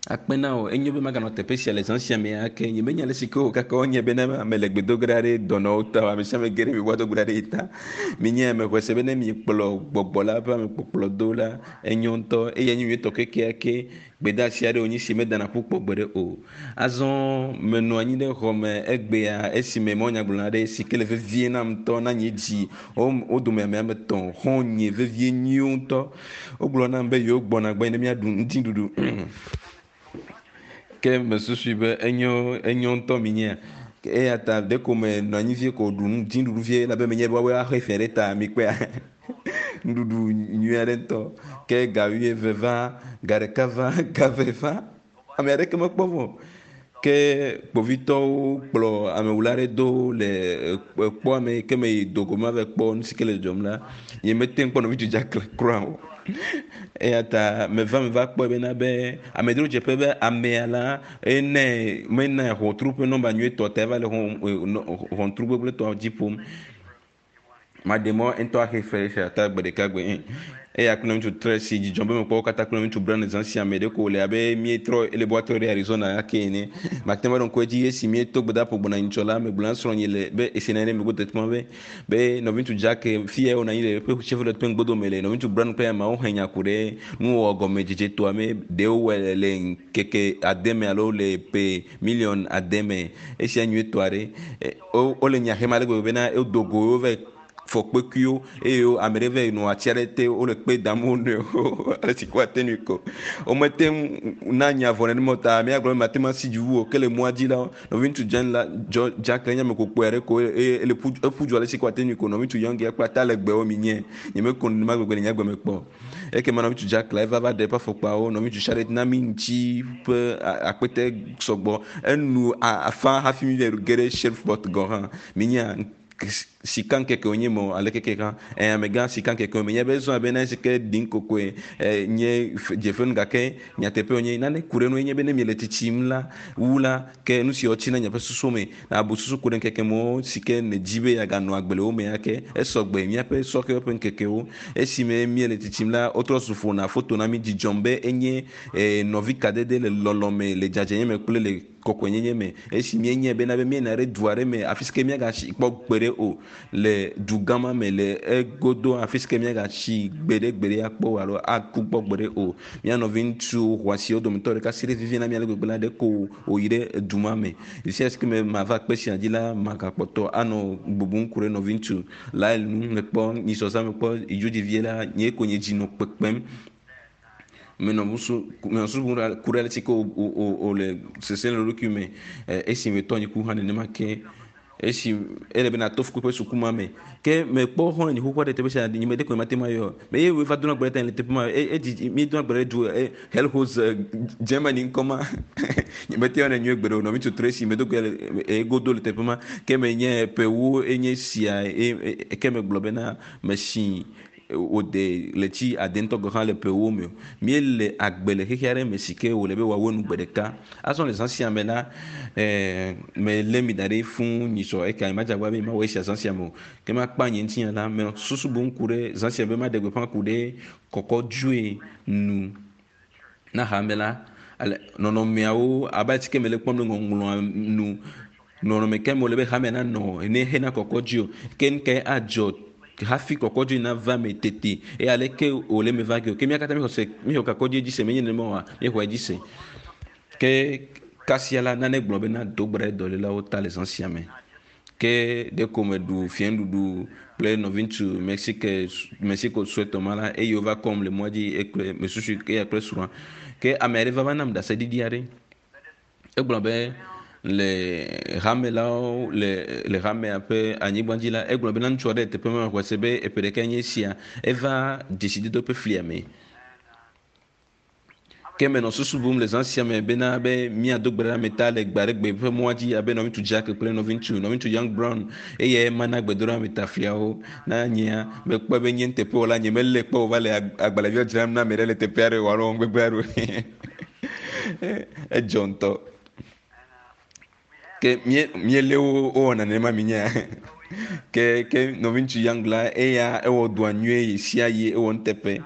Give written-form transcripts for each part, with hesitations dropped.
Akpe na wò. Enyo be maganɔ teƒe sia le zã sia me ake. Nyemenya ale si ke wò kaka wonye be ne ame le gbe do ge ɖa ɖe dɔnɔwo ta o. Ame sia ame ge ɖe mi woado gbe ɖa ɖe ye ta. Minye ame xɔe se be ne miekplɔ gbɔgbɔ la ƒe amekpɔkplɔ do la, enyo ŋutɔ eye enye nyuietɔ kekeake. Gbedeasi aɖe wònye si medana ƒu kpɔ gbeɖe o. Azɔ menɔ anyi ɖe xɔ me egbea esime mawunyagblɔla aɖe si ke le vevie nam ŋutɔ na nye dzi wo dome ame ame etɔ̃ xɔ̃nye vevie nyuiwo ŋutɔ. Wogblɔ nam be yewo gbɔna gbɔnye ne míaɖu ŋutiɖuɖu. Ke mesusui be enyo enyo ŋutɔ minyea. Eya ta ɖeko menɔ anyi vie ko ɖu ŋutiɖuɖu vie elabe menye be woawoe axe fe ɖe ta mikpɔea. Nuɖuɖu nyui aɖe ŋutɔ. Ke ga wuieve va, ga ɖeka va, ga eve va. Ame aɖeke mekpɔ vɔ o. Ke kpovitɔwo kplɔ amewula aɖe do le ekpɔa me ke meyi dogo me va kpɔ nu si ke le dzɔdzɔm la, nyemete ŋu kpɔ nɔvi Jack kura o. Eya ta meva meva kpɔe bena be amedzrodzeƒe be amea la ene mena ʋɔtru ƒe nɔmba nyuietɔ ta eva le ʋɔtru gbegblẽtɔ dzi ƒom. Maɖe mɔ ŋutɔ axe fe esia ta gbe ɖeka gbe. Eya kple ŋutsu tre si dzidzɔ be mekpɔ wo katã kple ŋutsu Brown zã sia me ɖeko wòle abe míetrɔ ele be woatrɔ ɖe Arizona ake ene. Mate ŋu aɖo ŋku edzi esi míeto gbedaƒo gbɔna nyitsɔ la, megblɔ na srɔ̃nye le be esi nɔ anyi ɖe megbe teƒe be be nɔviŋutsu Jack fi ya wònɔ anyi le eƒe Chevrolet ƒe ŋgbodome le nɔviŋutsu Brown kple ameawo he nya ku ɖe nuwɔwɔ gɔmedzedze toa me ɖe wowɔe le ŋkeke ade me alo le ƒe miliɔn ade me. Esia nyuietɔ aɖe. Wole nya hem ale gbegbe bena wodo go wova fɔ kpekuiwo eye ame ɖe va nɔ ati aɖe te wole kpe dam wo nɔewo ale si ko woate ŋui ko. Womete ŋu na nya vɔ nenema o ta amea gblɔ be mate ŋu asi dzi wu o ke le mɔa dzi la nɔviŋutsu Jen la John Jack nye ame kpokpɔe aɖe ko eye ele ƒu eƒu du ale si ko woate ŋui ko nɔviŋutsu Young ya kple ata legbewo mi nye nyemeko nenema gbegbe le nye agbe me kpɔ o. Ekema nɔviŋutsu Jack la eva va ɖe eƒe afɔkpawo nɔviŋutsu Charlotte na mi ŋuti ƒe akpete sɔgbɔ enu afã hafi mi va ge ɖe Shreveport gɔ̃ hã. Minya sika ŋkeke wonye me o ale keke hã ɛ amegã sika ŋkeke me nye be zɔn abe na si ke ɖim kokoe ɛ nye dzefenu gake nyateƒe wonye nane ku ɖe nu nye be ne miele tsitsim la wu la ke nu siwo tsina miaƒe susu me abu susu ku ɖe ŋkeke mewo si ke nèdi be yeaganɔ agbe le wo me ake esɔgbe míaƒe sɔhɛwo ƒe ŋkekewo esime míele tsitsim la wotrɔ zu ƒona foto na mí dzidzɔm be enye nɔvi kadede le lɔlɔ me le dzadzɛnye me kple le kɔkɔenyenye me esi míenyae bena be míeyina ɖe du aɖe me afi si ke míagatsi kpɔ gbeɖe o le du gã ma me le egodo afi si ke míagatsi gbeɖegbeɖe akpɔ o alo aku kpɔ gbeɖe o. Mía nɔvi ŋutsu xɔasiwo dometɔ ɖeka si ɖe vivi na mí ale gbegbe la ɖe ko wòyi ɖe du ma me. Sia si ke me mava kpe sia dzi la magakpɔtɔ anɔ bubum ku ɖe nɔvi ŋutsu Lyle ŋu mekpɔ nyisɔsã mekpɔ idzodzi la nye ko nye dzi nɔ kpekpem. Menɔ nusu menɔ susu bum ku ɖe ale si ke wòle sesem le eɖokui me esi metɔ nye ku hã nenema ke esi ele be nato fukpekpe suku ma me ke mekpɔ xɔlɔ̃ nye xoxo aɖe teƒe sia nye me ɖeko mate ŋu ayɔ me eye wòva dona gbe ɖe ta le teƒe ma edzi míedona gbe ɖe du Helhos Germany ŋkɔ ma nye mete ŋu yɔnɛ nyuie gbeɖe o nɔvi ŋutsu Tracy medo gbe le egodo le teƒe ma ke menye ƒewo enye sia ke megblɔ bena mesi wòde ɣleti ade ŋutɔ gɔ̃ hã le ƒewo me o. Míele agbe le xexe aɖe me si ke wòle be wòawɔ nu gbe ɖeka. Azɔ le zã sia me la, ɛɛ melé mi da ɖi fũu nyitsɔ eka nyemadze agbagba be mawɔ esia zã sia me o. Ke makpa nye ŋutinya la, menɔ susu bum ku ɖe zã sia be maɖe gbeƒã ku ɖe kɔkɔdzoe nu na hame la. Ale nɔnɔmeawo abe ale si ke mele kpɔm le ŋɔŋlɔa nu nɔnɔme ke me wòle be hamea nanɔ ene hena kɔkɔdzoe o. Ke nu kae adzɔ hafi kɔkɔdzoe nava me tete eye aleke wòle me va ge o. Ke mía katã míexɔ se míexɔ kɔkɔdzoe dzi se menye nenema oa míexɔe dzi se. Ke kasia la nane gblɔ bena do gbe ɖe dɔlélawo ta le zã sia me. Ke ɖeko meɖu fiẽnuɖuɖu kple nɔviŋutsu Mexique Mexico suetɔ ma la eye wova kɔm le mɔa dzi ekple mesusu eya kple srɔ̃a. Ke ame aɖe va va nam ɖaseɖiɖi aɖe. Egblɔ be le hamelawo le le hamea ƒe anyigba dzi la egblɔ bena ŋutsu aɖe le teƒe ma xɔe se be eƒe ɖeka nye esia eva dzesidodo ƒe flia me. Ke menɔ susu bum le zã sia me bena be míado gbe ɖe ame ta le gbe aɖe gbe ƒe mɔa dzi abe nɔviŋutsu Jack kple nɔviŋutsu nɔviŋutsu Young Brown eye mana gbedoɖa ame ta fliawo na nyea mekpɔe be nye nuteƒewɔla nye melé kpɔ wòva le agbalẽviwo dzram na ame ɖe le teƒe aɖe o alo wɔm gbegblẽ aɖe o. Edzɔ ŋutɔ. Ke mie miele wo wowɔna nenema mi nya. Ke ke nɔviŋutsu Young la eya ewɔ dɔa nyuie yi sia yi ewɔ nuteƒe.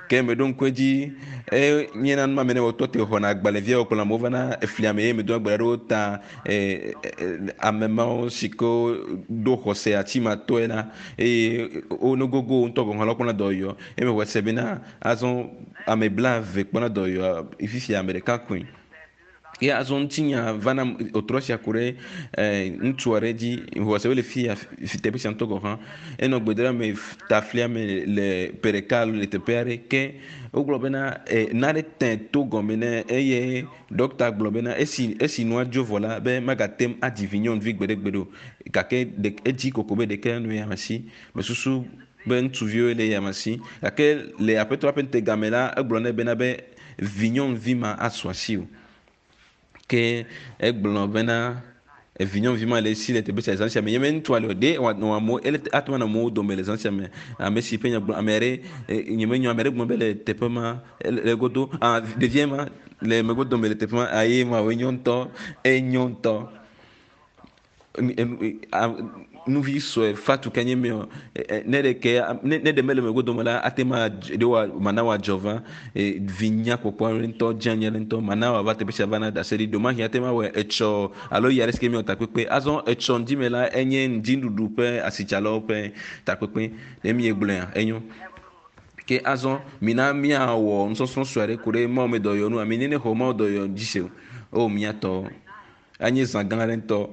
Ke meɖo ŋku edzi eye míena nu ma me ne wotɔ te xɔna agbalẽvia wokplɔ amewo vana eflia me eye medo agbalẽ ɖewo ta e, e, ame mawo si ke ɖo xɔse atimatɔe la eye wo nogogo ŋutɔ gɔ̃ hã la wokpɔna dɔyɔyɔ eye mexɔe se bena azɔ ame blaeve kpɔna dɔyɔyɔ fifia ame ɖeka koe. Ye azɔ ŋutinya va na wòtrɔ sia ku ɖe ŋutsu aɖe dzi xɔse wole fi ya fi teƒe sia ŋutɔ gɔ̃ hã. Enɔ gbedoɖa me ta flia me le ƒe ɖeka alo le teƒe aɖe ke wogblɔ bena nane te to gɔme nɛ eye ɖɔkita gblɔ bena esi esi nua dzo vɔ la be magate ŋu adzi vi nyɔnuvi gbeɖegbeɖe o gake ɖe edzi koko be ɖeke nu ya me si mesusu be ŋutsuviwo le ya me si gake le aƒetɔ ƒe ŋutegame la egblɔ nɛ bena be vi nyɔnuvi ma asu asi o. Ke egblɔ bena evi nyɔnuvi ma le esi le teƒe sia zã sia me nye me ŋutsua le o ɖe wòanɔ amewo ele ate ŋu anɔ amewo dome le zã sia me ame si ƒe nya gblɔ ame aɖe nye me nyɔ ame aɖe gblɔ be le teƒe ma le godo ah ɖevia ma le megbe dome le teƒe ma aye ma woe nyɔ ŋutɔ enyo ŋutɔ nuvi sue fatu ke nye mi o ne ɖeke ne ne ɖe mele megbe dome la ate ma ɖe wa mana wòadzɔ va vi nyakpɔkpɔ aɖe ŋutɔ dze anyi aɖe ŋutɔ mana wòava teƒe sia va na ɖase ɖi ɖomahi ate ma wɔe etsɔ alo yi aɖe si ke miwɔ takpekpe azɔ etsɔ ŋdi me la enye ŋdiɖuɖu ƒe asitsalawo ƒe takpekpe ne miegblɔea enyo ke azɔ mina miawɔ nusɔsrɔ̃ sue aɖe ku ɖe Mawu me dɔyɔ nu ami ne ne xɔ Mawu dɔyɔ dzi se o o miatɔ anye zã gã aɖe ŋutɔ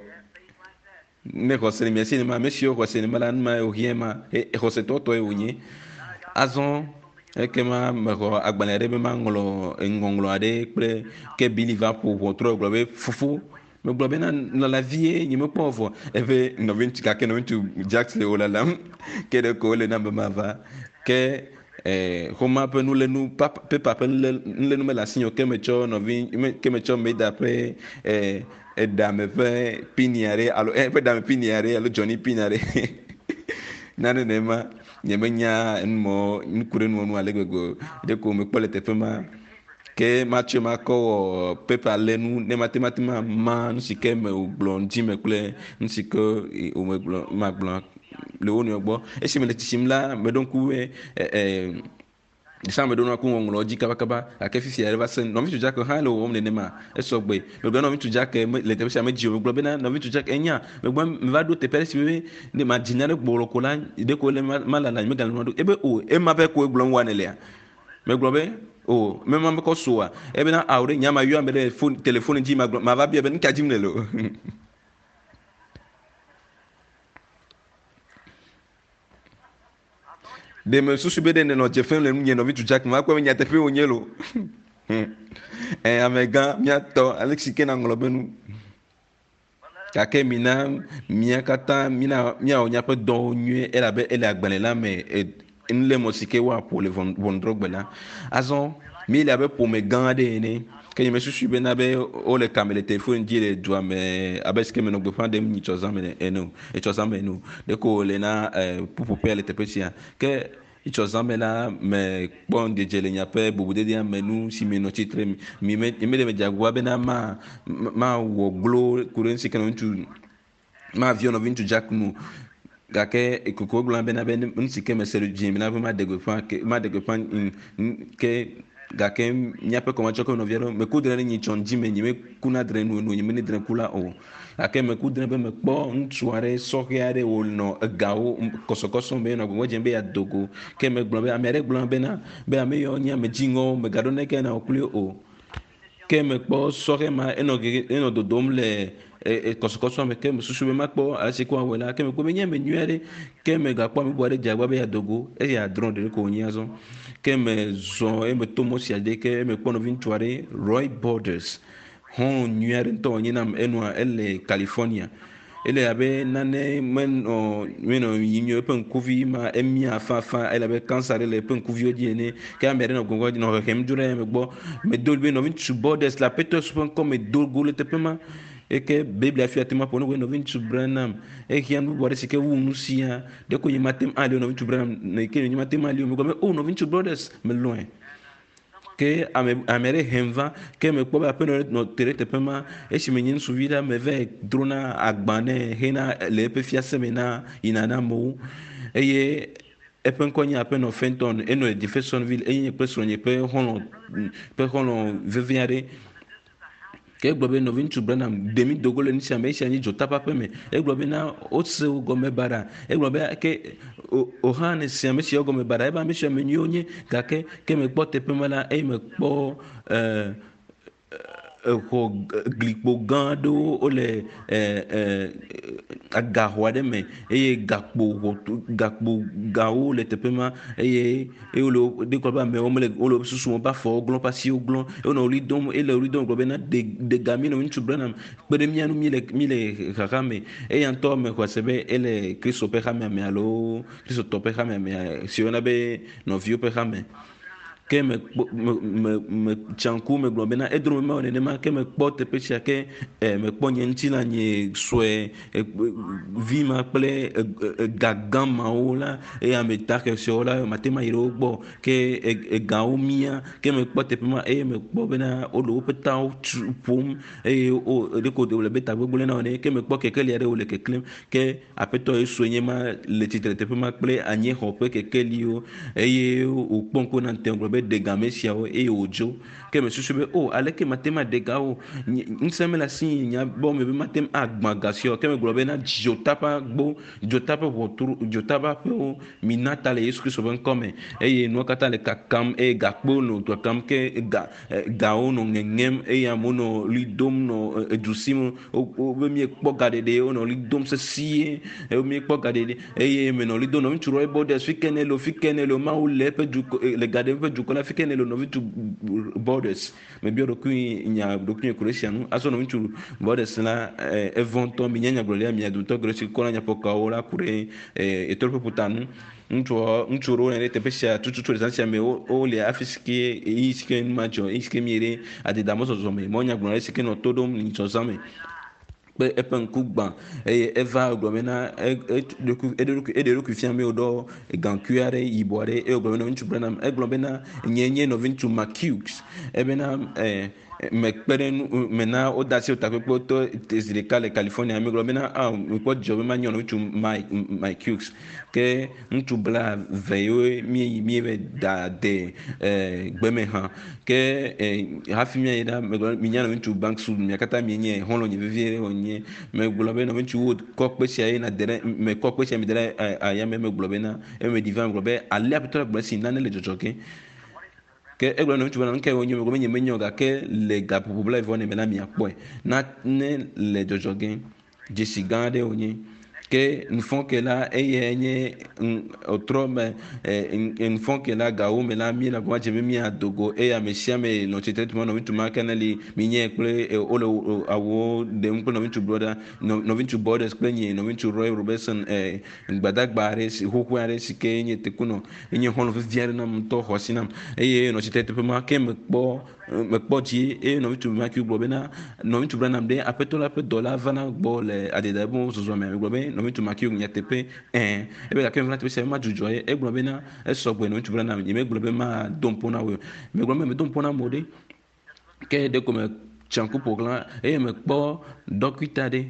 ne xɔse le mia si nema ame siwo xɔse nema la numa wòhiã ma xɔsetɔtɔe wònye azɔ ekema mexɔ agbalẽ aɖe be maŋlɔ ŋɔŋlɔ aɖe kple ke Bili va ƒo ʋɔtrɔ gblɔ be fofo megblɔ bena lala vie nye mekpɔ vɔ eƒe nɔviŋutsu gake nɔviŋutsu Jack le wo lalam ke ɖe ko wole na be mava ke xɔma ƒe nulenu pepa ƒe nulenu mele asinye o ke metsɔ nɔvi ke metsɔ Meda ƒe eɖame ƒe pini aɖe alo eƒe ɖame pini aɖe alo Johnny pini aɖe nane nema nye menya numɔ nuku ɖe nuwo nu ale gbegbe o ɖe ko mekpɔ le teƒe ma ke matsɔe makɔ wɔ pepa lenu ne mate mate ma ma nu si ke me wògblɔ ŋdi me kple nu si ke wòmegblɔ magblɔ le wo nɔewo gbɔ esi mele tsitsim la meɖo ŋku be ɖesa meɖo ŋku ŋɔŋlɔ dzi kabakaba gake fifia va se nɔviŋutsu Jack hã le wɔwɔm nenema esɔ gbe megblɔ nɔviŋutsu Jack le teƒe sia medzi o megblɔ bena nɔviŋutsu Jack enya megblɔ meva ɖo teƒe aɖe si be ne madzi nya ɖe gblɔ ko la ɖe ko le malala nye megale nua ɖo ebe o ema ƒe koe gblɔm wa nelea megblɔ be o mema mekɔ soa ebena awo ɖe nya ma yɔ ame ɖe phone telefone dzi magblɔ mava bia be nu ka dzim nele o ɖe me susu be ɖe nenɔ dze fem le nunye nɔviŋutsu Jack ma kpɔ be nyateƒe wònye lo ɛ amegã míatɔ ale si ke naŋlɔ be nu gake mina mía katã mina míawɔ míaƒe dɔwo nyuie elabe ele agbalẽ la me nulémɔ si ke woaƒo le ʋɔnudrɔ̃gbe la azɔ míele abe ƒome gã aɖe ene ke nye mesusu bena be wole kame le telefone dzi le dua me abe si ke menɔ gbeƒã ɖem nyitsɔ zã me ene o etsɔ zã me ene o ɖeko wòle na ƒuƒoƒea le teƒe sia ke etsɔ zã me la mekpɔ ŋudzedze le miaƒe bubudedea me nu si menɔ tsitre mi me mi meɖe medze agbagba bena ma mawɔ glo ku ɖe nu si ke nɔviŋutsu maviɔ nɔviŋutsu Jack nu gake koko gblɔ bena be nu si ke mese ɖe dzi bena be maɖe gbeƒã ke maɖe gbeƒã ke gake míaƒe kɔmatsɔke nɔvia ɖewo meku dre ɖe nyitsɔ ŋdi me nye mekuna dre nu enu nye mene dre ku la o gake meku dre be mekpɔ ŋutsu aɖe sɔhɛ aɖe wònɔ egawo kɔsɔkɔsɔ me nɔ gbɔgbɔ dzem be yeado go ke megblɔ be ame aɖe gblɔ bena be ame yawo nye ame dziŋɔwo megaɖo neke na wò kpli o ke mekpɔ sɔhɛ ma enɔ gege enɔ dodom le kɔsɔkɔsɔ me ke mesusu be makpɔ ale si ko awɔe la ke mekpɔ be nye ame nyui aɖe ke megakpɔ ame bubu aɖe dze agbagba be yeado go eye adrɔ̃ ɖeɖe ko wònye azɔ ke mezɔ eye meto mɔ sia dzi ke mekpɔ nɔviŋutsu aɖe Roy Borders hɔn nyui aɖe ŋutɔ wònye nam enɔa ele California ele abe nane menɔ menɔ yiyim nyuie eƒe ŋkuvi ma emia fafa ele abe cancer ɖe le eƒe ŋkuviwo dzi ene ke ame aɖe nɔ gbɔgbɔ nɔ hehem dzo ɖe eme gbɔ medo be nɔviŋutsu Borders le aƒetɔ ƒe ŋkɔ me do go le teƒe ma eke Biblia fia te ma ƒo nu be nɔviŋutsu Branham ehiã nu bubu aɖe si ke wu nu sia ɖeko nye mate ŋu ali o nɔviŋutsu Branham ke nye mate ŋu ali o megblɔ be o nɔviŋutsu Borders melɔ̃e. Ke ame ame aɖe hem va ke mekpɔ be aƒenɔ ɖe nɔ te ɖe teƒe ma esime nye ŋutsuvi la meva drona agba nɛ hena le eƒe fiase me na yina na amewo eye eƒe ŋkɔ nye aƒenɔ Fenton enɔ le Jeffersonville eye nye kple srɔ̃nye ƒe xɔlɔ̃ ƒe xɔlɔ̃ vevi aɖe. Ke egblɔ be nɔviŋutsu Branham ɖe mi dogo le nu sia me esia nye dzota ƒe aƒe me. Egblɔ be na wose wo gɔme baɖa. Egblɔ be ke o hã ne se ame siawo gɔme baɖa ebe ame siawo ame nyuiwo nye gake ke mekpɔ teƒe ma la eye mekpɔ exɔ glikpo gã aɖewo wole agaxɔ aɖe me eye gakpo ʋɔtru gakpo gawo le teƒe ma eye eye wole ɖe kɔ be amewo mele wole woƒe susu woƒe afɔwo glɔ̃ woƒe asiwo glɔ̃ eye wonɔ ɣli dom ele ɣli dom gblɔ bena ɖe ɖe ga mi nɔ ŋutsu Branham kpe ɖe mía ŋu míele míele xaxa me eya ŋutɔ mexɔe se be ele Kristo ƒe hamea me alo Kristotɔ ƒe hamea me si woyɔna be nɔviwo ƒe hame. Ke mekpɔ me me metsa ŋku megblɔ bena edro me mewɔ nenema ke mekpɔ teƒe sia ke e mekpɔ nye ŋutilã nye sue vi ma kple ega gã mawo la eye ame dahe siawo la mate ŋu ayi ɖe wo gbɔ ke egawo mia ke mekpɔ teƒe ma eye mekpɔ bena wole woƒe tawo tu ƒom eye wo ɖeko wòle be tagbegblẽ na wo ene ke mekpɔ kekeli aɖe wole keklẽm ke aƒetɔ Yesue nye ma le tsitre teƒe ma kple anyixɔ ƒe kekeliwo eye wòkpɔ ŋku na ŋutɛ gblɔ be ɖe ga ame siawo eye wòdzo. Ke mesusu be o aleke mate ŋu aɖe ga wo? Ŋusẽ mele asi nya gbɔ me be mate ŋu agbã ga siawo. Ke megblɔ be na dzota ƒe agbo, dzota ƒe ʋɔtru, dzota ƒe aƒewo mina ta le Yesu Kristo ƒe ŋkɔ me eye nuwo katã le kakam eye gakpowo nɔ kakam ke ga gawo nɔ ŋeŋem eye amewo nɔ ɣli dom nɔ edu sim wobe miekpɔ ga ɖeɖe wonɔ ɣli dom sesĩe eye miekpɔ ga ɖeɖe eye menɔ ɣli dom nɔviŋutsu Roy Borders fi ke ne le fi ke ne le Mawu le eƒe dukɔ le ga ɖem eƒe dukɔ la fi ke ne le nɔviŋutsu Borders mebiɔ ɖokui nya ɖokui ku ɖe esia ŋu azɔ nɔviŋutsu Borders la evɔ̃ ŋutɔ minya nyagblɔɖia mia dometɔ geɖe si kɔna nyaƒokawo la ku ɖe ɣetoɖoƒe ƒuta ŋu. Ŋutsua ŋutsu ɖewo nɔ ɖe teƒe sia tututu le zã sia me wole afi si ke ɣeyiɣi si ke nu ma dzɔ ɣeyiɣi si ke míeyi ɖe adedamɔzɔzɔ me. Mawunyagblɔla aɖe si ke nɔ to ɖom le nyitsɔ zã me kple eƒe ŋku gbã eye eva gblɔ bena eɖe eɖokui fia be wòɖɔ gaŋkui aɖe yibɔ aɖe eye wògblɔ be nɔviŋutsu Branham egblɔ bena nye nye nɔviŋutsu McHughes ebena mekpe ɖe nu mena wode asi takpekpewo to zi ɖeka le California. Megblɔ bena ah mekpɔ dzidzɔ be manye ŋutsu Mike Mike Hughes. Ke ŋutsu bla ve yewoe míeyi míeve da de gbeme hã. Ke hafi míayi ɖa megblɔ minya nɔviŋutsu Banks Wood mia katã mienye xɔlɔ̃nye vevie ɖe wònye. Megblɔ be nɔviŋutsu Wood kɔ kpe sia ye nàde ɖe mekɔ kpe sia mi da ɖe ayame megblɔ bena eme ɖi va megblɔ be alea Aƒetɔ la gblɔ esi nane le dzɔdzɔ ge. Ke egblɔ na ŋutsu bena, nu kae wònye? Megblɔ be nyemenye o gake le gaƒoƒo blaeve me la miakpɔe. Nane le dzɔdzɔ ge. Dzesi gã aɖe wònye. Ke nufɔke la eyae nye ɔtrɔ me nufɔke la gawo me la míele agbagba dzem be míado go eye ame sia ame nɔ tsitre ɖe nɔviŋutsu ma ke ne li minye kple wole awuwo ɖem kple nɔviŋutsu brɔda nɔviŋutsu Borders kple nye nɔviŋutsu Roy Robertson gbadagba aɖe si xoxoe aɖe si ke nye tekunɔ enye xɔlɔ̃ vevi aɖe nam ŋutɔ xɔ asi nam eye nɔ tsitre teƒe ma ke mekpɔ mekpɔ dzi eye nɔviŋutsu Matthew gblɔ bena nɔviŋutsu Branham ɖe aƒetɔ la ƒe dɔla vana gbɔ le adeda ƒe zɔzɔ me megblɔ be nɔviŋutsu Matthew nyateƒe ɛ ebe gake meva teƒe sia madzudzɔ ye egblɔ bena esɔ gbe nɔviŋutsu Branham nyemegblɔ be mado ŋpo na wò megblɔ be medo ŋpo na amewo ɖe ke ɖeko metsa ŋku ƒo xlã eye mekpɔ ɖɔkita ɖe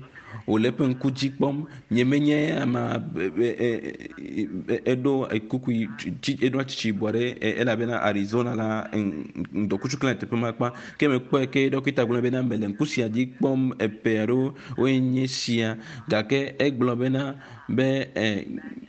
wòle eƒe ŋku dzi kpɔm. Nyemenye amea eɖo kuku eɖo tsitsi yibɔ ɖe elabena Arizona la ŋdɔkutsu klẽ le teƒe ma kpa. Ke mekpɔe ke ɖɔkita gblɔ bena mele ŋku sia dzi kpɔm eƒe aɖewo woe nye sia gake egblɔ bena be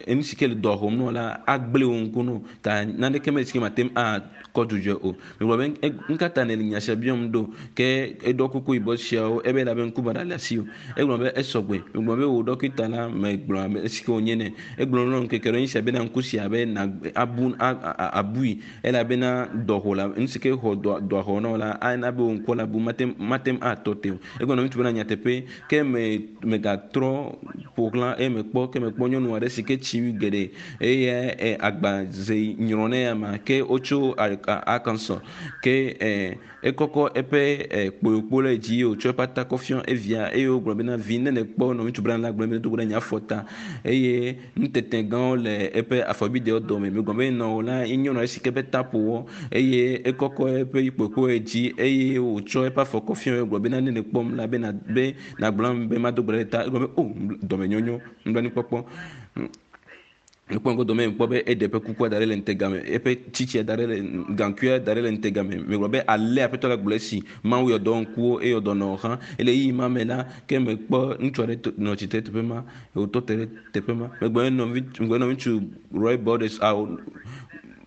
enu si ke le dɔ xɔm nɔ la agblẽ wò ŋku nɔ ta naneke meli si ke mate ŋu akɔ dzudzɔe o. Megblɔ be nu ka ta nèle nya sia biɔm ɖo? Ke eɖɔ kuku yibɔ siawo ebe elabe ŋku baɖa le asiwò. Egblɔ be esɔgbe. Megblɔ be wò ɖɔkita la megblɔ ame si ke wònye nɛ. Egblɔ na ŋkeke ɖe sia bena ŋku sia be na abu abui elabena dɔxɔ la nu si ke xɔ dɔa dɔa xɔ na wò la ana be wò ŋkua la bu mate mate ŋu atɔ te o. Egblɔ na ŋutsu bena nyateƒe ke me megatrɔ ƒo ƒo xlã eye mekpɔ ke mekpɔ nyɔnu aɖe si ke tsi wu geɖe eye e, agbaze nyrɔ ne ama ke wotso Arkansas ke e, ekɔkɔ eƒe e, kpoyokpo ɖe dzi eye wòtsɔ eƒe ata kɔ fiɔ evia eye wogblɔ bena vi ne nèkpɔ nɔviŋutsu Branham la gblɔ be do go ɖe nye afɔ ta eye nutete gãwo le eƒe afɔbidewo dome. Megblɔ be nɔwò la ye nyɔnu aɖe si ke ƒe ta ƒo wɔ eye ekɔkɔ eƒe kpoyokpo ɖe dzi eye wòtsɔ eƒe afɔ kɔ fiɔ gblɔ bena ne nèkpɔm la be na be nagblɔ nam be mado gbe ɖe ta. Egblɔ be o dɔmenyonyo nublanuikpɔkpɔ. Mekpɔ ŋgɔdome mekpɔ be eɖe eƒe kukua da ɖe le ŋutega me, eƒe tsitsia da ɖe le gaŋkuia da ɖe le ŋutega me. Megblɔ be ale aƒetɔ la gblɔ esi Mawu yɔ dɔ ŋkuwo eye dɔ nɔ hã. Ele ɣeyiɣi ma me la, ke mekpɔ ŋutsu aɖe nɔ tsitre ɖe teƒe ma, wòtɔ te ɖe teƒe ma. Megblɔ ne nɔvi megblɔ ne nɔviŋutsu Roy Borders awo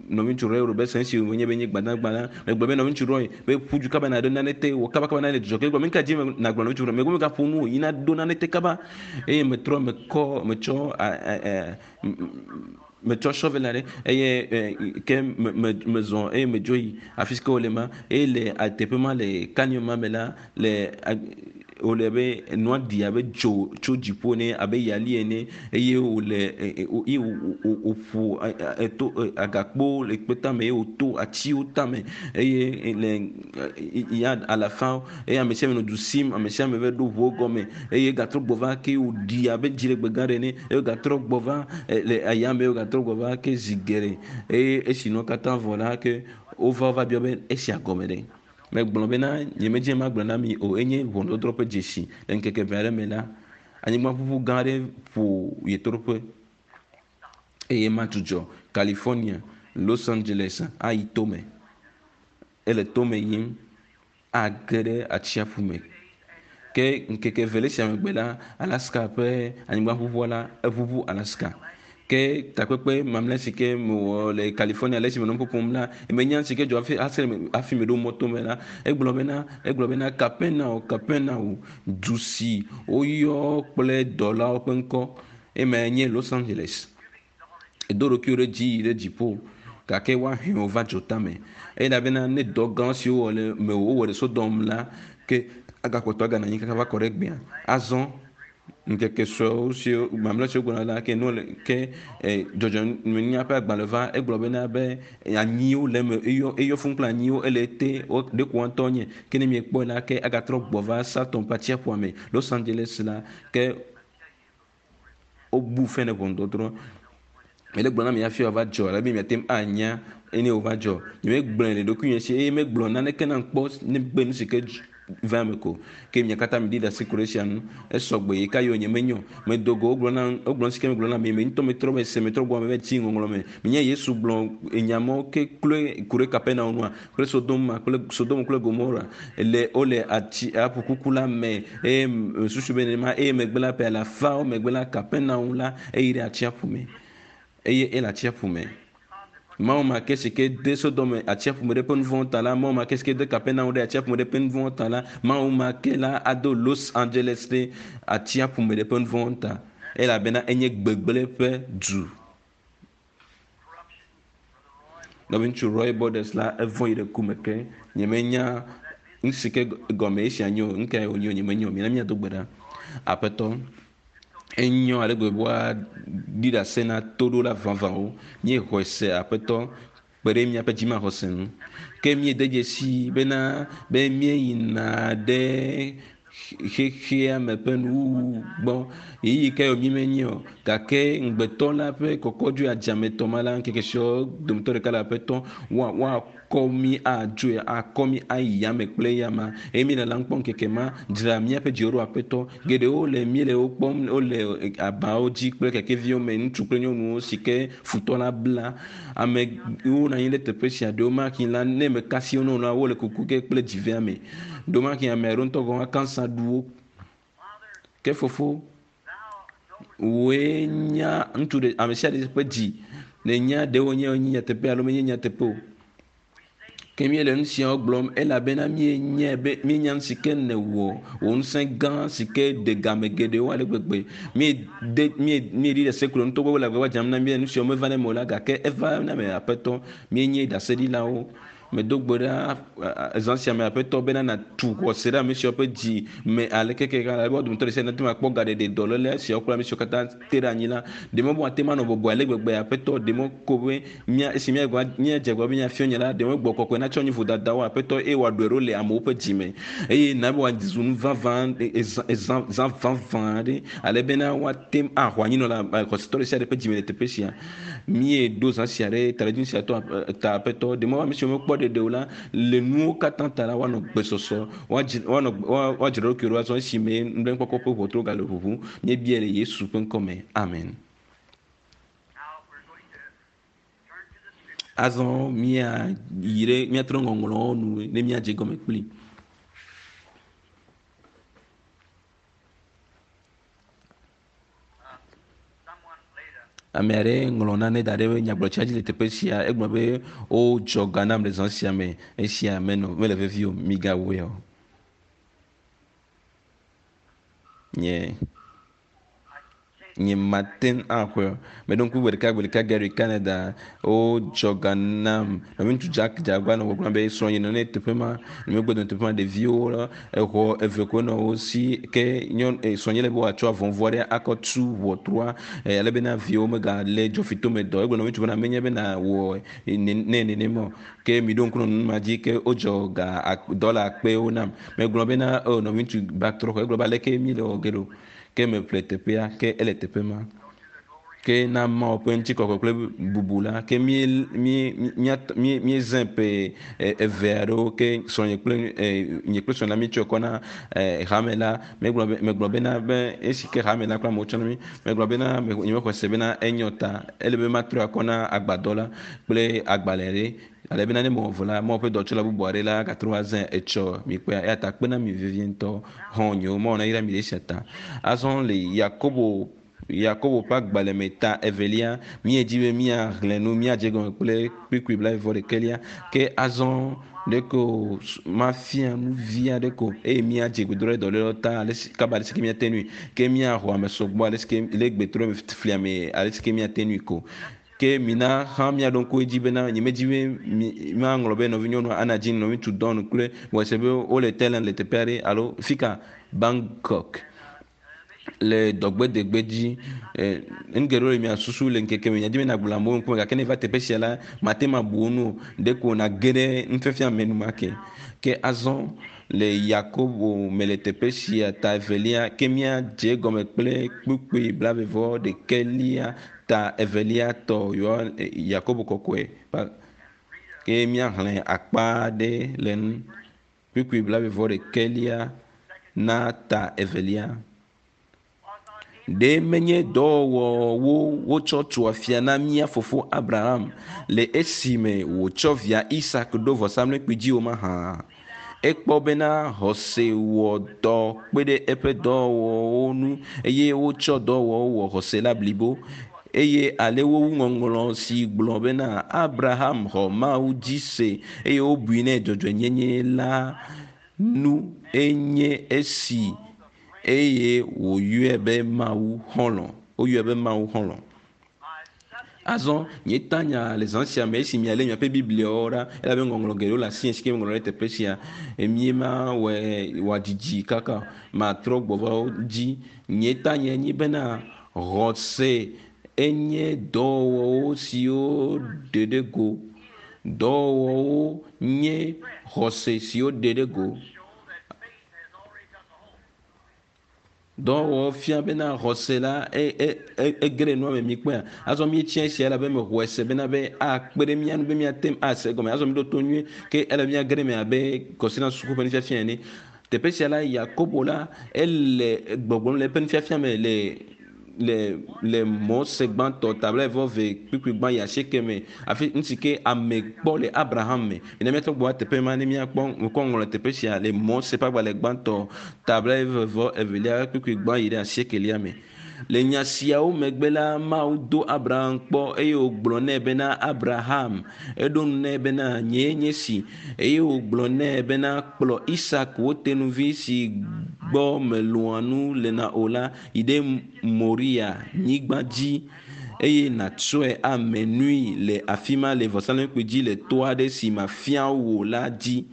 nɔviŋutsu Roy Robertson esi wònye be nye gbadagba la, megblɔ be nɔviŋutsu Roy be ƒu du kaba nàɖo nane te, wɔ kaba kaba na le dzidzɔ ke. Egblɔ be nu ka dzi nàgblɔ nɔviŋutsu Roy? Megblɔ be megaƒo nu o, yi naɖo nane te kaba. Eye metrɔ mekɔ metsɔ metsɔ shovel aɖe eye e, ke me me mezɔ eye medzo yi afi si ke wole ma eye le teƒe ma le canyon ma me la le wòle be nua ɖi abe dzo tso dziƒo ene abe yali ene eye wòle eye wòƒo eto agakpo le kpe tame eye wòto atiwo tame eye le ya alafa eye ame sia ame nɔ du sim ame sia ame va ɖo ʋuwo gɔme eye gatrɔ gbɔ va ke wòɖi abe dziɖegbe gã ɖe ene eye gatrɔ gbɔ va le ayame eye gatrɔ gbɔ va ke zi geɖe eye esi nua katã vɔ la ke wova wova biɔ be esia gɔme ɖe. Megblɔ bena nyemedze magblɔ na mi o enye ʋɔnudɔdrɔ̃ ƒe dzesi le ŋkeke eve aɖe me la anyigbaʋuʋu gã aɖe ƒo ɣetoɖoƒe eye madzudzɔ California, Los Angeles ayi tome. Ele tome yim age ɖe atsiaƒu me. Ke ŋkeke eve le esia megbe la, Alaska ƒe anyigbaʋuʋua la eʋuʋu Alaska. Ke takpekpe mamlɛ si ke mewɔ le California le esime nɔ nu ƒom la, menya si ke dzɔ hafi hafi hafi meɖo mɔto me la, egblɔ bena egblɔ bena Kapernaum Kapernaum du si woyɔ kple dɔlawo ƒe ŋkɔ emae nye Los Angeles. Edo ɖokuiwo ɖe dzi yi ɖe dziƒo gake woahe wò va dzotame. Elabena ne dɔ gã siwo wowɔ le mewò wowɔ ɖe Sodom la ke agakpɔtɔ aganɔ anyi kaka va kɔ ɖe egbea. Azɔ ŋkeke suewo siwo mamlɛ siwo gbɔna la ke nu le ke e, dzɔdzɔmenunya ƒe agbalẽ va egblɔ bena be anyiwo le eme eyɔ eyɔ fũu kple anyiwo ele ete ɖeko woa ŋutɔ nye ke ne miekpɔe la ke agatrɔ gbɔ va Saturn ƒe atsiaƒua me Los Angeles la ke wobu fɛ ne ʋɔnudɔdrɔ̃. Mele gblɔ na mi hafi wòava dzɔ ale be miate ŋu anya ene wòva dzɔ. Nyemegblɔe le ɖokuinye si eye megblɔ naneke nam kpɔ negbe nu si ke va eme ko. Ke mia katã miɖi ɖase ku ɖe esia ŋu. Esɔ gbe yi ka yi nye menyo. Medo go wogblɔ na wogblɔ nu si ke megblɔ na mi. Me ŋutɔ metrɔ be se metrɔ gbɔ me va tsi ŋɔŋlɔ me. Menye Yesu gblɔ enya mawo ke kloe ku ɖe Kapernaum nua kple Sodom kple Sodom kple Gomora le wole atsi aƒu kuku la me eye susu be nenema eye megbe la ƒe alafawo megbe la Kapernaum la eyi ɖe atsiaƒu me eye ele atsiaƒu me. Mawu ma ke si ke de Sodom atsiaƒu me ɖe eƒe nu vɔ̃wo ta la, Mawu ma ke si ke de Kapernaum ɖe atsiaƒu me ɖe eƒe nu vɔ̃wo ta la, Mawu ma ke la ado Los Angeles ɖe atsiaƒu me ɖe eƒe nu vɔ̃wo ta elabena enye gbegblẽ ƒe du. Nɔviŋutsu Roy Borders la evɔ̃ yi ɖe ku me ke nyemenya nu si ke gɔme esia nye o, nu kae wònye o nyemenya o. Mina míado gbe ɖa. Aƒetɔ, enyo ale gbegbe be woaɖi ɖase na toɖola vavãwo. Míexɔe se Aƒetɔ kpe ɖe míaƒe dzimaxɔse ŋu. Ke míede dzesi bena be míeyina ɖe xexea me ƒe nuwuwu gbɔ. Ɣeyiɣi kae wònye menye o gake ŋugbetɔ la ƒe kɔkɔdzoe adzametɔ ma la ŋkeke siawo dometɔ ɖeka le aƒetɔ woa woakɔ mí adzoe akɔ mí ayi yame kple eyama eye míele la kpɔm ŋkeke ma dzra míaƒe dziwo ɖo aƒetɔ geɖewo le míele wo kpɔm wole abawo dzi kple kekeviwo me ŋutsu kple nyɔnuwo si ke futɔ la bla amewo nɔ anyi ɖe teƒe sia ɖewo maki la ne mekasi wo nɔ la wole kuku ge kple dzivea me ɖewo ame aɖewo ŋutɔ gɔ̃ hã kansa ɖu wo ke fofo wòe nya ŋutsu ɖe ame sia ɖe ƒe dzi nènya ɖewo nye nye nyateƒe alo menye nyateƒe o. Ke míele nu siawo gblɔm elabena míenyae be míenya nu si ke nèwɔ wò ŋusẽ gã si ke de game geɖewo ale gbegbe. Míede míe míeɖi ɖase kplɔ ŋutɔ gbɔ le agbagba dzem na mí nu siawo meva na eme o la gake eva na eme aƒetɔ. Míenye ɖaseɖilawo. Medo gbe ɖa zã sia me aƒetɔ bena nàtu xɔse ɖe ame siawo ƒe dzi me ale keke ale be wo dometɔ ɖe sia ɖe nate ŋu akpɔ gaɖeɖe dɔléle siawo kple ame siwo katã te ɖe anyi la. Ɖe mɔ be woate ŋu anɔ bɔbɔe ale gbegbe aƒetɔ ɖe mɔ ko be mía esi míagba míadze agbagba be míafiɔ nye la ɖe mɔ gbɔ kɔkɔe natsɔ nyi vodadawo aƒetɔ eye wòaɖɔe ɖo le amewo ƒe dzi me eye na be wòazu nu vavã ezã ezã zã vavã aɖe ale bena woate ŋu axɔ anyinɔ le xɔsetɔ ɖe sia ɖe ƒe dzi me le teƒe sia. Míeɖo zã sia ɖe taɖodzinu sia tɔ ta aƒetɔ ɖe mɔ ame siwo mekpɔ ɖeɖe o la le nuwo katã ta la woanɔ gbesɔsɔ woadzi woanɔ woadzra ɖokuiwo ɖo azɔ esime nublanuikpɔkpɔ ƒe ʋɔtruwo gale ʋuʋu. Míebia le Yesu ƒe ŋkɔ me. Amen. Azɔ míayi ɖe míatrɔ ŋɔŋlɔwo nu ne míadze gɔme kpli. Ame aɖe ŋlɔ nane da ɖe nyagblɔtsia dzi le teƒe sia. Egblɔ be wodzɔ ga nam le zã sia me. Esia menɔ mele vevi o. Migawɔe o. Nye nye mate ŋu axɔe o. Meɖo ŋku gbe ɖeka gbe ɖeka Gary Canada wodzɔ ga nam. Nɔviŋutsu Jack dze agbagba nɔ gbɔgblɔm be srɔ̃nye nɔ ne teƒe ma. Megbe dome teƒe ma ɖeviwo la exɔ eve koe nɔ wo si ke nyɔnu srɔ̃nye le be wòatsɔ avɔvu aɖe akɔ tu ʋɔtrua ale bena viwo megalé dzɔfitome dɔ. Egblɔ nɔviŋutsu bena menye be nawɔ ne nenema o. Ke miɖo ŋku nɔ nu ma dzi ke wodzɔ ga dɔla akpewo nam. Megblɔ bena o nɔviŋutsu batrɔ xɔ. Egblɔ be aleke míele wɔ ge ɖo. Ke meƒle teƒea ke ele teƒe ma. Ke na Mawu ƒe ŋutikɔkɔe kple bubu la, ke mí mí mía mí míezẽ ƒe eve aɖewo ke srɔ̃nye kple nye kple srɔ̃nye la míetsɔe kɔ na hame la. Megblɔ be megblɔ bena be esi ke hame la kple amewo tsɔ na mí. Megblɔ bena nyemexɔe se bena enyo ta. Ele be matrɔe akɔ na agbadɔ la kple agbalẽ ɖe ale bena ne mewɔ vɔ la, Mawu ƒe dɔtsɔla bubu aɖe la agatrɔ va zãe etsɔ mikpɔea. Eya ta kpe na mi vevie ŋutɔ. Xɔ̃nyewo, Mawu nayra mi ɖe esia ta. Azɔ le Yakobo Yakobo ƒe agbalẽ me ta evelia, míedi be míaxlẽ nu, míadze egɔme kple kpukpui blaeve-vɔ-ɖekɛlia. Ke azɔ ɖeko mafia nu vi aɖe ko eye míadze gbedoɖa ɖe dɔlélewo ta ale si kaba ale si ke míate ŋui. Ke míaxɔ ame sɔgbɔ ale si ke le gbetrɔ flia me ale si ke míate ŋui ko. Ke mina hã míaɖo ŋku edzi bena nyemedi be maŋlɔ be nɔvinyɔnua Anna Jean, nɔviŋutsu Don kple Wese be wole Thailand le teƒe aɖe alo fika Bangkok le dɔgbedegbe dzi. Nu geɖewo le mia susu le ŋkeke me. Nyadi be nagblɔ amewo ŋkume gake ne va teƒe sia la, mate ŋu abu wo nu o. Ɖeko nàge ɖe nufiafia me enumake. Ke azɔ le Yakobo me le teƒe sia ta evelia, ke míadze egɔme kple kpukpui blaeve-vɔ-ɖekɛlia ta evelia tɔ Yakobo kɔkɔe. Ke míaxlẽ akpa aɖe le nu. Kpukpui blaeve-vɔ-ɖekɛlia na ta evelia. Ɖe menye dɔwɔwɔwo wotsɔ tu afia na mía fofo Abraham le esime wòtsɔ via Isak ɖo vɔsamlekpui dzi o mahã? Ekpɔ bena xɔse wɔ dɔ kpe ɖe eƒe dɔwɔwɔwo ŋu eye wotsɔ dɔwɔwɔwo wɔ xɔse la blibo. Eye ale wowu ŋɔŋlɔ si gblɔ bena Abraham xɔ Mawu dzi se eye wobui nɛ dzɔdzɔenyenye la nu enye esi eye wòyɔe be Mawu xɔlɔ̃. Woyɔe be Mawu xɔlɔ̃. Azɔ nye tanya le zã sia me esi mialé miaƒe Bibliawo ɖa elabe ŋɔŋlɔ geɖewo le asinye si ke meŋlɔ ɖe teƒe sia. Míema wɔe wòadidi kaka matrɔ gbɔ va wo dzi. Nye tanya nye bena xɔse enye dɔwɔwɔwo siwo ɖe ɖe go. Dɔwɔwɔwo nye xɔse siwo ɖe ɖe go. Dɔwɔwɔ fia bena xɔse la ege ɖe nua me mikpɔea. Azɔ míetsia esia elabe mexɔe se bena be akpe ɖe mía ŋu be míate ŋu ase egɔme. Azɔ míɖo to nyuie ke ele be míage ɖe eme abe Kɔsina suku ƒe nufiafia ene. Teƒe sia la, Yakobo la ele gbɔgblɔm le eƒe nufiafia me le le le Mose gbãtɔ ta blaeve-vɔ-eve kpukpui gbã yi asieke me afi nu si ke ame kpɔ le Abraham me. Mina míatrɔ gbɔ va teƒe ma ne míakpɔ ŋkɔ ŋlɔ le teƒe sia le Mose ƒe agbalẽ gbãtɔ ta blaeve-vɔ-evelia kpukpui gbã yi ɖe asiekelia me. Le nya siawo megbe la, Mawu do Abraham kpɔ eye wògblɔ nɛ bena, Abraham! Eɖo ŋu nɛ bena, Nyee nye esi. Eye wògblɔ nɛ bena, Kplɔ Isak, wò tenuvi si gbɔ mèlɔ̃a nu lena o la, yi ɖe Moria nyigba dzi. eye nàtsɔe ame nui le afi ma le vɔsamlekpui dzi le to aɖe si mafia wò la dzi.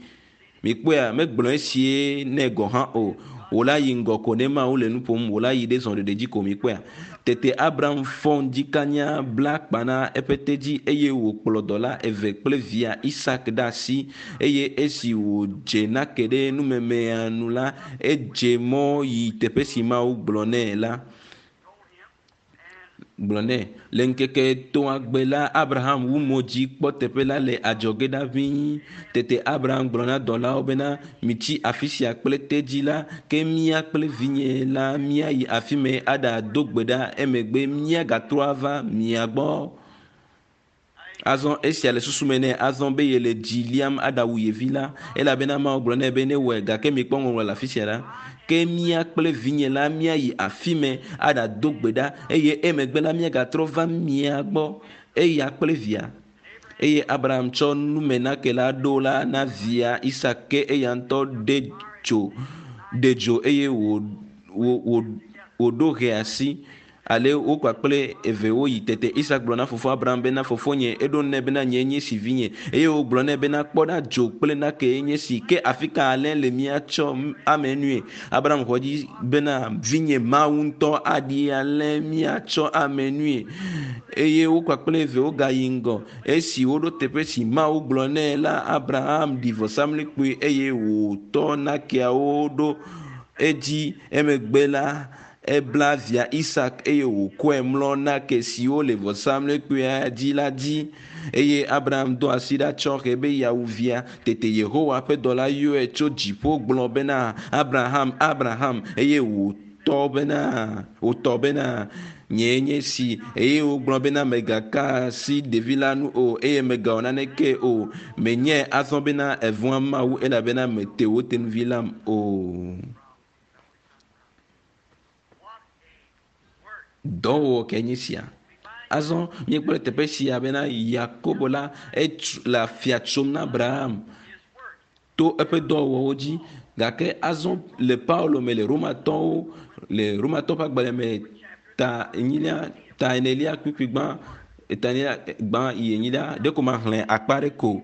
Mikpɔea, megblɔ esie nɛ gɔ̃ hã o. Wò la yi ŋgɔ ko ne Mawu le nu ƒom, wò la yi ɖe zɔɖeɖe dzi ko mikpɔea. Tete Abraham fɔ ŋdikanya bla akpa na eƒe tedzi eye wòkplɔ dɔla eve kple via Isak ɖe asi eye esi wòdze nake ɖe numemea nu la, edze mɔ yi teƒe si Mawu gblɔ nɛ la gblɔ nɛ. Le ŋkeke etɔ̃a gbe la, Abraham wu mo dzi kpɔ teƒe la le adzɔge ɖa ʋĩi. Tete Abraham gblɔ na dɔlawo bena, mitsi afi sia kple tedzi la, ke mía kple vinye la míayi afi mɛ aɖado gbe ɖa emegbe míagatrɔ ava mia gbɔ. Azɔ esia le susu me nɛ azɔ be yele dzi liam aɖawu ye vi la elabena Mawu gblɔ nɛ be newɔe gake mikpɔ ŋɔŋlɔ le afi sia ɖa. Ke mía kple vinye la míayi afi mɛ aɖado gbe ɖa eye emegbe la míagatrɔ va mia gbɔ eya kple via. Eye Abraham tsɔ numenake la ɖo la na via Isak ke eya ŋutɔ ɖe dzo ɖe dzo eye wò wò wòɖo hɛ asi ale wo kpakple eve woyi tete Isak gblɔ na fofoa Abraham bena fofonye eɖo nɛ bena nye nye si vinye eye wògblɔ nɛ bena kpɔ ɖa dzo kple nake nye si ke afi ka alẽ le míatsɔ ame nue Abraham xɔ dzi bena vinye Mawu ŋutɔ aɖi alẽ míatsɔ ame nue eye wo kpakple eve wogayi ŋgɔ esi woɖo teƒe si Mawu gblɔ nɛ la Abraham ɖi vɔsamlekpui eye wòtɔ nakeawo ɖo edzi emegbe la ebla via Isak eye wòkɔe mlɔ nake siwo le vɔsamlekpuia dzi la dzi eye Abraham do asi ɖa tsɔ hɛ be yeawu via tete Yehowa ƒe dɔla yɔe tso dziƒo gblɔ bena Abraham Abraham eye wòtɔ bena wòtɔ bena nyee nye si eye wògblɔ bena mègaka asi ɖevi la nu o eye mègawɔ naneke o menyae azɔ bena èvɔ̃a Mawu elabena mète wò tenuvi lam o. Dɔwɔwɔ ke nye sia. Azɔ míekpɔ le teƒe sia bena Yakobo la etu le afia tsom na Abraham to eƒe dɔwɔwɔwo dzi gake azɔ le Paulo me le Romatɔwo le Romatɔwo ƒe agbalẽ me ta enyilia ta enelia kpukpui gbã ta enelia gbã yi enyilia ɖeko maxlẽ akpa ɖe ko.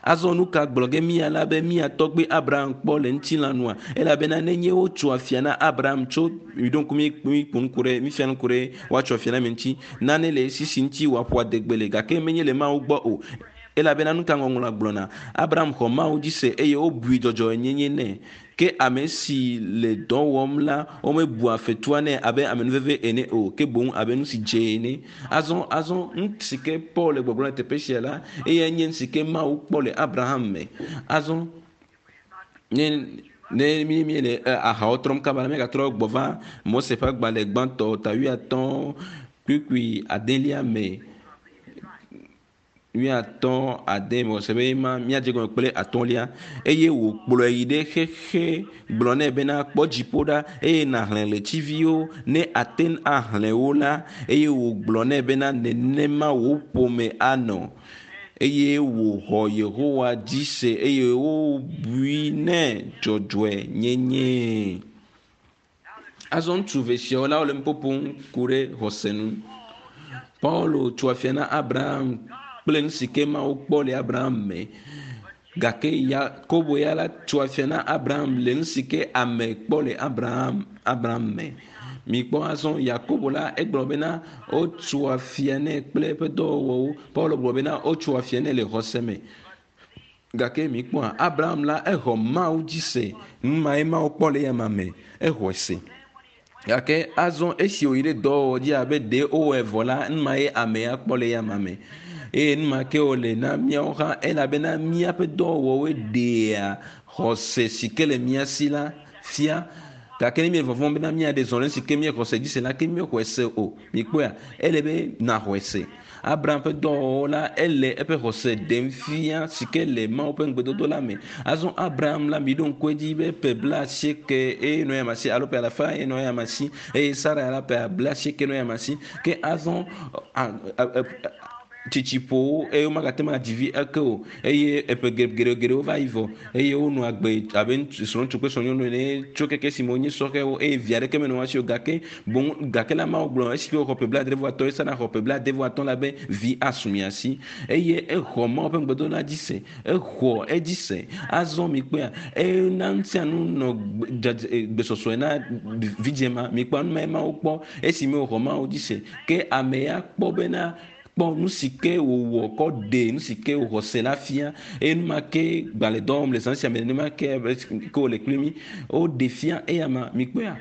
Azɔ nu ka gblɔ ge mía la be mía tɔgbe Abraham kpɔ le ŋutilã nua elabena nenye wotso afia na Abraham tso miɖo ŋku mi mi ƒo nu ku ɖe mifia nu ku ɖe woatso afia na mi ŋuti nane le esi si ŋuti wòaƒo adegbe le gake menye le Mawu gbɔ o elabena nu ka ŋɔŋlɔa gblɔna Abraham xɔ Mawu dzi se eye wobui dzɔdzɔenyenye nɛ ke ame si le dɔ wɔm la womebua fetua nɛ abe amenuveve ene o ke boŋ abe nu si dze ene azɔ azɔ nu si ke Paul le gbɔgblɔm le teƒe sia la eyae nye nu si ke Mawu kpɔ le Abraham me azɔ ne ne mi mi le ahawo trɔm kaba la míagatrɔ gbɔ va Mose ƒe agbalẽ gbãtɔ ta wuiatɔ̃ kpukpui adelia me wuiatɔ̃ ade mɔse be ma míadze gɔme kple atɔ̃lia eye wòkplɔe yi ɖe xexe gblɔ nɛ bena kpɔ dziƒo ɖa eye nàxlẽ ɣletiviwo ne ate ŋu axlẽ wo la eye wògblɔ nɛ bena nenema wò ƒome anɔ eye wòxɔ Yehowa dzi se eye wobui nɛ dzɔdzɔenyenye. Azɔ ŋutsu eve siawo la wole nu ƒoƒom ku ɖe xɔse nu. Paulo tso afia na Abraham kple nu si ke Mawu kpɔ le Abraham me gake Yakobo ya la tso afia na Abraham le nu si ke ame kpɔ le Abraham Abraham me. Mikpɔ azɔ Yakobo la egblɔ bena wotso afia nɛ kple eƒe dɔwɔwɔwo. Paulo gblɔ bena wotso afia nɛ le xɔse me. Gake mikpɔa Abraham la exɔ Mawu dzi se. Nu mae Mawu kpɔ le eyama me. Exɔe se. Gake azɔ esi wòyi ɖe dɔwɔwɔ dzi abe ɖe wowɔe vɔ la, nu mae amea kpɔ le eyama me. Eye nu ma ke wòle na míawo hã elabena míaƒe dɔwɔwɔwoe ɖea xɔse si ke le mía si la fia. Gake ne míele vɔvɔ̃m bena míaɖe zɔ ɖe si ke míexɔ se dzi se la, ke míexɔe se o. Mikpɔea, ele be nàxɔe se. Abraham ƒe dɔwɔwɔ la, ele eƒe xɔse ɖem fia si ke le Mawu ƒe ŋugbedodo la me. Azɔ Abraham la, miɖo ŋku edzi be ƒe blaasieke eye nɔ eyama si alo ƒe alafa eye nɔ eyama si eye Sara la ƒe blaasieke nɔ eyama si. Ke azɔ Tsitsi ƒo wo eye womagate ŋu adzi vi ake o eye eƒe geɖegeɖewo va yi vɔ eye wonɔ agbe abe srɔ̃ŋutsu kple srɔ̃nyɔnu ene tso keke esime wonye sɔhɛwo eye vi aɖeke menɔ wo si o gake boŋ gake la Mawu gblɔ esi wòxɔ ƒe blaadre vɔ atɔ̃ esa naxɔ ƒe blaade vɔ atɔ̃ la be vi asu mia si eye exɔ Mawu ƒe ŋugbedodo la dzi se exɔ edzi se azɔ mikpɔea ena nu sia nu nɔ gbesɔsɔe na vidzĩ ma mikpɔ nu ma Mawu kpɔ esime wòxɔ Mawu dzi se ke ame ya kpɔ bena kpɔ nu si ke wòwɔ kɔ ɖe nu si ke wòxɔ se la fia eye nu ma ke gbalẽ dɔ wɔm le zã sia me nenema ke ke wòle kpli mí woɖe fia eya ma mikpɔea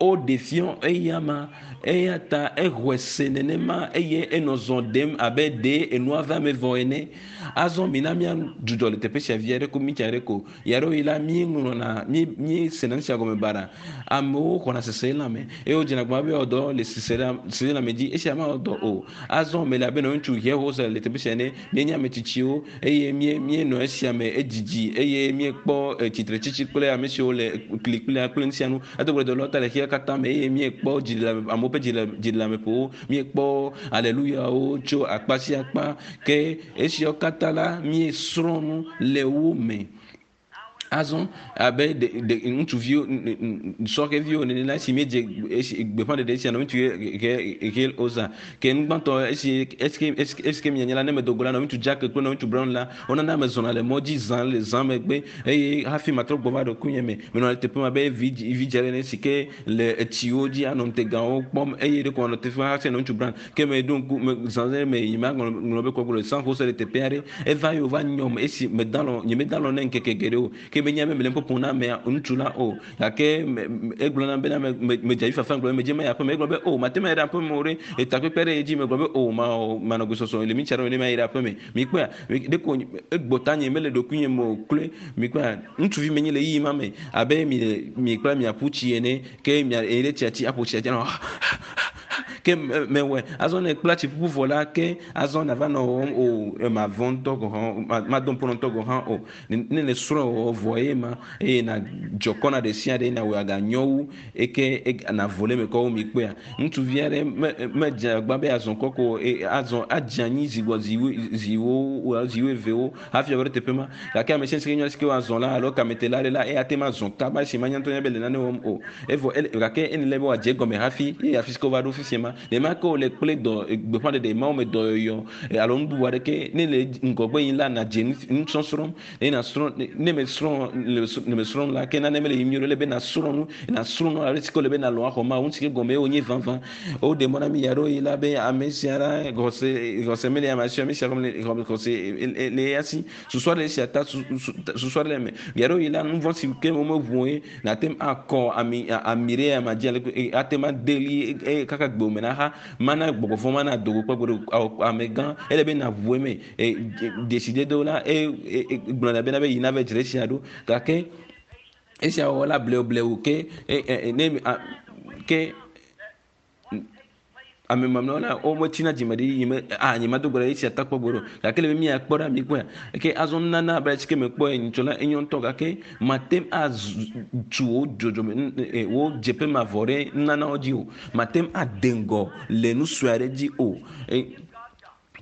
woɖe fia eya ma eya ta exɔe se nenema eye enɔ zɔ ɖem abe ɖe enua va eme vɔ ene azɔ mina míadzudzɔ le teƒe sia vi aɖe ko mítsi aɖe ko Ɣeaɖewoɣi la, míeŋlɔna, mí, míesena nu sia gɔme baɖa. Amewo xɔna seselelãme eye wodzena agbagba be yewoawɔ dɔ le seselelãme dzi. Esia mawɔ dɔ o. Azɔ mele abe nɔviŋutsu Hierholzer le teƒe sia ene. Míenye ame tsitsiwo eye mí, míenɔ esia me edzidzi eye míekpɔ eh, tsitretsitsi kple ame siwo le kli kplia kple nu sia nu. Edo gbe dɔ ta le xexea katã me eye míekpɔ dziɖeleame, amewo ƒe dziɖe, dziɖeleameƒowo. Míekpɔ aleluyawo tso akpa sia akpa. Ke Esiawo katã la, míesrɔ̃ nu le wo me. Azɔ abe ɖe, ɖe, ŋutsuviwo, sɔhɛviwo nene la, esi míedze esi gbeƒãɖeɖe esia nɔ ŋutsu he, he, oza. Ke nu gbãtɔ esi, esi, esi, esi ke mianye la, ne medo go la, nɔ ŋutsu Jack kple nɔ ŋutsu Brown la, wonana mezɔna le mɔ dzi zã le zã megbe eye hafi matrɔ gbɔ va ɖokuinye me. Menɔ le teƒe ma be vi, vidzĩ aɖe ene si ke le etsiwo dzi anɔ ŋutegawo kpɔm eye ɖeko manɔ teƒe ma hafi nɔ ŋutsu Brown. Ke meɖo ŋku me zã ɖe me yi maŋlɔ ŋlɔ be kɔkɔ le San Jose le teƒe aɖe. Eva ye wòva nyɔm esi meda lɔ nyemeda lɔ nɛ ŋkeke geɖe o. Ke menya be mele ƒoƒom na amea ŋutsu la o. Gake me, egblɔ nam bena me, me, medze avi fafa gblɔ be medze mayi aƒeme. Egblɔ be o mate ŋu ayi ɖe aƒeme o ɖe. Etakpekpe ɖe edzi megblɔ be o mawɔ manɔ gbesɔsɔ le mi tsa ɖe ne mayi ɖe aƒeme. Mikpɔea ɖeko egbɔ tanye mele ɖokuinye me o kloe. Mikpɔea ŋutsuvi menye le ɣeyiɣi ma me abe mi le mi kple miaƒu tsi ene. Ke mia eyi ɖe tsia tsi aƒo tsia dzi anɔ ke mewɔe azɔ ne kpla tsi ƒuƒu vɔ la ke azɔ nava nɔ wɔm o mavɔ̃ ŋutɔ gɔ̃ hã mado ŋpo ŋutɔ gɔ̃ hã o ne ne srɔ̃ wɔwɔ vɔ ye ma eye na dzɔ kɔ na ɖe sia ɖe na wɔ aganyɔ wu eke na vo le eme kɔ wu mi kpɔea ŋutsuvi aɖe me medze agba be azɔ kɔ ko azɔ adze anyi zi gbɔ zi zi wo zi wuievewo hafi ava ɖo teƒe ma. Gake ame sia si ke nyɔnu si ke woazɔ la alo kametela aɖe la, eya ate ŋu azɔ kaba esi manya ŋutɔ nya be le nane wɔm o. Evɔ ele, gake ele be wòadze egɔme hafi ye afi si ke wova ɖo fifia ma. Nenema ke wòle kple dɔ, gbeƒãɖeɖe, Mawu me dɔyɔyɔ alo nu bubu aɖeke. Ne le ŋgɔgbe yim la, nàdze nu, nusɔsrɔ̃ eye nàsrɔ̃. Ne mèsrɔ̃, le mesrɔ̃m la, ke nane mele yiyim nyuie o. Ele be nàsrɔ̃ nu, nàsrɔ̃ nu ale si ke wòle be nàlɔ̃ axɔ Mawu, nu si ke gɔmee wònye vavã. Woɖe mɔ na mí ɣeaɖewoɣi la be ame sia la xɔse xɔse mele ame si o, ame sia xɔse xɔse le eya si. Susu aɖe le esia ta susu aɖe le eme. Ɣeaɖewoɣi la nu vɔ̃ si ke womeʋu o ye nàte ŋu akɔ ami ami ɖe ama dzi ale ate ŋu ade ɣli eye kaka gbewò me naxa. Mana gbɔgbɔ vɔ̃ mana do go kpɔ gbeɖe o. Amegã ele be nàʋu eme. Dzesidedewo la e gblɔna bena be yi nava dzre esia ɖo gake esia wɔwɔ la blewublewu ke ne ke ame mamlɛwo la wometsina dzime ɖi yi me a nye mado gbe ɖe esia ta kpɔ gbe ɖo gake le be míakpɔ ɖa míkpɔe ke azɔ nunana abe si ke mekpɔe nyitsɔ la enyo ŋutɔ gake mate ŋu atu wò dzɔdzɔme wò dzeƒe mavɔ ɖe nunanawo dzi o mate ŋu ade ŋgɔ le nu sue aɖe dzi o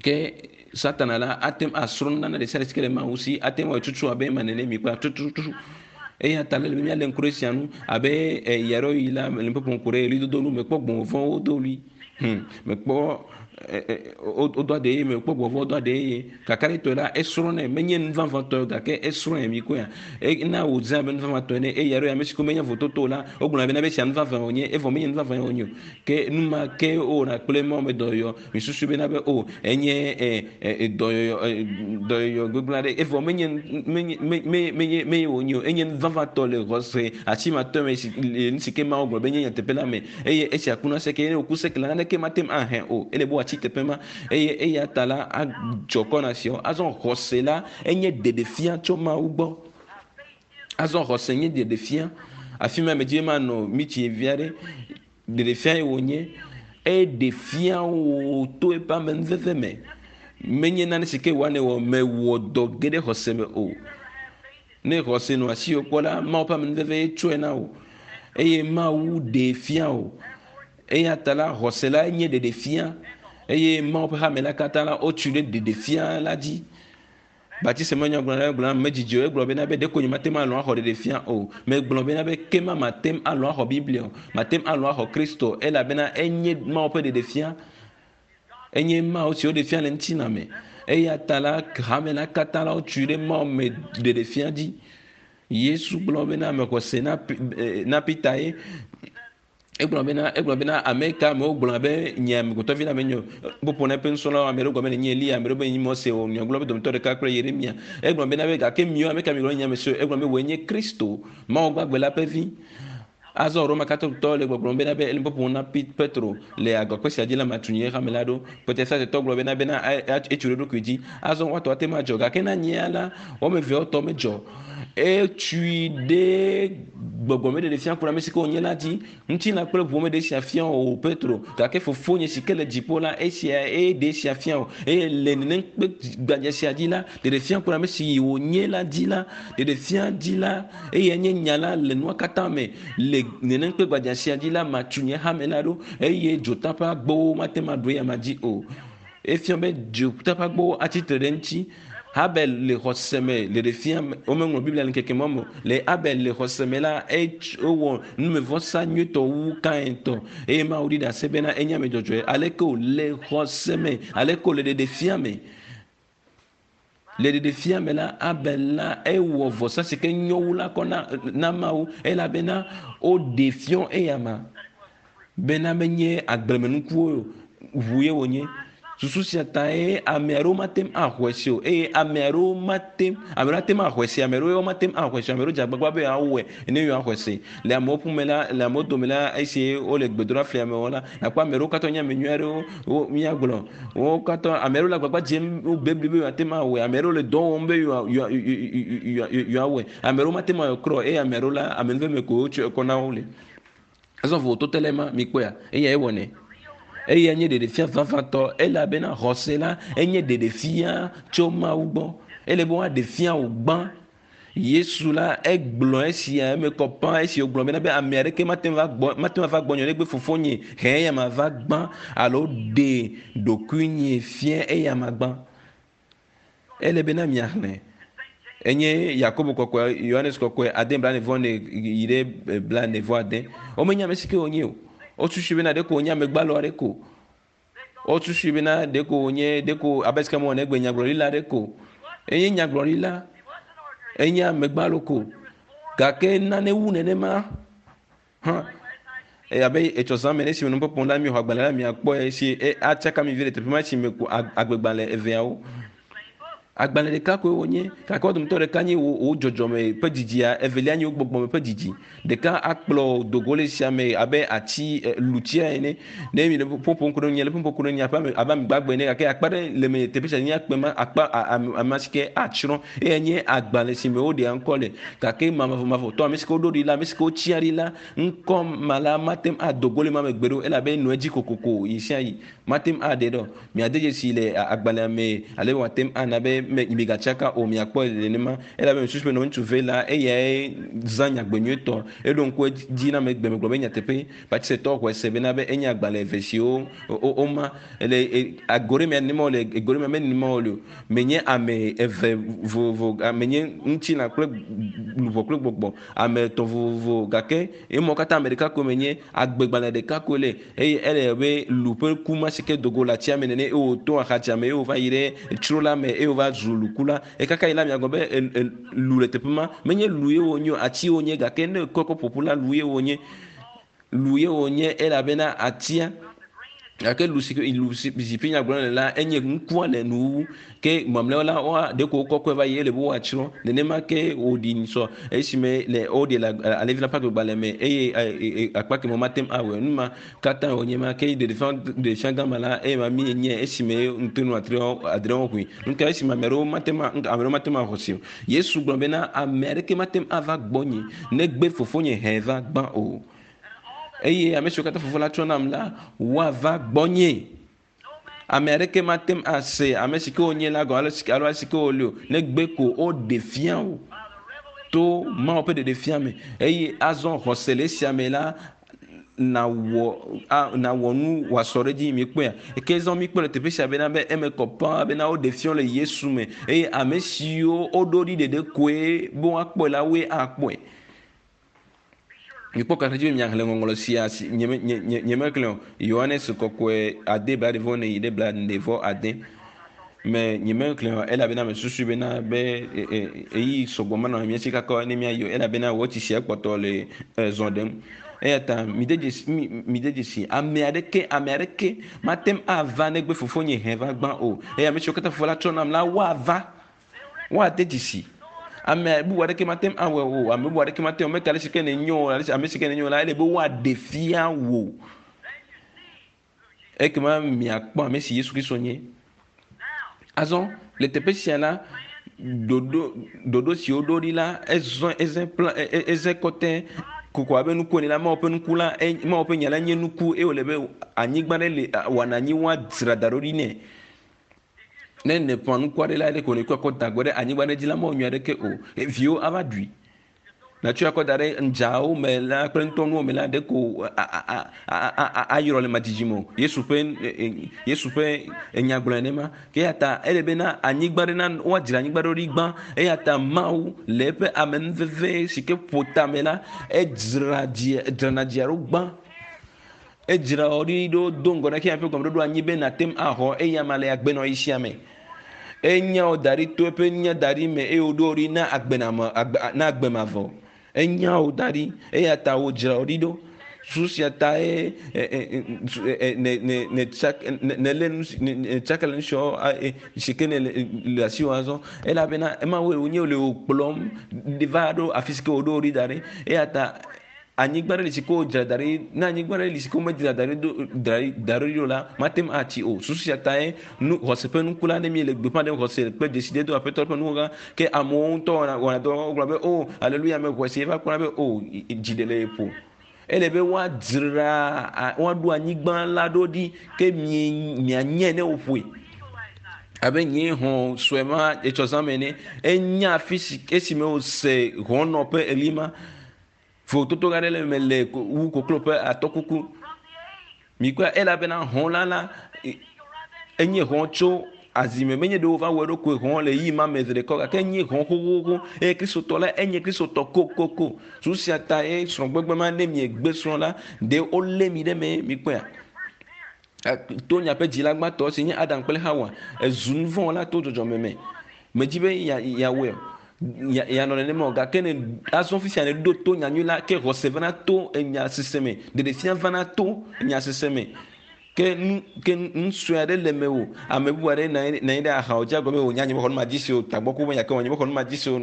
ke satana la ate ŋu asrɔ̃ nunana ɖe sia ɖe si ke le Mawu si ate ŋu awɔe tutu abe ema nene mikpɔe tututu eya ta le be míalé ŋku ɖe esia ŋu abe ɣeaɖewoɣi la le nuƒoƒo ŋku ɖe ɣlidodo nu mekpɔ gbɔ̃ vɔ̃wo do ɣli hmm mekpɔ wodo aɖe ye mekpɔ gbɔ̃ vɔ̃wo do aɖe ye kakaɖetɔe la esrɔ̃nɛ menye nu vavãtɔ gake esrɔ̃e mikpɔea ena wòdze abe nu vavãtɔ ene eye ɣeaɖewoɣi ame si ke menye vototo o la wogblɔna bena be esia nu vavã wònye evɔ menye nu vavã wònye o ke nu ma ke wowɔna kple Mawu me dɔyɔyɔ Misusu bena be o enye e, e, dɔyɔyɔ e, dɔyɔyɔ gbegblẽ aɖe evɔ menye menye menye menye menye wònye o enye nu vavãtɔ le xɔse asimatɔ me si le nu si ke Mawu gblɔ be nye nyateƒe la me eye esia kuna seke ne wòku seke la naneke mate ŋu ahe o ele be wòatsi teƒe ma eye eya ta la adzɔ kɔ na siawo azɔ xɔse la enye ɖeɖefia tso Mawu gbɔ azɔ xɔse nye ɖeɖefia afi ma medzi be manɔ mitsi vi aɖe Ɖeɖefia ye wònye. Eɖe fia wò to eƒe amenuveve me. Menye nane si ke wòa nèwɔ mewɔ dɔ ge ɖe xɔse me o. Ne xɔse nɔ asiwò kpɔ la, Mawu ƒe amenuveve ye tsɔe na wò eye Mawu ɖee fia wò. Eya ta la, xɔse la nye ɖeɖefia. Eye Mawu ƒe hame la katã la, wotui ɖe ɖeɖefia la dzi. Batise me nyagblɔɖila la gblɔ na medzidzi o. Egblɔ bena be ɖeko nyemate ŋu alɔ̃ axɔ ɖeɖefia o. Megblɔ bena be ke ma mate ŋu alɔ̃ axɔ Biblia o. Mate ŋu alɔ̃ axɔ Kristo o elabena enye Mawu ƒe ɖeɖefia. Enye Mawu si woɖe fia le ŋutilã me. Eya ta la, hame la katã la wotui ɖe Mawu me ɖeɖefia dzi. Yesu gblɔ bena mexɔ se na, na Peter ye. Egblɔ bena, egblɔ bena, ame ka amewo gblɔ be nye amegbetɔvi la menye o. Ƒoƒo na eƒe nusrɔ̃lawo, ame ɖewo gblɔ be nye Eliya, ame ɖewo be nye Mose o, nyagblɔla be dometɔ ɖeka kple Yeremia. Egblɔ bena be gake miwo ame ka miegblɔ be nye ame si o. Egblɔ be wòe nye Kristo, Mawu gbagbe la ƒe vi. Azɔ Roma Katolikotɔwo le gbɔgblɔm bena be ele ƒoƒom na Petro le agakpe sia dzi la matu nye hame la ɖo. Protestantetɔ gblɔ bena bena etso ɖe eɖokui dzi. Azɔ woatɔ ate ŋu adzɔ gake na nyea la, woame eveawo tɔ medzɔ. Etui ɖe gbɔgbɔmeɖeɖe fia ku ɖe ame si ke wònye la dzi. Ŋutilã kple ʋu meɖe esia fia o, Petro, gake Fofonye si ke le dziƒo la, esia eye ɖe esia fia o. Eye le nenem kpe gbadza sia dzi la, ɖeɖe fia ku ɖe ame si wònye la dzi la, ɖeɖe fia dzi la, eye nye nya la le nua katã me. Le nenem kpe gbadza sia dzi la, matu nye hame la ɖo, eye dzota ƒe agbowo mate ŋu aɖu eyama dzi o. Efia be dzota ƒe agbowo atsi tre ɖe eŋuti. Habel le xɔse me le ɖefia me, womeŋlɔ Biblia le ŋkeke ma me o. Le Abel le xɔse me la, ewɔ numevɔsa nyuitɔ wu Kain tɔ eye Mawu ɖi ɖase bena enye ame dzɔdzɔe. Aleke wòle xɔse me, aleke wòle ɖeɖefia me. Le ɖeɖefia me la, Abel la ewɔ vɔsa si ke nyo wu la kɔ na, na Mawu elabena woɖe fiɔ eyama bena menye agblemenukuwo ŋu ye wònye. Susu sia tae ame aɖewo mate ŋu axɔe se o eye ame aɖewo mate ame aɖewo ate ŋu axɔe se, ame aɖewo mate ŋu axɔe se o. Ame aɖewo dze agbagba be yewoawɔe ne yewoaxɔe se. Le amewo ƒome la, le amewo dome la, esi wole gbedoɖa flia me wɔm la, nàkpɔ ame aɖewo katã nye ame nyui aɖewo wo míagblɔ. Wo katã ame aɖewo le agbagba dzem bebli be yewoate ŋu awɔe, ame aɖewo le dɔ wɔm be yewoawɔe, ame aɖewo mate ŋu awɔe kura o eye ame aɖewo la, amenuveve ko wotsɔe kɔ na wo le. Azɔ vovototo le ema, mikpɔea? Eyae wɔnɛ. Eya nye ɖeɖefia vavãtɔ elabena xɔse la enye ɖeɖefia tso Mawu gbɔ. Ele be woaɖe fia wò gbã. Yesu la egblɔ esia eme kɔ ƒã esi wògblɔ bena be ame aɖeke mate ŋu va gbɔ mate ŋu ava gbɔnye negbe fofonye he eyama va gbã alo ɖe ɖokuinye fia eyama gbã. Ele bena miaxlẽ. Enye Yakobo kɔkɔe, Yohanes kɔkɔe, ade blane vɔ ne yi ɖe blane vɔ ade. Womenya ame si ke wònye o. Wosusui bena ɖeko wònye ame gbalo aɖe ko. Wosusui bena ɖeko wònye ɖeko abe sike mewɔ negbe nyagblɔɖila aɖe ko. Enye nyagblɔɖila, enye ame gbalo ko. Gake nane wu nenema hã. Abe etsɔ zã me ne esime nukpɔkpɔ la miexɔ agbalẽ la miakpɔe si atsaka mi vi le teƒe ma si me ku agbegbalẽ eveawo. Agbalẽ ɖeka koe wonye, gake wo dometɔ ɖeka nye wò dzɔdzɔme ƒe didia, evelia nye wò gbɔgbɔme ƒe didi. Ɖeka akplɔ do go le sia me abe ati lutia ene. Ne mi le ƒoƒom ku ɖe ŋunye, le ƒoƒom ku ɖe ŋunye abe ame abe ame gbagbe ene, gake akpa ɖe le me teƒe sia nye akpe ma akpa ame si ke atsrɔ̃. Eya nye agbalẽ si me woɖea ŋkɔ le. Gake mavɔmavɔtɔ ame si ke woɖo ɖi la, ame si ke wotsia ɖi la, ŋkɔ ma la mate ŋu ado go le ma me gbeɖe o elabe enɔa edzi kokoko yi sia yi. Mate ŋu aɖe ɖe o. Miade dzesi le agbalẽa me ale be wòate ŋu ana be migatsaka o, miakpɔe nenema. Elabe mesusu be nɔviŋutsu ve la, eyae zã nyagbe nyuietɔ. Eɖo ŋku edzi na ame gbe megblɔ be nyateƒe, Baptistɔwo xɔe se bena be enye agbalẽ eve siwo woma. Le go ɖe mea nenema wòle, go ɖe mea menenema wòle o. Menye ame eve vovovo, menye ŋutilã kple luʋɔ kple gbɔgbɔ, ame etɔ̃ vovovo gake emɔ katã ame ɖeka koe menye, agbegbalẽ ɖeka koe le eye ele abe lu ƒe ku ma si ke do go le atsia me nene eye wòto axatsia me eye wòva yi ɖe tsro la me eye wòva zu luku la. Ekaka yi la miagblɔ be lu le teƒe ma. Menye lu ye wònye o, ati wònye gake ne ekɔe kɔ ƒoƒu la lu ye wònye. Lu ye wònye elabena atia gake lu si lu si ƒe nya gblɔm le la enye ŋkua le nuwuwu ke mamlɛawo la woa ɖeko wokɔkɔe va yi ele be woatsrɔ̃ nenema ke wòɖi ŋusɔ esime le woɖi le alẽvi la ƒe agbegbalẽ me eye akpa kemɛ womate ŋu awɔe nu ma katã wònye ma ke ɖeɖefia gã ma la eye ma mi nye esime ŋutonu adreawo ʋui ŋutɔ esime ame aɖewo mate ŋu ame aɖewo mate ŋu axɔ si o Yesu gblɔ bena ame aɖeke mate ŋu ava gbɔnye negbe fofonye hɛ va gbã o. Eye ame siwo katã Fofo la tsɔ nam la, woava gbɔnye. Ame aɖeke mate ŋu ase ame si ke wonye la gɔme alo alo si ke wole o, negbe ko woɖe fia wo to Mawu ƒe ɖeɖefia me. Eye azɔ xɔse le esia me la, nawɔ a nawɔ nu wòasɔ ɖe edzi mikpɔea ke zɔ mikpɔ le teƒe sia bena be eme kɔ paa bena woɖe fiɔ le Yesu me eye ame siwo woɖo ɖi ɖeɖe koe be woakpɔe la woe akpɔe. Mikpɔ kakaɖedzi be miaxlẽ ŋɔŋlɔ sia si nye nye nye nyemexlẽ o. Yohanes kɔkɔe ade bla ɖe vɔ ne yi ɖe bla ɖe vɔ ade me nyemexlẽ o elabena mesusu bena be eyi sɔgbɔ menɔ mía si kaka ne míayi o elabena wɔtsi sia kpɔtɔ le zɔ ɖem. Eya ta mide dzesi mi mide dzesi ame aɖeke ame aɖeke mate ŋu ava negbe fofonye hẽ va gbã o. Eye ame siwo katã fofo la tsɔ nam la woava woade dzesi. Ame bubu aɖeke mate ŋu awɔe o. Ame bubu aɖeke mate ŋu meka ale si ke nenyo o ale si ame si ke nenyo la ele be woaɖe fia wò. Ekema miakpɔ ame si Yesu Kristo nye. Azɔ le teƒe sia la ɖoɖo ɖoɖo si woɖo ɖi la ezɔ eze pla eze kɔtɛ koko abe nuku ene la Mawu ƒe nuku la Mawu ƒe nya la nye nuku eye wòle be anyigba ɖe le wɔna anyi woadzra da ɖo ɖi nɛ. Ne nèƒã nuku aɖe la, ɖeko nèkɔe kɔ da gbɔ ɖe anyigba ɖe dzi la, mewɔ nyui aɖeke o. Viwo ava ɖui. Nàtsɔe akɔ da ɖe ŋdzawo me la kple ŋutɔnuwo me la, ɖeko ayrɔ le madzidzi me o. Yesu ƒe Yesu ƒe enya gblɔ nenema. Ke eya ta ele bena anyigba ɖe na woadzra anyigba ɖe ɖi gbã. Eya ta Mawu le eƒe amenuveve si ke ƒo tame la, edzra dzia dzrana dzia ɖo gbã. Edzra wò ɖi ɖo do ŋgɔ na xexea ƒe gɔmeɖoɖo anyi be nàte ŋu axɔ eyama le agbenɔɣi sia me. Enya wò da ɖi to eƒe nya da ɖi me eye wòɖo wò ɖi na agbename agbe na agbe mavɔ. Enya wò da ɖi eya ta wòdzra wò ɖi ɖo. Susu sia tae ne ne ne tsa ne lé nu si ne tsaka le nu siawo si ke ne le asiwò azɔ elabena ema wɔe wònye le wò kplɔm va ɖo afi si ke wòɖo wò ɖi da ɖi. Eya ta anyigba ɖe li si ke wodzra da ɖi ne anyigba ɖe li si ke womedzra da ɖi do da ɖi da ɖi o la mate ŋu atsi o. Susu sia tae nu xɔse ƒe nuku la ne míele gbeƒã ɖem xɔse kple dzesidedo Aƒetɔ ƒe nuwo gã ke amewo ŋutɔ wɔna wɔna dɔ wogblɔ be o aleluya mexɔe se eva kpɔna be o dzi ɖe le ye ƒo. Ele be woadzra woaɖo anyigba la ɖo ɖi ke mie mianyae ne woƒoe. Abe nyee hɔ̃ sue ma etsɔ zã me ene. Enya afi si esime wòse hɔ̃nɔ ƒe eli ma. Vovototo gã aɖe le eme le wu koklo ƒe atɔkuku. Mikpɔe elabena hɔ̃ la la enye hɔ̃ tso azime menye ɖe wova wɔ eɖokui hɔ̃ le ɣeyiɣi ma me zi ɖeka o gake enye hɔ̃ xoxoxo eye kristotɔ la enye kristotɔ kokoko. Susu sia ta ye srɔ̃gbegbe ma ne miegbe srɔ̃ la ɖe wolé mi ɖe eme mikpɔea. To miaƒe dzila gbãtɔ si nye Adam kple Xawa ezu nu vɔ̃ wɔla to dzɔdzɔme me. Medzi be yeawɔe o yeanɔ nenema o gake ne azɔ fifia ne ɖo to nyanyui la ke xɔse vana to enya sese me ɖeɖefia vana to enya sese me ke nu ke nu sue aɖe le mewò ame bubu aɖe nɔ anyi nɔ anyi ɖe axawo dzi agblɔ be wò nya nye mexɔ nu ma dzi se o tagbɔ ku menya ke wɔ nye mexɔ nu ma dzi se o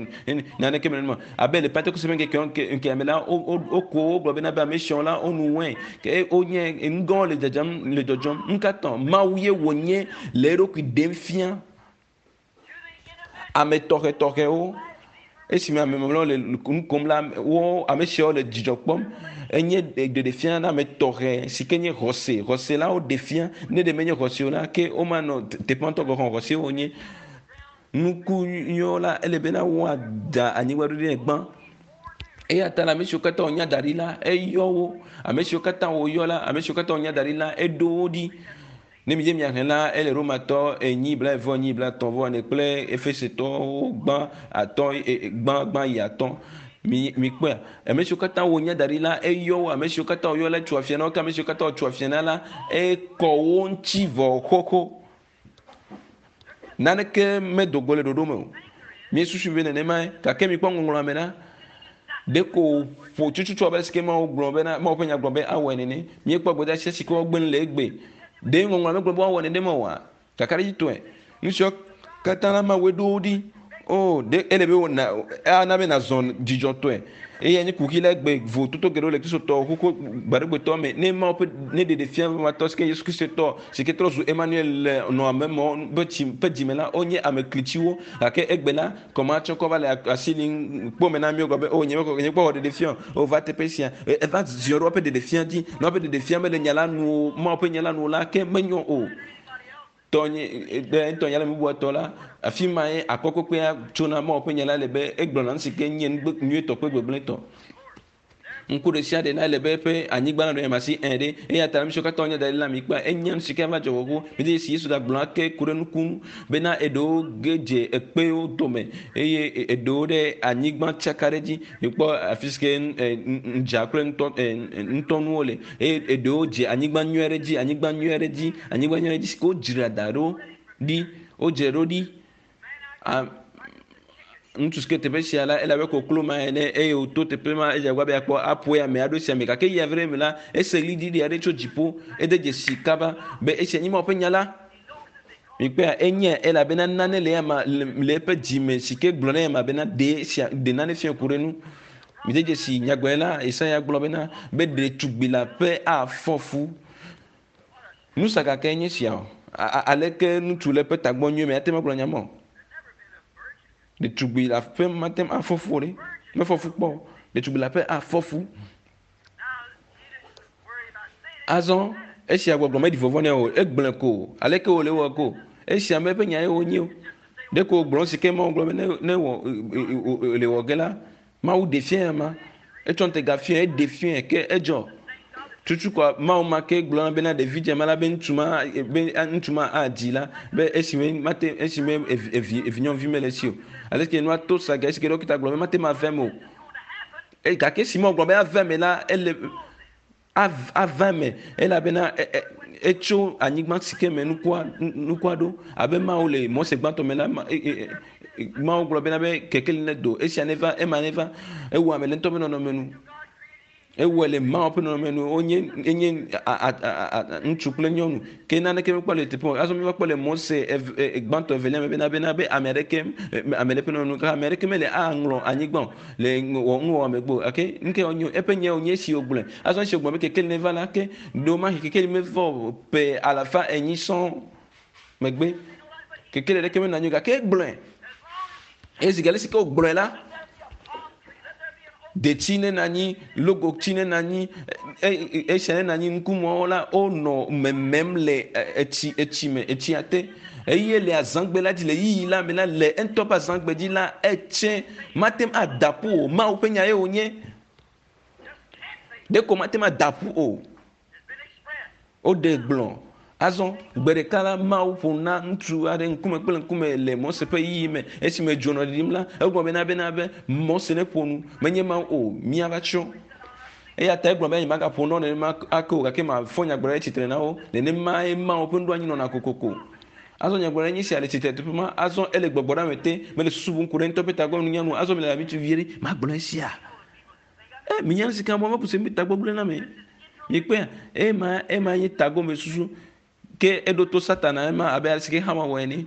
naneke mele numa abe le Pentekoste ƒe ŋkekewo ŋkekea me la woko wo gblɔ bena be ame siawo la wonu wɛn ke wonye nu gãwo le dzadzam le dzɔdzɔm nu ka tɔ Mawu ye wònye le eɖokui ɖem fia Ame tɔxɛtɔxɛwo, esime ame mamlɛwo le nu kom la, wo ame siawo le dzidzɔ kpɔm. Enye ɖeɖefia na ame tɔxɛ si ke nye xɔse. Xɔse la woɖe fia. Ne ɖe menye xɔse o la, ke womanɔ teƒe ŋutɔ gɔ̃ hã xɔse wonye. Nuku nyuiwo la, ele bena woada anyigba ɖo ɖe gbã. Eya ta la, ame siwo katã wònya da ɖi la, eyɔ wo. Ame siwo katã wòyɔ la, ame siwo katã wònya da ɖi la, eɖo wo ɖi. Ne mídze míaxlẽ la, ele Romatɔ enyi blaeve enyi blaetɔ̃ vɔ ene kple Efesetɔwo gbã atɔ̃ gbã gbã yi atɔ̃. Mi mikpɔea? Ame siwo katã wonya da ɖi la, eyɔ wo. Ame siwo katã woyɔ la, etso afia na wo. Ke ame siwo katã wotso afia na la, ekɔ wo ŋuti vɔ xoxo. Naneke medo go le ɖoɖo me o. Míesusu be nenemae, gake mikpɔ ŋɔŋlɔa me la, ɖeko ƒo tututu abe alesi ke Mawu gblɔ bena, Mawu ƒe nya gblɔ be awɔe nene. Míekpɔ gbedeasi si ke woagbe nu le egbe. Ɖe ŋɔŋlɔa megblɔ be woawɔ nenema oa? Kakaɖedzitɔe, nu siawo katã la Mawue ɖo wo ɖi. O, ɖe ele be wòna, ana be nàzɔ dzidzɔtɔe. Eyae nye kuxi la egbe vovototo geɖewo le Kristotɔwo xoxo gbaɖegbetɔ me. Ne Mawu ƒe ne ɖeɖefia vavãtɔ si ke Yesu Kristo tɔ si ke trɔ zu Emmanuel le nɔ ame mawo ƒe tsi ƒe dzime la, wonye ame klitsiwo. Gake egbe la, kɔmatsɔ kɔ va le asi lim kpɔ me na míwo gblɔ be, o nye mekɔ nye kpɔ wɔ ɖeɖefia o, o va teƒe sia. Eva ziɔ ɖe woƒe ɖeɖefia dzi. Ne woƒe ɖeɖefia mele nya la nu o, Mawu ƒe nya la nu o la, ke menyo o. Tɔnye, ɖe ŋutɔ nya le bubua tɔ la, afi mae akɔ kpekpea tsona Mawu ƒe nya la le be egblɔna nu si ke nye nu nyuietɔ kple gbegblẽtɔ. Ŋku ɖe sia ɖe la ele be eƒe anyigba nanɔ eme asi ẽ ɖe. Eya ta nu siwo katã wonye da ɖi la mi kpɔa, enye nu si ke ava dzɔ xoxo. Mede dzesi Yesu gagblɔ ake ku ɖe nuku ŋu bena eɖewo ge dze ekpewo dome eye eɖewo ɖe anyigba tsaka ɖe edzi. Mikpɔ afi si ke ŋdza kple ŋutɔ ŋutɔnuwo le eye eɖewo dze anyigba nyui aɖe dzi, anyigba nyui aɖe dzi, anyigba nyui aɖe dzi si ke wodzra da ɖo ɖi, wodzra ɖo ɖi. Ŋutsu si ke teƒe sia la, ele abe koklo ma ene eye wòto teƒe ma edze agbagba be yeakpɔ aƒoe ame aɖo sia me gake eyi ave ɖe eme la, ese ɣliɖiɖi aɖe tso dziƒo. Ede dzesi kaba be esia nye Mawu ƒe nya la. Mikpɔea, enyae elabena nane le eyama le eƒe dzime si ke gblɔ na eyama bena ɖe esia ɖe nane fia ku ɖe nu. Mide dzesi nyagblɔɖila Yesaya gblɔ bena be ɖetugbui leaƒe afɔ fu. Nusa gake nye sia o. Aleke ŋutsu le eƒe tagbɔ nyuie me ate ŋu agblɔ nya ma o? Ɖetugbui le aƒe mate ŋu afɔ fu o ɖe. Mefɔ fu kpɔ o. Ɖetugbui le aƒe afɔ fu. Azɔ esia gbɔgblɔ meɖi vɔvɔ̃ nɛ o. Egblɔe ko. Aleke wòle wɔ ko? Esia me eƒe nya ye wònye o. Ɖeko wògblɔ si ke Mawu gblɔ be ne ne wɔ le wɔ ge la, Mawu ɖe fiae ama. Etsɔ ŋutega fiae, eɖe fiae ke edzɔ. Tutu kɔa Mawu ma ke gblɔ na bena ɖevi dze ma la be ŋutsu ma be ŋutsu ma adzi la be esime mate esime evi evi evinyɔnuvi mele esi o. Ale ke nua to sa ge esi ke ɖɔkita gblɔ be mate ma ave eme o. E gake esi Mawu gblɔ be ave eme la ele ava eme elabena etso anyigba si ke me nukua nukua ɖo abe Mawu le Mose gbãtɔ me la Mawu gblɔ bena be kekeli ne do esia neva ema neva ewɔ ame le ŋutɔ ƒe nɔnɔme nu ewɔe le Mawu ƒe nɔnɔme nu wonye enye ŋutsu kple nyɔnu ke naneke mekpɔ le teƒe o azɔ míva kpɔ le Mose gbãtɔ evelia me bena bena be ame aɖeke ame ɖe ƒe nɔnɔme nu ame aɖeke mele aŋlɔ anyigba o le wɔ nuwɔwɔ megbe o gake nu ke wònye eƒe nya wònye esi wògblɔe. Azɔ esi wògblɔ be kekeli neva la, ke ɖewomahi kekeli meva o ƒe alafa enyi sɔŋ megbe. Kekeli aɖeke menɔ anyi o gake egblɔe. Eye zi geɖe si ke wògblɔe la, detsi nenɔ anyi, logotsi nenɔ anyi, esia nenɔ anyi, ŋkumɔwo la, wonɔ memem le etsi etsi me, etsia te. Eye le azãgbe la dzi, le yiyi la me la, le eŋutɔ ƒe azãgbe dzi la, etse mate ŋu ada ƒu o. Mawu ƒe nya ye wònye. Ɖeko mate ŋu ada ƒu o. Woɖe gblɔ. Azɔ, gbe ɖeka la, Mawu ƒo nu na ŋutsu aɖe ŋkume kple ŋkume le Mose ƒe yiyi me. Esime dzo nɔ ɖiɖim la, egblɔ bena bena be Mose neƒo nu, menye Mawu o, míava tsrɔ̃. Eya ta egblɔ be nyemagaƒo nu nenema ake o, gake mafɔ nyagblɔɖi ɖe tsitre na wo. Nenemae Mawu ƒe nuɖoanyi nɔna kokoko. Azɔ nyagblɔɖi nye sia le tsitre teƒe ma. Azɔ ele gbɔgbɔ ɖe ame te, mele susu bum ku ɖe ŋutɔ ƒe tagbɔ nunya nu. Azɔ mele abe ŋutsuvi aɖe, magblɔ esia. E, minya nu si ke mɔ mekuse mi tagbɔ gblẽ na me. Mikpɔea, ema, ema nye tagbɔ me susu. Ke eɖo to Satana ema abe ale si ke Xawa wɔ ene.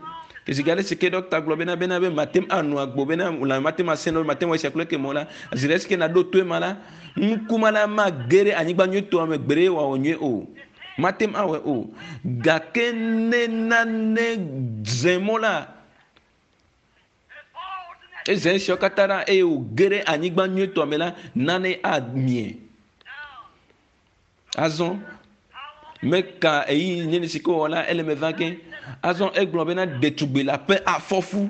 Zi ale si ke ɖɔkta gblɔ bena bena be mate ŋu ano agbo bena lãme mate ŋu asẽ be mate ŋu esia kple ekemɛ o la, zi ɖe si ke nàɖo to ema la, nuku ma la mage ɖe anyigba nyuitɔa me gbeɖe wòawɔ nyuie o. Mate ŋu awɔe o. Gake ne nane dze mɔ la, Eze esiawo katã ɖa eye wòge ɖe anyigba nyuitɔa me la, nane amie. Azɔ meka ɣeyiɣi neni si ke wòwɔ la, ele me va ge. Azɔ egblɔ bena ɖetugbui la ƒe afɔfu.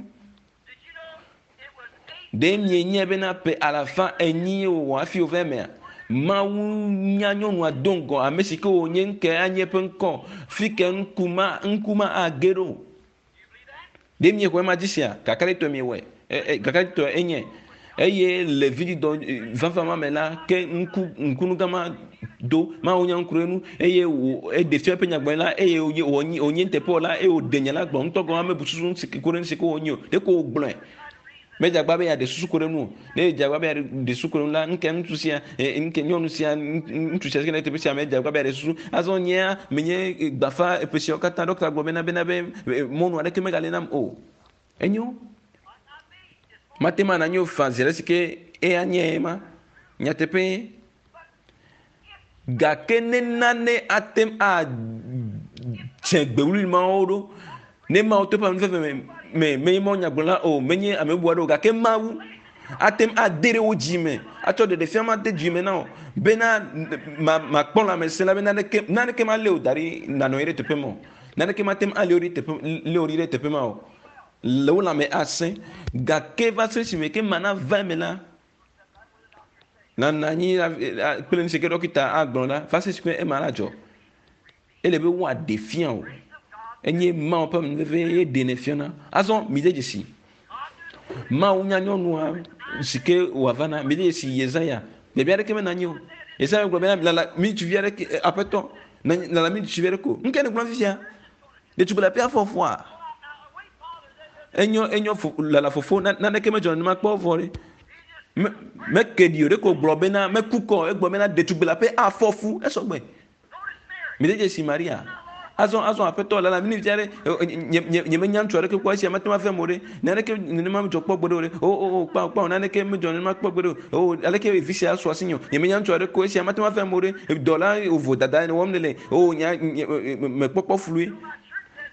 Ɖe mienyae bena ƒe alafa enyi wòwɔ hafi wòva emea? Mawu nya nyɔnua do ŋgɔ, ame si ke wònye ŋke anye eƒe ŋkɔ, fi ke ŋku ma ŋku ma age ɖo. Ɖe miexɔe ma dzi sia? Kakaɖetɔe miewɔe. E, e, kakaɖetɔe enye. Eye le vidzidɔ vava ma me la, ke ŋku ŋkunugã ma do Mawu nya ŋku ɖe nu eye wò eɖe fia eƒe nyagblɔɖi la eye wònye wònye wònye nuteƒewɔla eye wòɖe nya la gblɔ ŋutɔ gɔ̃ hã mebu susu si ku ɖe nu si ke wònye o. Ɖeko wògblɔe. Medze agbagba be yeaɖe susu ku ɖe enu o. Ne edze agbagba be yeaɖe susu ku ɖe enu la, nuke ŋutsu sia, nuke nyɔnu sia, ŋutsu sia si ke le teƒe sia medze agbagba be yeaɖe susu. Azɔ nyea menye gbafa eƒe siawo katã ɖɔkta gblɔ bena bena be mɔnu aɖeke megali nam o. Enyo. Mate ŋu ana nyo faa zi ale si ke eya nye ema. Nyateƒee. Gake ne nane ate ŋu adze gbewlui mawo ɖo, ne Mawu to eƒe amenuveve me, me menye Mawu nyagblɔla o, menye ame bubu aɖe o, gake Mawu ate ŋu ade ɖe wo dzi me, atsɔ ɖeɖefia ma de dzi me na wò bena makpɔ lãmesẽ la be naneke naneke malé wò da ɖi nànɔ anyi ɖe teƒe ma o. Naneke mate ŋu alé wò ɖi teƒe lé wò ɖi ɖe teƒe ma o. Le wò lãme asẽ. Gake va se esime ke mana va eme la, Nanɔ anyi kple nu si ke ɖɔkita agblɔ la, va se esime ema la dzɔ. Ele be woaɖe fia o. Enye Mawu ƒe amenuveve ye ɖenɛ fiana. Azɔ mide dzesi. Mawu nya nyɔnua si ke wòava na. Mide dzesi Yesaya. Biabia aɖeke menɔ anyi o. Yesaya gblɔ bena lala mi ŋutsuvi aɖeke aƒetɔ lala mi ŋutsuvi aɖeke o. Nu kae nègblɔ fifia? Ɖetugbi le aƒea fɔfɔa? Enyo enyo fo lala fofo naneke medzɔ nenema kpɔ vɔ ɖe. Me meke ɖi o ɖeko gblɔ bena meku kɔ egblɔ bena ɖetugbi le aƒe afɔ fu esɔgbe. Mide dzesi Maria. Azɔ azɔ aƒetɔ lala mi via ɖe nye nye nye menya ŋutsu aɖeke kpɔ esia mate ŋu ave mo ɖe. Naneke nenema medzɔ kpɔ gbeɖe o ɖe. O o o kpao kpao naneke medzɔ nenema kpɔ gbeɖe o. O aleke vi sia su asinye o. Nye menya ŋutsu aɖeke o esia mate ŋu ave mo ɖe. Dɔla ovo dada ene wɔm nele. O nya nye mekpɔkpɔ flui.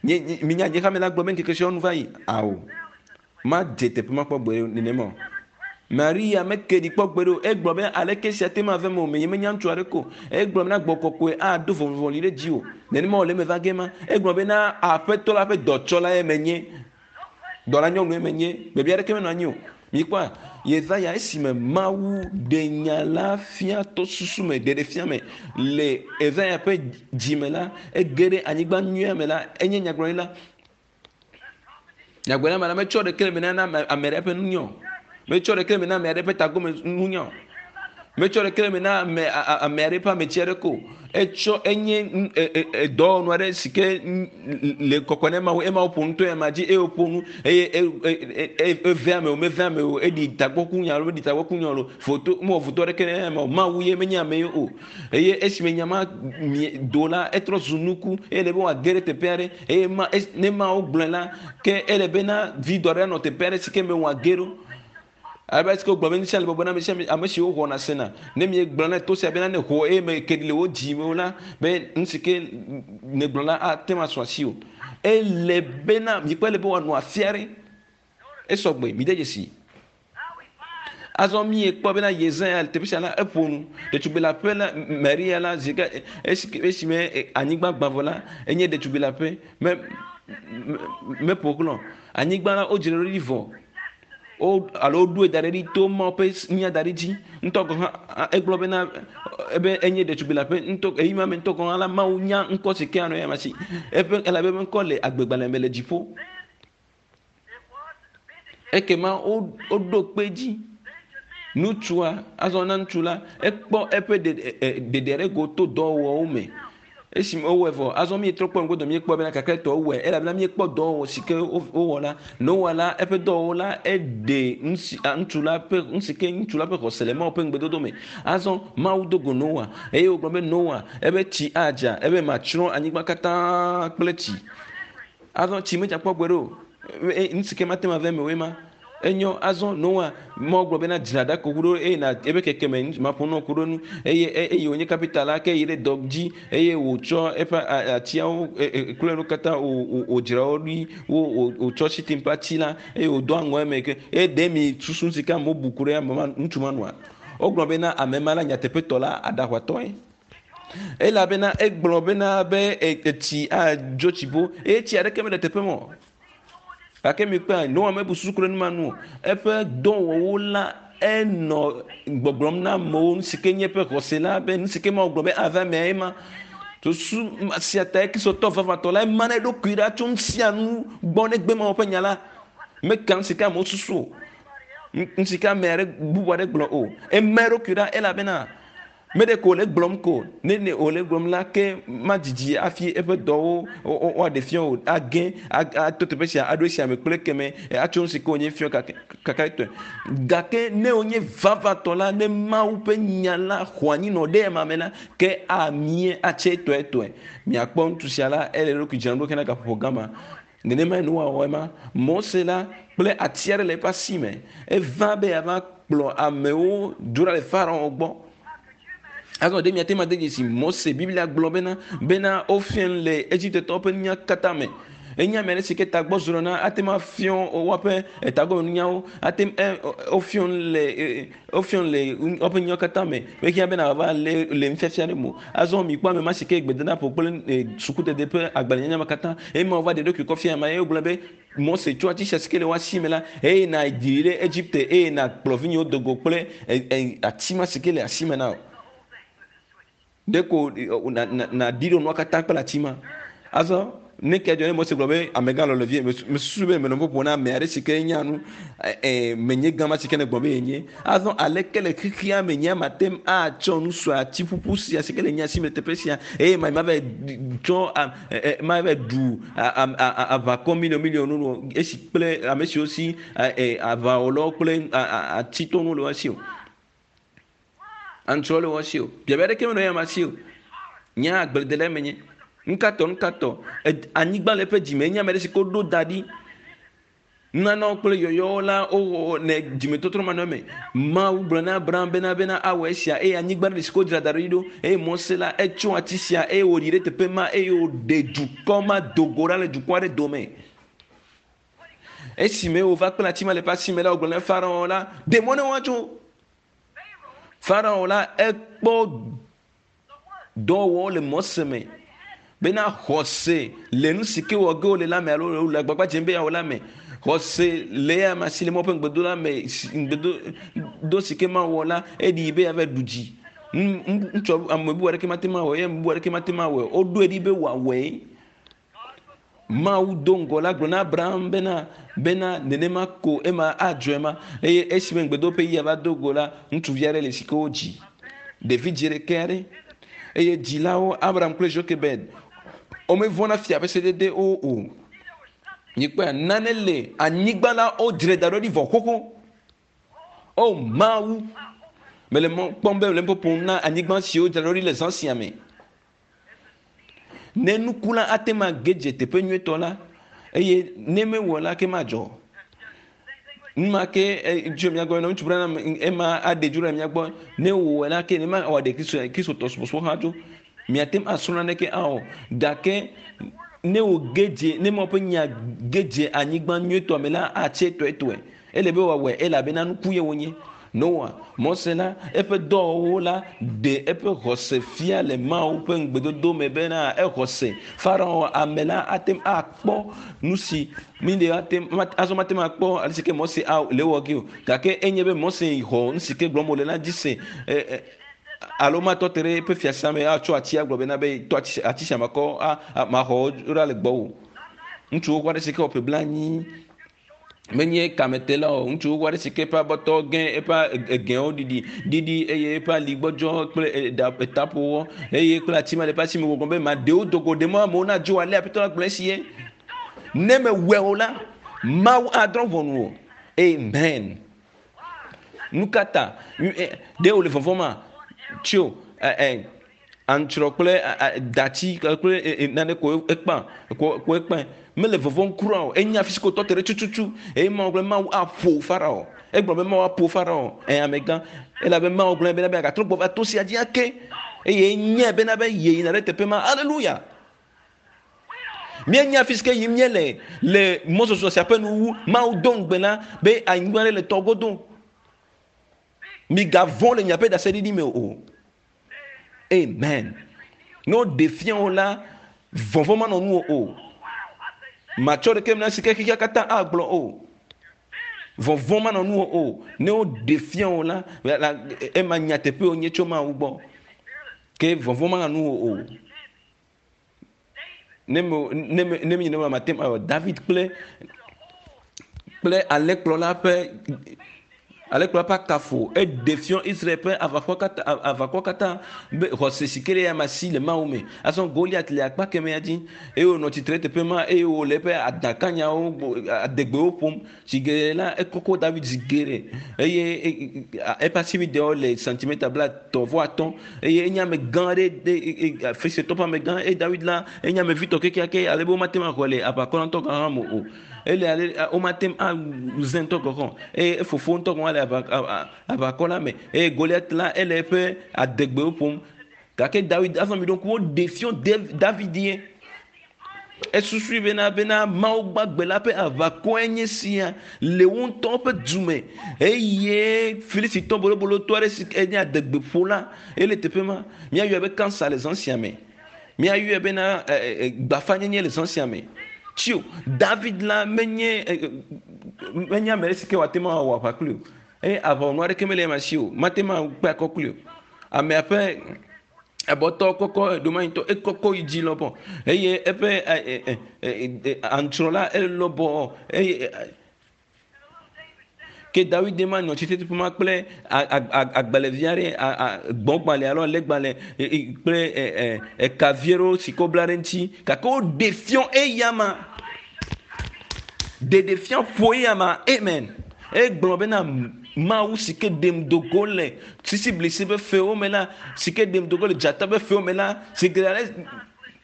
Nye nye minya nye xame la gblɔ be ŋkeke siawo nu va yi. Ao. Madze teƒe ma kpɔ gbeɖe nenema o. Maria meke ɖi kpɔ gbeɖe o. Egblɔ be aleke esia te ŋu ave eme o. Menye menya ŋutsu aɖeke o. Egblɔ bena gbɔ kɔkɔe ado vɔvɔli ɖe dziwò. Nenema wòle eme va ge ma. Egblɔ bena Aƒetɔ la ƒe dɔtsɔlae menye. Dɔla nyɔnue menye. Biabia aɖeke menɔ anyi o. Mikpɔa? Yesaya esime Mawu ɖe nya la fia to susu me, ɖeɖefia me le Yesaya ƒe dzi me la, ege ɖe anyigba nyuia me la, enye nyagblɔɖila. Nyagblɔɖila ma la metsɔ ɖeke le me na ame aɖe ƒe nunya o. Metsɔ ɖeke le me na ame aɖe ƒe tagome nunya o. Metsɔ ɖeke le me na ame ame aɖe ƒe ametsi aɖeke o. Etsɔ enye edɔwɔnu aɖe si ke le kɔkɔe na Mawu. Ema woƒo nu to ema dzi eye woƒo nu eye eve ame o meve ame o eɖi tagbɔkunya alo meɖi tagbɔkunya o foto mewɔ foto aɖeke ne eme o. Mawu ye menye ame ye o. Eye esime nya ma do la etrɔ zu nuku eye ele be wòage ɖe teƒe aɖe eye ma ne Mawu gblɔe la ke ele bena vidɔ aɖe anɔ teƒe aɖe si ke me wòage ɖo. Abe esike wogblɔ be nu sia le bɔbɔe na ame sia ame, ame siwo xɔna sena. Ne miegblɔ na to sia bena ne ho eye meke ɖi le wo dzi me o la, be nu si ke nègblɔ la ate ŋu asu asiwò. Ele bena mikpɔ ele be wòanɔ afi aɖe. Esɔgbe, mide dzesi. Azɔ miekpɔ bena Yesaya le teƒe sia la eƒo nu. Ɖetugbi le aƒe la, Maria la zi ke esime anyigba gbã vɔ la, enye ɖetugbi le aƒe me meƒo xlɔ. Anyigba la wodzra ɖo ɖi vɔ. Wo alo woɖoe da ɖe ɖi to Mawu ƒe nya da ɖi dzi. Ŋutɔ gɔ̃ hã egblɔ bena ebe enye ɖetugbi le aƒe ŋutɔ eyi ma me ŋutɔ gɔ̃ hã la Mawu nya ŋkɔ si ke anɔ eya ma si. Eƒe elabe eƒe ŋkɔ le agbegbalẽ me le dziƒo. Ekema woɖo kpe edzi. Ŋutsua azɔ na ŋutsu la ekpɔ eƒe ɖeɖe ɖe go to dɔwɔwɔwo me. Esime wowɔe vɔ azɔ míetrɔ kpɔ ŋgɔdɔ míekpɔ bena kakɛtɔ wowɔe elabena míekpɔ dɔwɔwɔ si ke wowɔ la. Noa la eƒe dɔwɔwɔ la eɖe ŋusi ŋutsu la ƒe ŋusi ke ŋutsu la ƒe xɔse le Mawu ƒe ŋugbedodo me. Azɔ Mawu do go Noa eye wògblɔ be Noa ebe tsi adza ebe matsrɔ̃ anyigba katã kple tsi. Azɔ tsi medza kpɔ gbeɖe o. Nu si ke mate ŋu ave eme o ema. Enyo azɔ Noa Mawu gblɔ bena dzra ɖako ku ɖo eye na ebe keke me maƒo nu ku ɖo nu eye eye wònye kapita la ke yi ɖe dɔ dzi eye wòtsɔ eƒe atiawo kple nu katã wòdzra wo ɖi wo wòtsɔ shitin ƒe ati la eye wòdo aŋɔ eme ke eye ɖe mi susu si ke amewo bu ku ɖe ame ma ŋutsu ma nua wogblɔ bena ame ma la nyateƒetɔ la aɖaʋatɔe. Elabena egblɔ bena be etsi adzo tsibo eye tsi aɖeke mele teƒe ma o. Gake mikpɔe, Noa mebu susu ku ɖe nu ma ŋu o. Eƒe dɔwɔwɔwo la enɔ gbɔgblɔm na amewo nu si ke nye eƒe xɔse la be nu si ke Mawu gblɔ be ava emea ema. Susu sia tae Kristotɔ vavãtɔ la ema na eɖokui ɖa tso nu sia nu gbɔ ne gbe Mawu ƒe nya la. Meka nu si ke amewo susu o. Nu si ke ame aɖe bubu aɖe gblɔ o. Ema eɖokui ɖa elabena Meɖe ko wòle gblɔm ko, ne ne wòle gblɔm la, ke madzidzi hafi eƒe dɔwo woaɖe fia o, age ato teƒe sia aɖo esia me kple ekeme atso nu si ke wònye fia kakaɖetɔe. Gake ne wònye vavãtɔ la, ne Mawu ƒe nya la xɔ anyi nɔ ɖe ema me la, ke amie atse etɔetɔe. Miakpɔ ŋutsu sia la, ele eɖokui dzram ɖo hena gaƒoƒo gã ma. Nenemae nuwɔwɔ ema. Mose la kple ati aɖe le eƒe asi me. Eva be yeava kplɔ amewo dzo ɖa le Farao gbɔ. Azɔ ɖe miate ŋu ade dzesi Mose? Biblia gblɔ bena bena wofia nu le Egiptetɔwo ƒe nunya katã me. Enye ame aɖe si ke tagbɔ zrɔ̃ na ate ŋu afiɔ woaƒe tagbɔmenunyawo ate ŋu wofiɔ le wofiɔ le woƒe nyawo katã me. Mehiã bena wòava le le nufiafia ɖe me o. Azɔ mikpɔ ame ma si ke gbedadaƒo kple sukudede ƒe agbalẽnyanya me katã eye wova ɖe eɖokui kɔ fia ame eye wogblɔ be Mose tsɔ ati sia si ke le woasi me la eye nàyi ɖe Egipte eye nàkplɔ vinyewo do go kple ati ma si ke le asi me na wò. Ɖeko nàɖi ɖo nua katã kple ati ma. Azɔ ne ke dzɔ ne Mose gblɔ be amegã lɔ le vie mesusu be menɔ ƒoƒo na ame aɖe si ke nya nu menye gã ma si ke ne gblɔ be yenye. Azɔ aleke le xexea me nye mate ŋu atsɔ nu sue ati ƒuƒu sia si ke le nye asi me le teƒe sia eye ma va tsɔ ma va ɖu aʋakɔ miliɔn miliɔn nu esi kple ame siwo si aʋawɔlawo kple atitɔnuwo le wo si o. Aŋutrɔ le wo si o. Biabia ɖeke menɔ eya ma si o. Nye agbledela menye. Nukatɔ nukatɔ anyigba le eƒe dzime enye ame ɖe si ke woɖo da ɖi. Nunanawo kple yɔyɔwo la wowɔ ne dzimetɔtrɔ manɔ eme. Mawu gblɔ na Abraham bena bena awɔ esia eye anyigba ɖe si ke wodzra da ɖi ɖo eye Mose la etsɔ ati sia eye wòɖi ɖe teƒe ma eye wòɖe dukɔ ma do go ɖa le dukɔ aɖe dome. Esime wòva kple ati ma le eƒe asi me la wògblɔ na Farao la ɖe mɔ ne woatso. Farao la ekpɔ dɔwɔwɔ le Mose me bena xɔse le nu si ke wɔ ge wòle la me alo le agbagba dzem be yeawɔ la me. Xɔse le eya ma si le Mawu ƒe ŋugbedo la me ŋugbedo si ke Mawu wɔ la eɖi be yeava ɖu dzi. Ŋutsu ame bubu aɖeke mate ŋu awɔe eye ame bubu aɖeke mate ŋu awɔe. Woɖoe ɖi be wòawɔe. Mawu do ŋgɔ la gblɔ na Abraham bena bena nenema ko ema adzɔe ma eye esime ŋugbedo ƒe yia va do go la ŋutsuvi aɖe le si ke wodzi ɖevi dzi ɖeke aɖe eye dzilawo Abraham kple Jochebed womevɔ̃na fia ƒe sedede wo o. Mikpɔa nane le anyigba la wodzrae da ɖo ɖi vɔ xoxo. O Mawu, mele mɔ kpɔm be mele nu ƒom na anyigba siwo dzra ɖo ɖi le zã sia me. Ne nuku la ate ŋu age dze teƒe nyuietɔ la eye ne mewɔ la ke madzɔ. Nu ma ke tso mía gbɔ ŋutsu Branham ema aɖe dzo ɖe mía gbɔ ne wòwɔe la ke ne ma wɔ ɖe Kristo Kristotɔ subɔsubɔ hã dzo. Miate ŋu asrɔ̃ naneke awɔ gake ne wòge dze ne Mawu ƒe nya ge dze anyigba nyuietɔ me la atse tɔetɔe. Ele be wòawɔe elabena nuku ye wonye. Noa, Mose la, eƒe dɔwɔwɔwo la ɖe eƒe xɔse fia le Mawu ƒe ŋugbedodo me bena exɔ se. Farao ame la ate ŋu akpɔ nu si mi ɖe ate azɔ mate ŋu akpɔ ale si ke Mose le ewɔ ge o. Gake enye be Mose xɔ nu si ke gblɔm wòle la dzi se. Alo matɔ te ɖe eƒe fiasã me atsɔ ati agblɔ bena be tɔ ati sia makɔ maxɔ wo ɖa le gbɔwò. Ŋutsuwo kɔ aɖe si ke wɔ ƒe blanyi menye kametela o ŋutsu xoxo aɖe si ke eƒe abɔtɔ gẽ eƒe egẽwo ɖiɖi ɖiɖi eye eƒe ali gbɔdzɔ kple etaƒowɔ eye kple ati ma le eƒe asi me gbɔgblɔ be maɖewo do go ɖe mɔ amewo nadzo ale aƒetɔ la gblɔ esi ye ne mewɔe o la Mawu adrɔ̃ ʋɔnu o amen nu ka ta ɖe wòle vɔvɔ̃ ma tso ɛ aŋutrɔ kple dati kple nane ko ekpã ko ekpã mele vɔvɔ̃m kura o enya fi si ko tɔ te ɖe tututu eye Mawu gblɔ Mawu aƒo Farao egblɔ be Mawu aƒo Farao ɛ amegã elabe Mawu gblɔ bena be agatrɔ gbɔ va to sia dzi ake eye enyae bena be yeyina ɖe teƒe ma aleluya míenya fi si ke yim míele le mɔzɔzɔ sia ƒe nuwu Mawu do ŋugbe na be anyigba ɖe le tɔ godo migavɔ̃ le miaƒe ɖaseɖiɖi me o Amen. Ne woɖe fia wo la, vɔvɔ̃ manɔ nuwò o. Matsɔ ɖeke na si ke xexea katã agblɔ o. Vɔvɔ̃ manɔ nuwò o. Ne woɖe fia wo la, ema nyateƒe wònye tso Mawu gbɔ. Ke vɔvɔ̃ manɔ nuwò o. Ne me ne me ne mi ne mate ŋu awɔ David kple kple alẽkplɔla ƒe alẽkplɔla ƒe akafo eɖe fiɔ Israel ƒe aʋakɔ katã aʋakɔ katã be xɔse si ke ɖe ya ma si le Mawu me. Azɔ Goliat le akpa kemɛa dzi eye wònɔ tsitre ɖe teƒe ma eye wòle eƒe adãkanyawo adegbewo ƒom. Zi geɖe la, ekɔkɔ David zi geɖe eye eƒe asibidewo le santimeta blaetɔ̃ vɔ atɔ̃ eye enye ame gã aɖe de Filistitɔ ƒe amegã eye David la enye ame vitɔ kekeake ale be womate ŋu axɔe le aʋakɔ la ŋutɔ gɔ̃ hã me o. Ele ale womate ŋu aze ŋutɔ gɔ̃ hã o eye efofo ŋutɔ gɔ̃ hã le aʋakɔ la me eye Goliat la ele eƒe adegbewo ƒom gake David azɔ mi ɖo ŋku woɖe fiɔ David ye. Esusui bena bena Mawu gbagbe la ƒe aʋakɔe nye sia le wo ŋutɔ ƒe du me eye Filistitɔ bolobolotɔ aɖe si enye adegbeƒola ele teƒe ma. Míayɔe be kansa le zã sia me. Míayɔe bena gbafanyenye le zã sia me. Tsio, David la menye menye ame ɖe si ke wòate ŋu awɔ aʋa kpli o. Eye aʋawɔnu aɖeke mele ema si o. Mate ŋu akpe akɔ kpli o. Amea ƒe ebɔtɔ kɔkɔ ɖomanyitɔ ekɔkɔ yi dzi lɔbɔ eye eƒe aŋutrɔ la elɔbɔ eye ke Dawid ma nɔ tsitre teƒe ma kple agbalẽvi aɖe gbɔgbalẽ alo alẽgbalẽ kple ekavi aɖewo si ke wobla ɖe eŋuti gake woɖe fiɔ eya ma. Ɖeɖefia ƒo eya ma. Amen. Egblɔ bena Mawu si ke ɖem do go le sisiblisi ƒe fewo me la, si ke ɖem do go le dzata ƒe fewo me la, si ke ale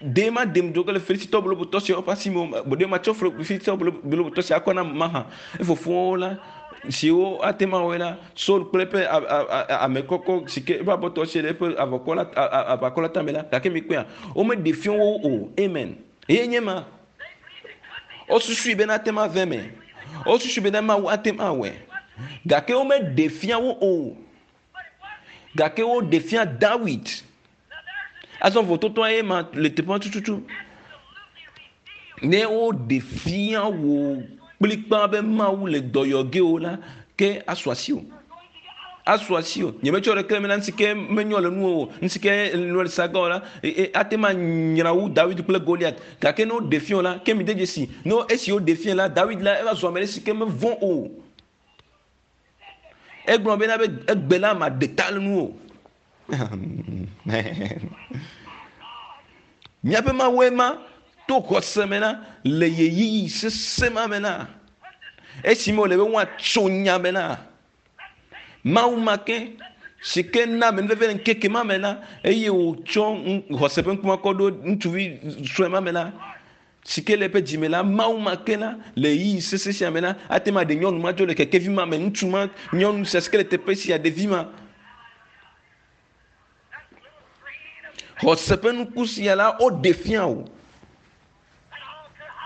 ɖe ma ɖem do go le Filistitɔ bolobotɔ siawo ƒe asi me o, ɖe matsɔ Filistitɔ bolobotɔ sia akɔ na mahã. Efofowo la, siwo ate ŋu awɔe la, Saul kple eƒe ame kɔkɔ si ke eƒe abɔtɔ si le eƒe avɔkɔ la, aʋakɔ la tame la, gake mikpɔea, womeɖe fia wo o. Amen. Eye nye ma. Wosusui bena ate ŋu ave eme. Wosusui bena Mawu ate ŋu awɔe. Gake womeɖe fia wo o. Gake woɖe fia Dawid. Azɔ vototoa ye ma le teƒea tututu. Ne woɖe fia wò kplikpaa be Mawu le dɔ yɔ ge wò la, ke asu asiwò. Asu asiwò. Nyemetsɔ ɖeke le eme na nu si ke menyɔ le nuwò o, nu si ke nɔ le saga o la, ate ŋu anyra wu Dawid kple Goliat. Gake ne woɖe fia wò la, ke mide dzesi, ne esi woɖe fia la, Dawid la, eva zu ame ɖe si ke mevɔ̃ o. Egblɔ bena be egbe la maɖe ta le nuwò. Míaƒe Mawue ma to xɔse me la le ɣeyiɣi sesẽ ma me la, esime wòle be woatso nya me la, Mawu ma ke si ke na amenuveve le ŋkeke ma me la, eye wòtsɔ xɔse ƒe ŋkume kɔ ɖo ŋutsuvi sue ma me la, si ke le eƒe dzi me la, Mawu ma ke la, le ɣeyiɣi sesẽ sia me la, ate ŋu aɖe nyɔnu ma dzo le kekevi ma me, ŋutsu ma, nyɔnu sia si ke le teƒe sia, ɖevi ma. Xɔse ƒe nuku sia la, woɖe fia wò.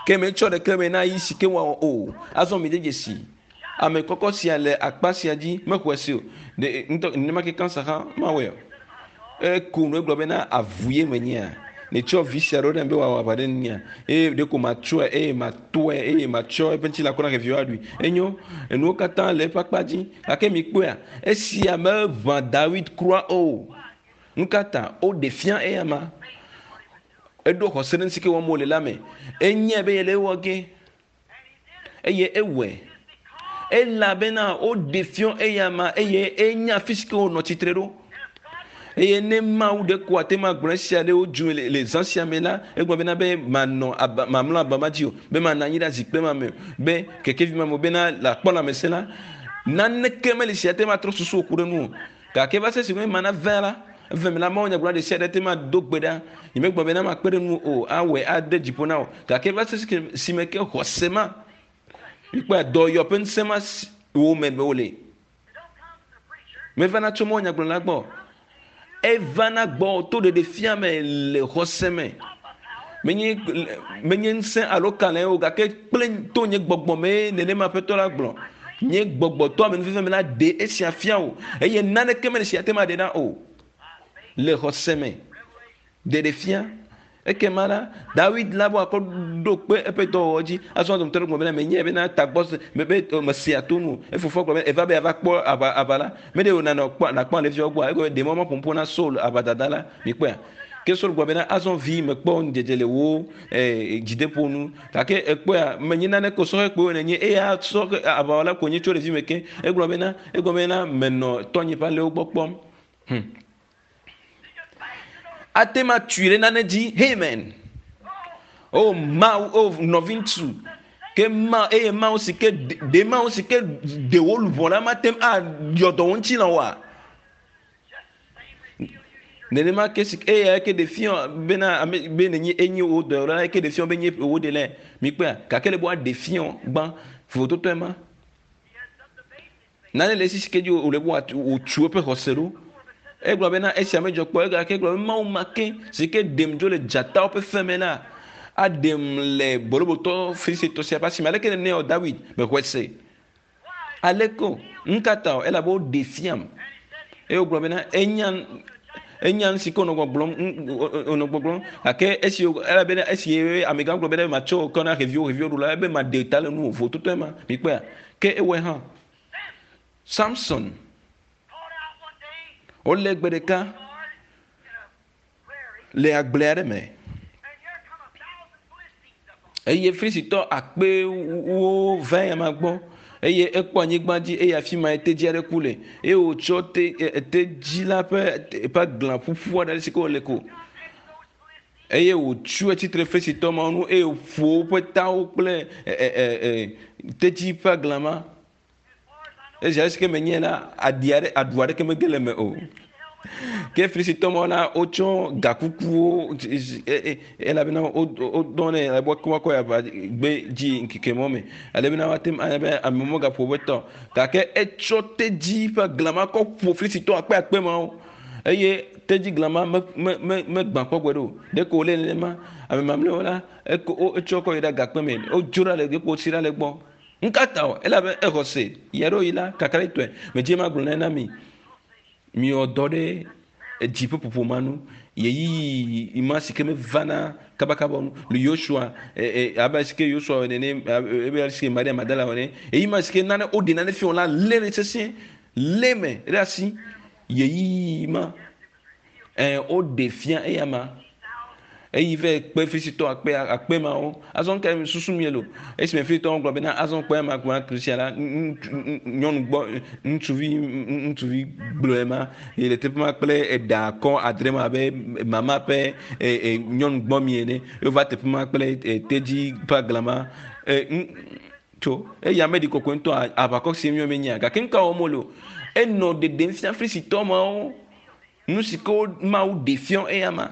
Ke metsɔ ɖeke me na yi si ke wɔwɔ o. Azɔ mi de dzesi. Ame kɔkɔ sia le akpa sia dzi mexɔe se o. Ɖe ŋutɔ nenema ke kansa hã mawɔe o. Eko nu egblɔ bena avu ye menyea. Netsɔ vi sia ɖo ɖem be wòawɔ aʋa ɖe nunyea. Eye ɖeko matsɔe eye matɔe eye matsɔ eƒe ŋutilã kɔ na xeviwo aɖui. Enyo, enuwo katã le eƒe akpa dzi. Gake mikpɔea, esia meʋã Dawid kura o. Nu ka ta woɖe fia eyama? Eɖo xɔse ɖe nu si ke wɔm wòle la me. Enyae be yele ewɔ ge eye ewɔe. Elabena woɖe fiɔ eyama eye enya afi si ke wònɔ tsitre ɖo. Eye ne Mawu ɖe ko ate ŋu agblɔ esia ɖe wo dzu le, le zã sia me la, egblɔ bena be manɔ aba, mamlɔ aba ma dzi o, be manɔ anyi ɖe zikpui ma me o, be kekevi ma me o, bena le akpɔ lãmesẽ la, naneke meli si ate ŋu atrɔ susu wò ku ɖe nu o. Gake va se esime mana vea la, eve me la, mawunyagblɔla ɖe sia ɖe ate ŋu ado gbe ɖa. Nyemegblɔ bena makpe ɖe ŋuwò o, awɔe ade dzi ƒo na wò. Gake va se esime ke xɔse ma, mikpɔe, dɔyɔ ƒe ŋusẽ ma wò me be wòle. Mevana tso mawunyagblɔla gbɔ. Evana gbɔ to ɖeɖefia me le xɔse me. Menye menye ŋusẽ alo kalẽ o, gake kple to nye gbɔgbɔ mee nenema Aƒetɔ la gblɔ. Nye gbɔgbɔ to amenuveve me la ɖe esia fia wò, eye naneke mele si ate ŋu aɖe ɖa o. Le xɔse me ɖeɖefia. Ekema la, Dawid la va kɔ ɖo kpe eƒe dɔwɔwɔ dzi. Azɔ dometɔ ɖe gblɔ bena, menyae bena tagbɔ me be mesea to nu o. Efofoa gblɔ be, eva be yeava kpɔ aʋa aʋa la, meɖe wò nanɔ kpɔ nakpɔ alẽviawo gbɔa? Egblɔ be, ɖe mɔ maƒo nuƒo na Saul aʋadada la. Mikpɔea? Ke Saul gblɔ bena, Azɔ vi, mekpɔ ŋudzedze le wò dzideƒo ŋu, gake èkpɔea, menye naneke o, sɔhɛ kpoe nènye, eya sɔhɛ aʋawɔla ko nye tso ɖevime ke. Egblɔ bena, egblɔ bena, menɔ tɔnye ƒe alẽwo gbɔ kpɔm. Hm. Ate ŋu atui ɖe nane dzi. Amen. O Mawu, o nɔviŋutsu, ke ma eye Mawu si ke ɖe Mawu si ke ɖe wò luʋɔ la mate ŋu ayɔ dɔ wò ŋutilã oa? Nenema ke si eya ke ɖe fia bena ame be nenye enye wò dɔyɔla ke ɖe fia be nye wò ɖe mikpɔa gake le be woaɖe fia gbã vovototoe ma. Nane le esi si ke dzi wòle be wòtu eƒe xɔse ɖo. Egblɔ bena esia medzɔ kpɔ egake egblɔ be Mawu ma ke si ke ɖem dzo le dzatawo ƒe fe me la, Aɖem le bolobotɔ Filistitɔ sia ƒe asi me. Aleke nene wɔ Dawid? Mexɔe se. Aleke o? Nu ka ta o? Elabe woɖee fiam. Eye wogblɔ bena enya enya nu si ke wònɔ gbɔgblɔm wònɔ gbɔgblɔm gake esi elabena esi amegã gblɔ bena matsɔ wò kɔ na xeviwo xeviwo ɖula ebe maɖe ta le nuwò vototoe ma mikpɔea ke ewɔe hã. Samson wolé gbe ɖeka le agble aɖe me eye Filistitɔ akpewo va eyama gbɔ eye ekpɔ anyigba dzi eye afi ma tedzi aɖe ku le eye wòtsɔ te tedzi la ƒe eƒe aglã ƒuƒu aɖe si ke wòle ko eye wòtsu etsitre Filistitɔ mawo nu eye wòƒo woƒe tawo kple tedzi ƒe aglã ma. Esi ale si ke menye la, aɖi aɖe, aɖu aɖeke mege le eme o. Ke Filistitɔ mawo la, wotsɔ gakukuwo elabena wodɔ nɛ ale be woakɔ yi aʋa gbe dzi ŋkeke mɔ me ale bena woate ŋu anya be ame megaƒo woƒe ta o. Gake etsɔ tedzi ƒe aglã ma kɔ ƒo Filistitɔ akpeakpe mawo eye tedzi glã ma me me me megbã kpɔ gbeɖe o. Ɖeko wòle nenema. Ame mamlɛawo la, eko etsɔ kɔ yi ɖe agakpe me. Wodzo ɖa le ɖeko wotsi ɖa le egbɔ. Nukata o? Elabe exɔ se. Ɣeaɖewoɣi la, kakaɖetɔe, medze magblɔ nane na mi. Miwɔ dɔ ɖe edzi ƒe ƒoƒo ma nu. Ɣeyiɣi ma si ke mevana kabakaba o nu. Le Yosua, abe ale si ke Yosua wɔ nene, abe ale si ke Maria Magdala wɔ nene. Ɣeyiɣi ma si ke nane woɖe nane fia wò la, lé ɖe sesĩe, lé eme ɖe asi. Ɣeyiɣi ma. Ẽ, woɖe fia eyama. Eyi vɛ kpe Filistitɔ akpe akpe mawo. Azɔ nu kae susu miele o? Esime Filistitɔwo gblɔ bena azɔ kpe ema kple Kritia la, nyɔnu gbɔ ŋutsuvi ŋutsuvi gblɔe ma yi le teƒe ma kple eɖa kɔ adre ma abe mama ƒe nyɔnu gbɔ mi ene. Wova teƒe ma kple tedzi ƒe aglã ma. Tso eya meɖi kɔkɔe ŋutɔ aʋakɔ si míɔ menyea gake nu ka wɔm wole o? Enɔ ɖeɖem fia Filistitɔ mawo. Nu si ke Mawu ɖe fiɔ eya ma.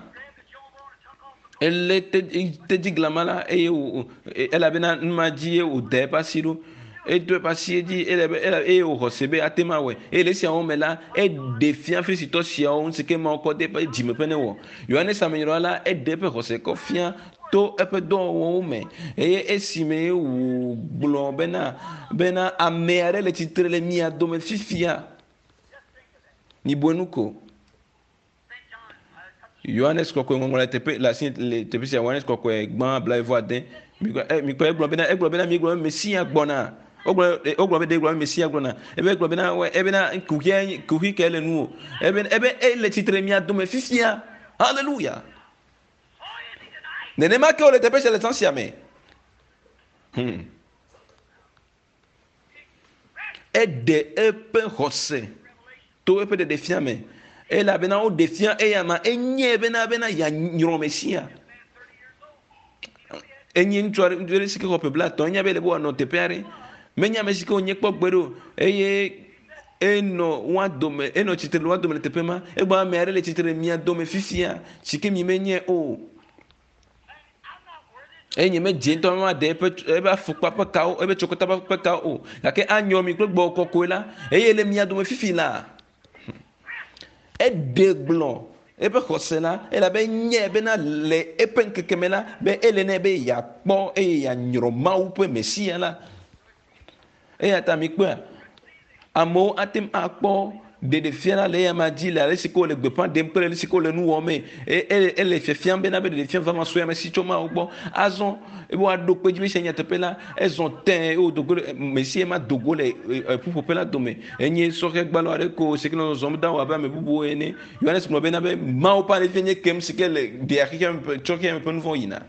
Elé tedzi glama la eye wò elabena nu ma dzi ye wòda eƒe asi ɖo. Edo eƒe asi dzi elabe eye wòxɔ se be ate ŋu awɔe. Eye le esiawo me la, eɖe fia Filistitɔ siawo nu si ke Mawu kɔ de eƒe dzime ƒe newɔ. Yohanes Amenyrɔla la, eɖe eƒe xɔse kɔ fia to eƒe dɔwɔwɔwo me. Eye esime wògblɔ bena bena ame aɖe le tsitre le mia dome fifia. Mibue nu ko. Yohanes kɔkɔe ŋɔŋlɔ le teƒe le asi le teƒe sia Yohanes kɔkɔe gbã blaeve ade. Mikpɔ egblɔ bena egblɔ bena miegblɔ be Mesia gbɔna. Wogblɔ wogblɔ be ɖe gblɔ be Mesia gbɔna. Ebe egblɔ bena ebena kuxia kuxi ke le nuwò. Ebe ebe ele tsitre mia dome fifia. Haleluya. Nenema ke wole teƒe sia le zã sia me. Eɖe eƒe xɔse to eƒe ɖeɖefia me elabena woɖe fia eyama enyae bena bena yeanyrɔ Mesia. Enye ŋutsu aɖe ŋutsu aɖe si ke xɔ ƒe blaetɔ̃ enya be ele be wòanɔ teƒe aɖe. Menye ame si ke wònye kpɔ gbeɖe o eye enɔ woa dome enɔ tsitre le woa dome le teƒe ma. Egblɔ ame aɖe le tsitre le mia dome fifia si ke mi menyae o. Eye nyemedze ŋutɔ be maɖe eƒe eƒe afɔkpa ƒe kawo, eƒe tsokota ƒe kawo o. Gake anyɔ mi kple gbɔgbɔ kɔkɔe la, eye le mia dome fifi la, eɖe gblɔ eƒe xɔse la, elabe enyae bena le eƒe ŋkeke me la, be ele nɛ be yeakpɔ eye yeanyrɔ Mawu ƒe Mesia la. Eya ta mikpɔea, amewo ate ŋu akpɔ ɖeɖefia la le eyama dzi le ale si ke wole gbeƒã ɖem kple ale si ke wole nu wɔmee. E, ele, ele fiafiam bena be ɖeɖefia vavã sue ame si tso Mawu gbɔ. Azɔ ebe woaɖo kpe edzi be esia nye nyateƒe la, ezɔ tẽe eye wòdo go le Mesia ma do go le e, e, ƒuƒoƒe la dome. Enye sɔhɛ gbalo aɖe ko si ke nɔ zɔzɔm dawò abe ame bubuwo ene. Yohanes gblɔ bena be Mawu ƒe alẽvi nye kem si ke le ɖea xexeame ƒe tsɔ xexeame ƒe nu vɔ̃ yina.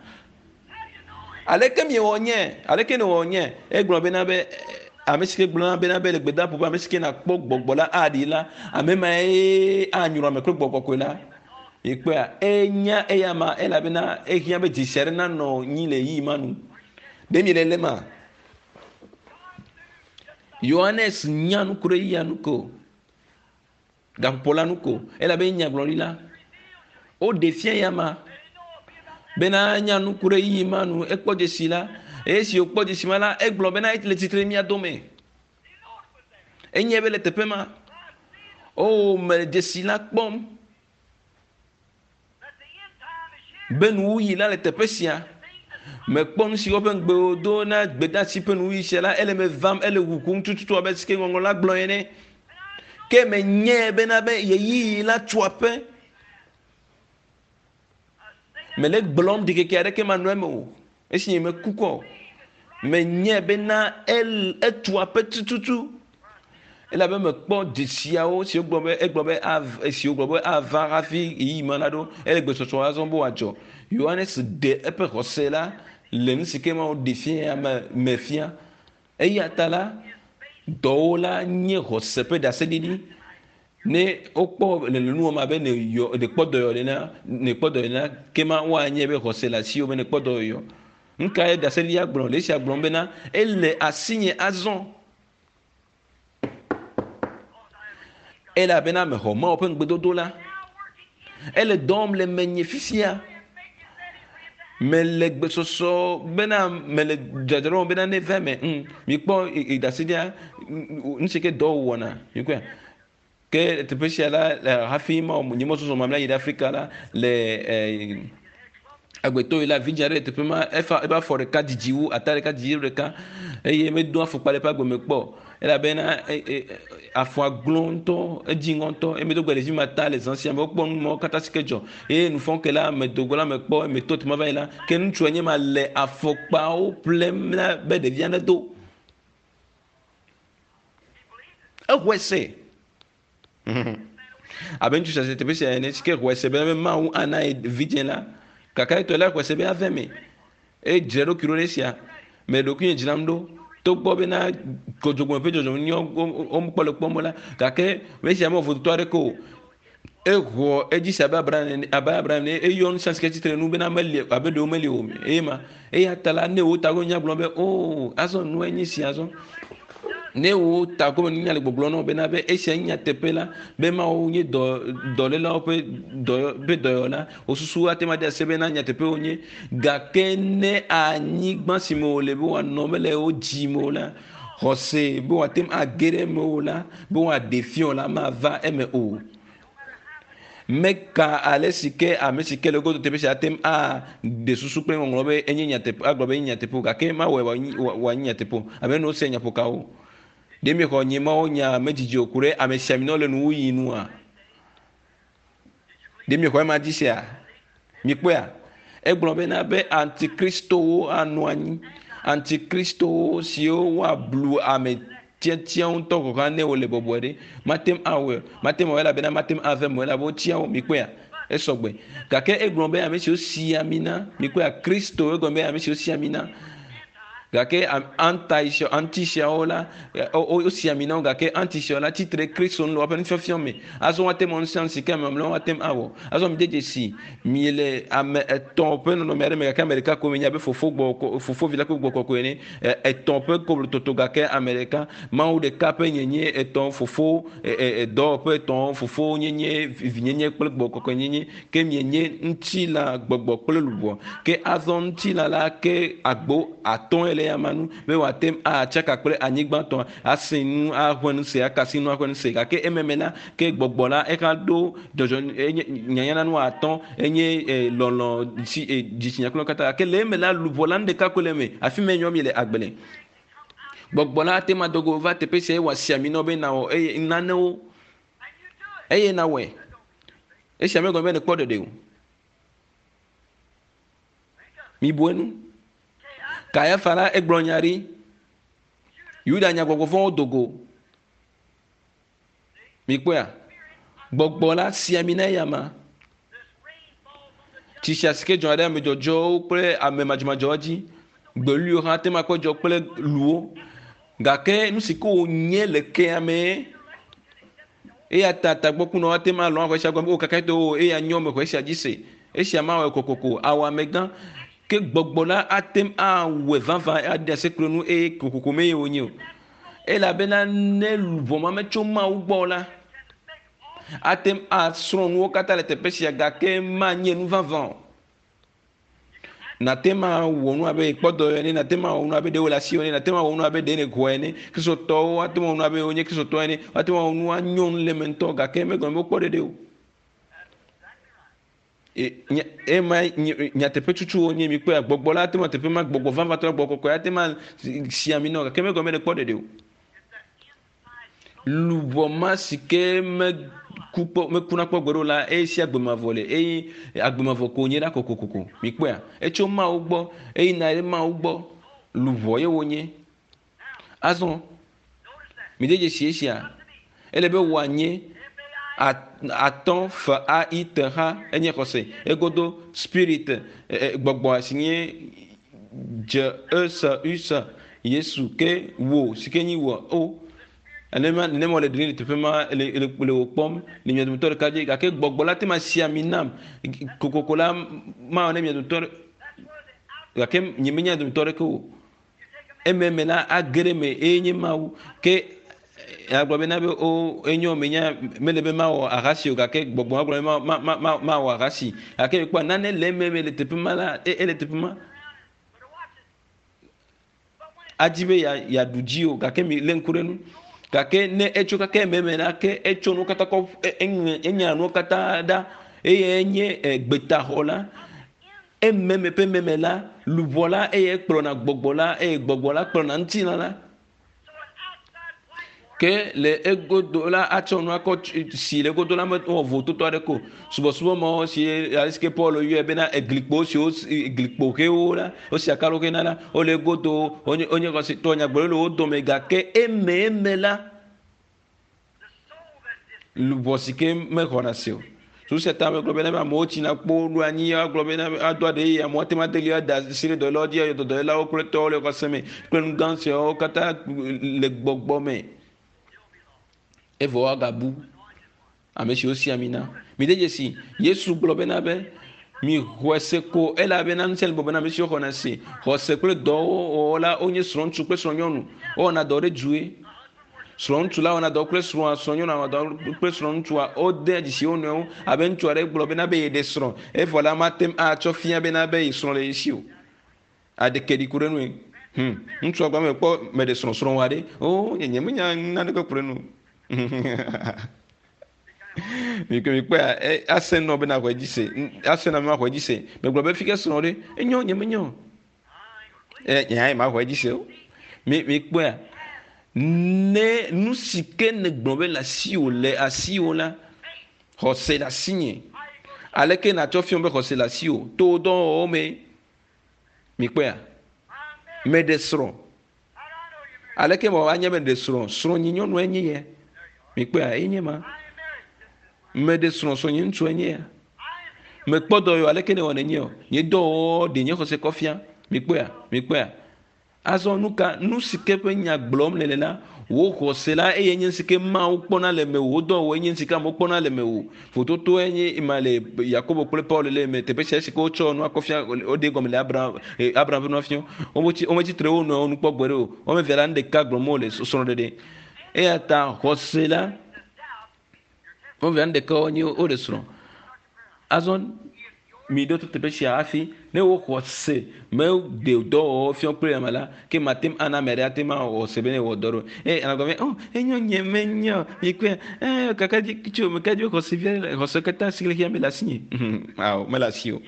Aleke miewɔ nye? Aleke nèwɔ nye? Egblɔ bena be ame si ke gblɔna bena be le gbedaƒo be ame si ke nakpɔ gbɔgbɔ la aɖi la, ame mae anyrɔ ame kple gbɔgbɔ kɔkɔe la. Mikpɔea, enya eya ma elabena ehiã be dzesi aɖe nanɔ nyi le ɣeyiɣi ma nu. Ɖe miele le ma? Yohanes nya nu ku ɖe ɣeyiɣia nu ko. Gaƒoƒo la nu ko elabe enye nyagblɔɖila. Woɖe fia ya ma bena nya nu ku ɖe yiyi ma nu. Ekpɔ dzesi la eye esi wòkpɔ dzesi ma la, egblɔ bena le tsitre mia dome. Enye be le teƒe ma. O, mele dzesi la kpɔm be nuwuɣi la le teƒe sia. Mekpɔ nu si woƒe ŋugbe wodo na gbedeasi ƒe nuwuɣi sia la, ele me vam, ele ʋuʋum tututu abe si ke ŋɔŋlɔ la gblɔ ene. Ke menyae bena be ɣeyiɣi la tu aƒe. Mele gblɔm ɖikeke aɖeke manɔ eme o. Esi nye meku kɔ o. Menyae bena el etu aƒe tututu. Elabe mekpɔ dzesiawo siwo gblɔ be egblɔ be av esiwo gblɔ be ava hafi ɣeyiɣi ma naɖo. Ele gbesɔsɔ azɔ be wòadzɔ. Yohanes ɖe eƒe xɔse la le nu si ke Mawu ɖe fia me me fia. Eya ta la, dɔwo la nye xɔse ƒe ɖaseɖiɖi. Ne wokpɔ le nu wɔm abe nèyɔ nèkpɔ dɔyɔ nena nèkpɔ dɔyɔ nena ke ma woanye be xɔse le asiwò be nèkpɔ dɔyɔyɔ. Nu kae ɖaseɖiɖia gblɔ? Le esia gblɔm bena ele asinye azɔ. Elabena mexɔ Mawu ƒe ŋugbedodo la. Ele dɔ wɔm le menye fifia. Mele gbesɔsɔ bena mele dzadzraɖo bena ne va eme. Mm, mikpɔ ɖaseɖia nu si ke dɔ wɔna. Mikpɔe. Ke teƒe sia la hafi ma nye mɔzɔzɔ mamlɛ yi ɖe Afrika la le eh, agbetɔ yi la vidzĩ aɖe le teƒe ma efa eƒe afɔ ɖeka didi wu ata ɖeka didi wu ɖeka eye medo afɔkpa le eƒe agbe me kpɔ o elabena e, e, afɔa glo ŋutɔ edzi ŋɔ ŋutɔ eye medo gbe ɖevi ma ta le zã sia me wokpɔ nu mawo katã si ke dzɔ eye nufɔke la medo go la mekpɔ meto teƒe ma va yi la ke ŋutsua nye ma le afɔkpawo ƒlem na be ɖevia nedo exɔe se abe ŋutsu sia teƒe sia ene si ke xɔe se be Mawu ana ye vidzĩ la gake etɔe la xɔe se be ave me eye dzra ɖokui ɖo ɖe esia me ɖokuinye dzram ɖo togbɔ bena dzɔdzɔme ƒe dzɔdzɔme nyɔ womekpɔ le kpɔm la gake esia mewɔ vodotɔ aɖeke o exɔ edzi se abe Abraham ene abe Abraham ene eyɔ nu sia si ke tsitre nu bena meli abe ɖewo meli o eye ma eya ta la ne wo tago nya gblɔ be o oh, azɔ nue nye sia azɔ ne wo tago me nunya le gbɔgblɔ na wo bena be esia nye nyateƒe la be Mawu nye dɔ dɔlélawo ƒe dɔ ƒe dɔyɔla wosusu ate ŋu ade ase bena nyateƒe wonye gake ne anyigba si me wòle be wòanɔ mele wo dzi me o la xɔse be wòate ŋu age ɖe eme o la be wòaɖe fia o la mava eme o meka ale si ke ame si ke le godo teƒe sia ate ŋu aɖe susu kple ŋɔŋlɔ be enye nyateƒe agblɔ be enye nyateƒe o gake mawɔe wòanyi nyateƒe o abe ne wose nyaƒokawo ɖe miexɔ nye mawo nya medzidzi o ku ɖe ame sia ame le nuwuɣi nua ɖe miexɔ ema dzi sia mikpɔea egblɔ bena be antikristowo anɔ anyi antikristowo siwo woablu ame tiatia ŋutɔ gɔ̃ hã ne wole bɔbɔe ɖe mate ŋu awɔe mate ŋu awɔe elabena mate ŋu ave me elabe wotia wo mikpɔea esɔgbe gake egblɔ be ame siwo si ami na mikpɔea kristo egɔme be ame siwo si ami na gake anti antisiawo la wosi ami na wo gake antisiawo la tsitre kristo nu le woƒe nufiafia me azɔ woate ŋu nu si ke ame mamlɛwo ate ŋu awɔ azɔ mi de dzesi miele ame etɔ̃ ƒe nɔnɔme aɖe me gake ame ɖeka ko mi nya be fofo gbɔ fofo vi la kple gbɔ kɔkɔe ene etɔ̃ ƒe koblototo gake ame ɖeka mawu ɖeka ƒe nyenye etɔ̃ fofo dɔwɔƒe etɔ̃ fofo nyenye vinyenye kple gbɔ kɔkɔe nyenye ke mienye ŋutilã gbɔgbɔ kple luʋɔ ke azɔ ŋutilã la ke agbo atɔ̃e le ya ma nu be wòate ŋu atsaka kple anyigba tɔ ase nu aʋe nu se akasi nu aʋe nu se gake ememe la ke gbɔgbɔ la exa ɖo dzɔdzɔ enye nyanyana nu atɔ̃ enye lɔlɔ si dzitsinya kple katã gake le eme la luʋɔ la nu ɖeka koe le eme afi ma nyɔ mi le agbe le gbɔgbɔ la ate ma dogo va teƒe sia eye wòasi ami na wo be nawɔ eye nanewo eye nawɔe esia megɔme be nekpɔ ɖeɖe o mibu enu Kayafa la egblɔ nya ɖi Yuda nya gbɔgbɔ vɔ̃wo do go mikpɔea gbɔgbɔ la si ami na eyama tsi sia si ke dzɔna ɖe ame dzɔdzɔwo kple ame madzɔmadzɔwo dzi gbeluiwo hã ate ŋu akpɔ dzɔ kple luwo gake nu si ke wònye le kea mee eya ta tagbɔkunɔ ate ŋu alɔ axɔ esia gɔme o kaka to o eya nyɔ me xɔ esia dzi se esia mawɔe kokoko awɔ amegã ke gbɔgbɔ la ate ŋu awɔe vavã aɖe asi kple nu eye kokoko mee wònye o elabena ne luʋɔ ma metso Mawu gbɔ la ate ŋu asrɔ̃ nuwo katã le teƒe sia gake manye nu vavã o nate ma wɔ nu abe kpɔ dɔ ene nate ma wɔ nu abe ɖe wole asiwò ene nate ma wɔ nu abe ɖe nèxɔe ene kristotɔwo ate ma wɔ nu abe wonye kristotɔ ene ate ma wɔ nu anyɔ nu le eme ŋutɔ gake megɔme be wokpɔ ɖeɖe o. Ema nyateƒe tsutsu wonye mikpɔe gbɔgbɔ la ate ŋu teƒe ma gbɔgbɔ vavãtɔ la gbɔgbɔ kɔkɔe ate ma si ami nɔ gake megɔme ɖe kpɔ ɖeɖe o. Luʋɔ ma si ke meku kpɔ mekuna kpɔ gbeɖe o la eye si agbemavɔ le eye agbemavɔ ko nye ɖa kokokoko mikpɔea etso Mawu gbɔ eye na ɖe Mawu gbɔ luʋɔ ye wonye. Azɔ mi de dzesi esia ele be wòanye atɔ f a i t h enye xɔse egodo spirit gbɔgbɔ si nye dze e s u s Yesu ke wo si ke nyi wɔ o nenema nenema wòle ɖe le teƒe ma le le le wò kpɔm le mia dometɔ ɖeka dzi gake gbɔgbɔ la te ma si ami nam kokoko la mawɔ ne mia dometɔ ɖe gake nye menya dometɔ ɖeke o ememe la age ɖe me eye nye Mawu ke agblɔ bena be o enyo menya mele be mawɔ ahasi o gake gbɔgbɔ agblɔ be ma ma ma ma mawɔ ahasi gake ekpɔ nane le ememe le teƒe ma la e ele teƒe ma adi be ya yeaɖu dzi o gake mi lé ŋku ɖe nu gake ne etso kake ememe la ke etso nuwo katã kɔ eŋe enya nuwo katã ɖa eye enye gbetaxɔ la ememe ƒe meme la luʋɔ la eye kplɔna gbɔgbɔ la eye gbɔgbɔ la kplɔna ŋutilã la ke le egodo la atsɔ nua kɔ si le egodo la me wɔ vototo aɖe ko subɔsubɔ mawo si ale si ke Paul yɔe bena eglikpo siwo glikpo ʋewo la wosi akalo ʋe na la wole egodo wonye wonye xɔsetɔ nyagblɔɖi le wo dome gake eme eme la luʋɔ si ke mexɔna se o susu ta megblɔ bena amewo tsina kpo ɖo anyi agblɔ bena ado aɖe eye amewo ate ŋu ade li ada asi ɖe dɔwɔlawo dzi ayɔ dɔwɔlawo kple tɔwo le xɔse me kple nu gã siawo katã le gbɔgbɔ me evɔ woagabu ame siwo si ami na mi de dzesi Yesu gblɔ bena be mi xɔe se ko elabena ŋusẽ le bɔbɔ na ame siwo xɔna se xɔse kple dɔwɔwɔ la wonye srɔ̃ŋutsu kple srɔ̃nyɔnu wowɔna dɔ ɖe due srɔ̃ŋutsu la wɔna dɔ kple srɔ̃a srɔ̃nyɔnua wɔna dɔ kple srɔ̃ŋutsua wodea dzesi wo nɔewo abe ŋutsu aɖe gblɔ bena be yeɖe srɔ̃ evɔ la mate ŋu atsɔ fia bena be ye srɔ̃ le ye si o aɖeke ɖi ku ɖe nue ŋutsua gblɔ me kpɔ meɖe srɔ̃ srɔ̃ wa ɖe o nye nye menya naneke ku ɖe nu mikpɔe ase nɔ bena xɔe dzi se ase na ma xɔe dzi se megblɔ be fi ke srɔ̃ ɖe enyo nye menyo ɛ nye hã ma xɔe dzi se o mi mikpɔea ne nu si ke ne gblɔ be le asiwò le asiwò la xɔse le asinye aleke natsɔ fiɔ be xɔse le asiwò to wò dɔwɔwɔwo me mikpɔea meɖe srɔ̃ aleke mewɔ anya be ɖe srɔ̃ srɔ̃nyi nyɔnua enye ya mikpɔea enye ma meɖe srɔ̃ srɔ̃nyi ŋutsu enye ya mekpɔ dɔ yɔ aleke ne wɔ nenye o nye dɔwɔwɔ ɖe nye xɔse kɔ fia mikpɔea mikpɔea azɔ nu ka nu si ke ƒe nya gblɔm le le la wò xɔse la eye nye si ke Mawu kpɔna le mewò wò dɔwɔwɔ nye si ke amewo kpɔna le mewò vototo enye ma le Yakobo kple Paul le me teƒe sia si ke wotsɔ nua kɔ fia woɖe gɔme le Abraham Abraham ƒe nua fia wometsi wometsi tre wo nɔewo nu kpɔ gbeɖe o wɔme evea la nu ɖeka gblɔm wole srɔ̃ɖeɖe eya ta xɔse la wɔme evea nu ɖeka wonye woɖe srɔ̃ azɔ mi ɖo to teƒe sia hafi ne wo xɔse meɖe dɔwɔwɔ fia kple ame la ke mate ŋu ana ame aɖe ate ŋu awɔ xɔse be ne wɔ dɔ ɖo eye ame gblɔ be oh enyo nye menyo mikpɔe ee kaka dzi tso meka dzi xɔse via xɔse katã si le xia me le asinye awo mele asi o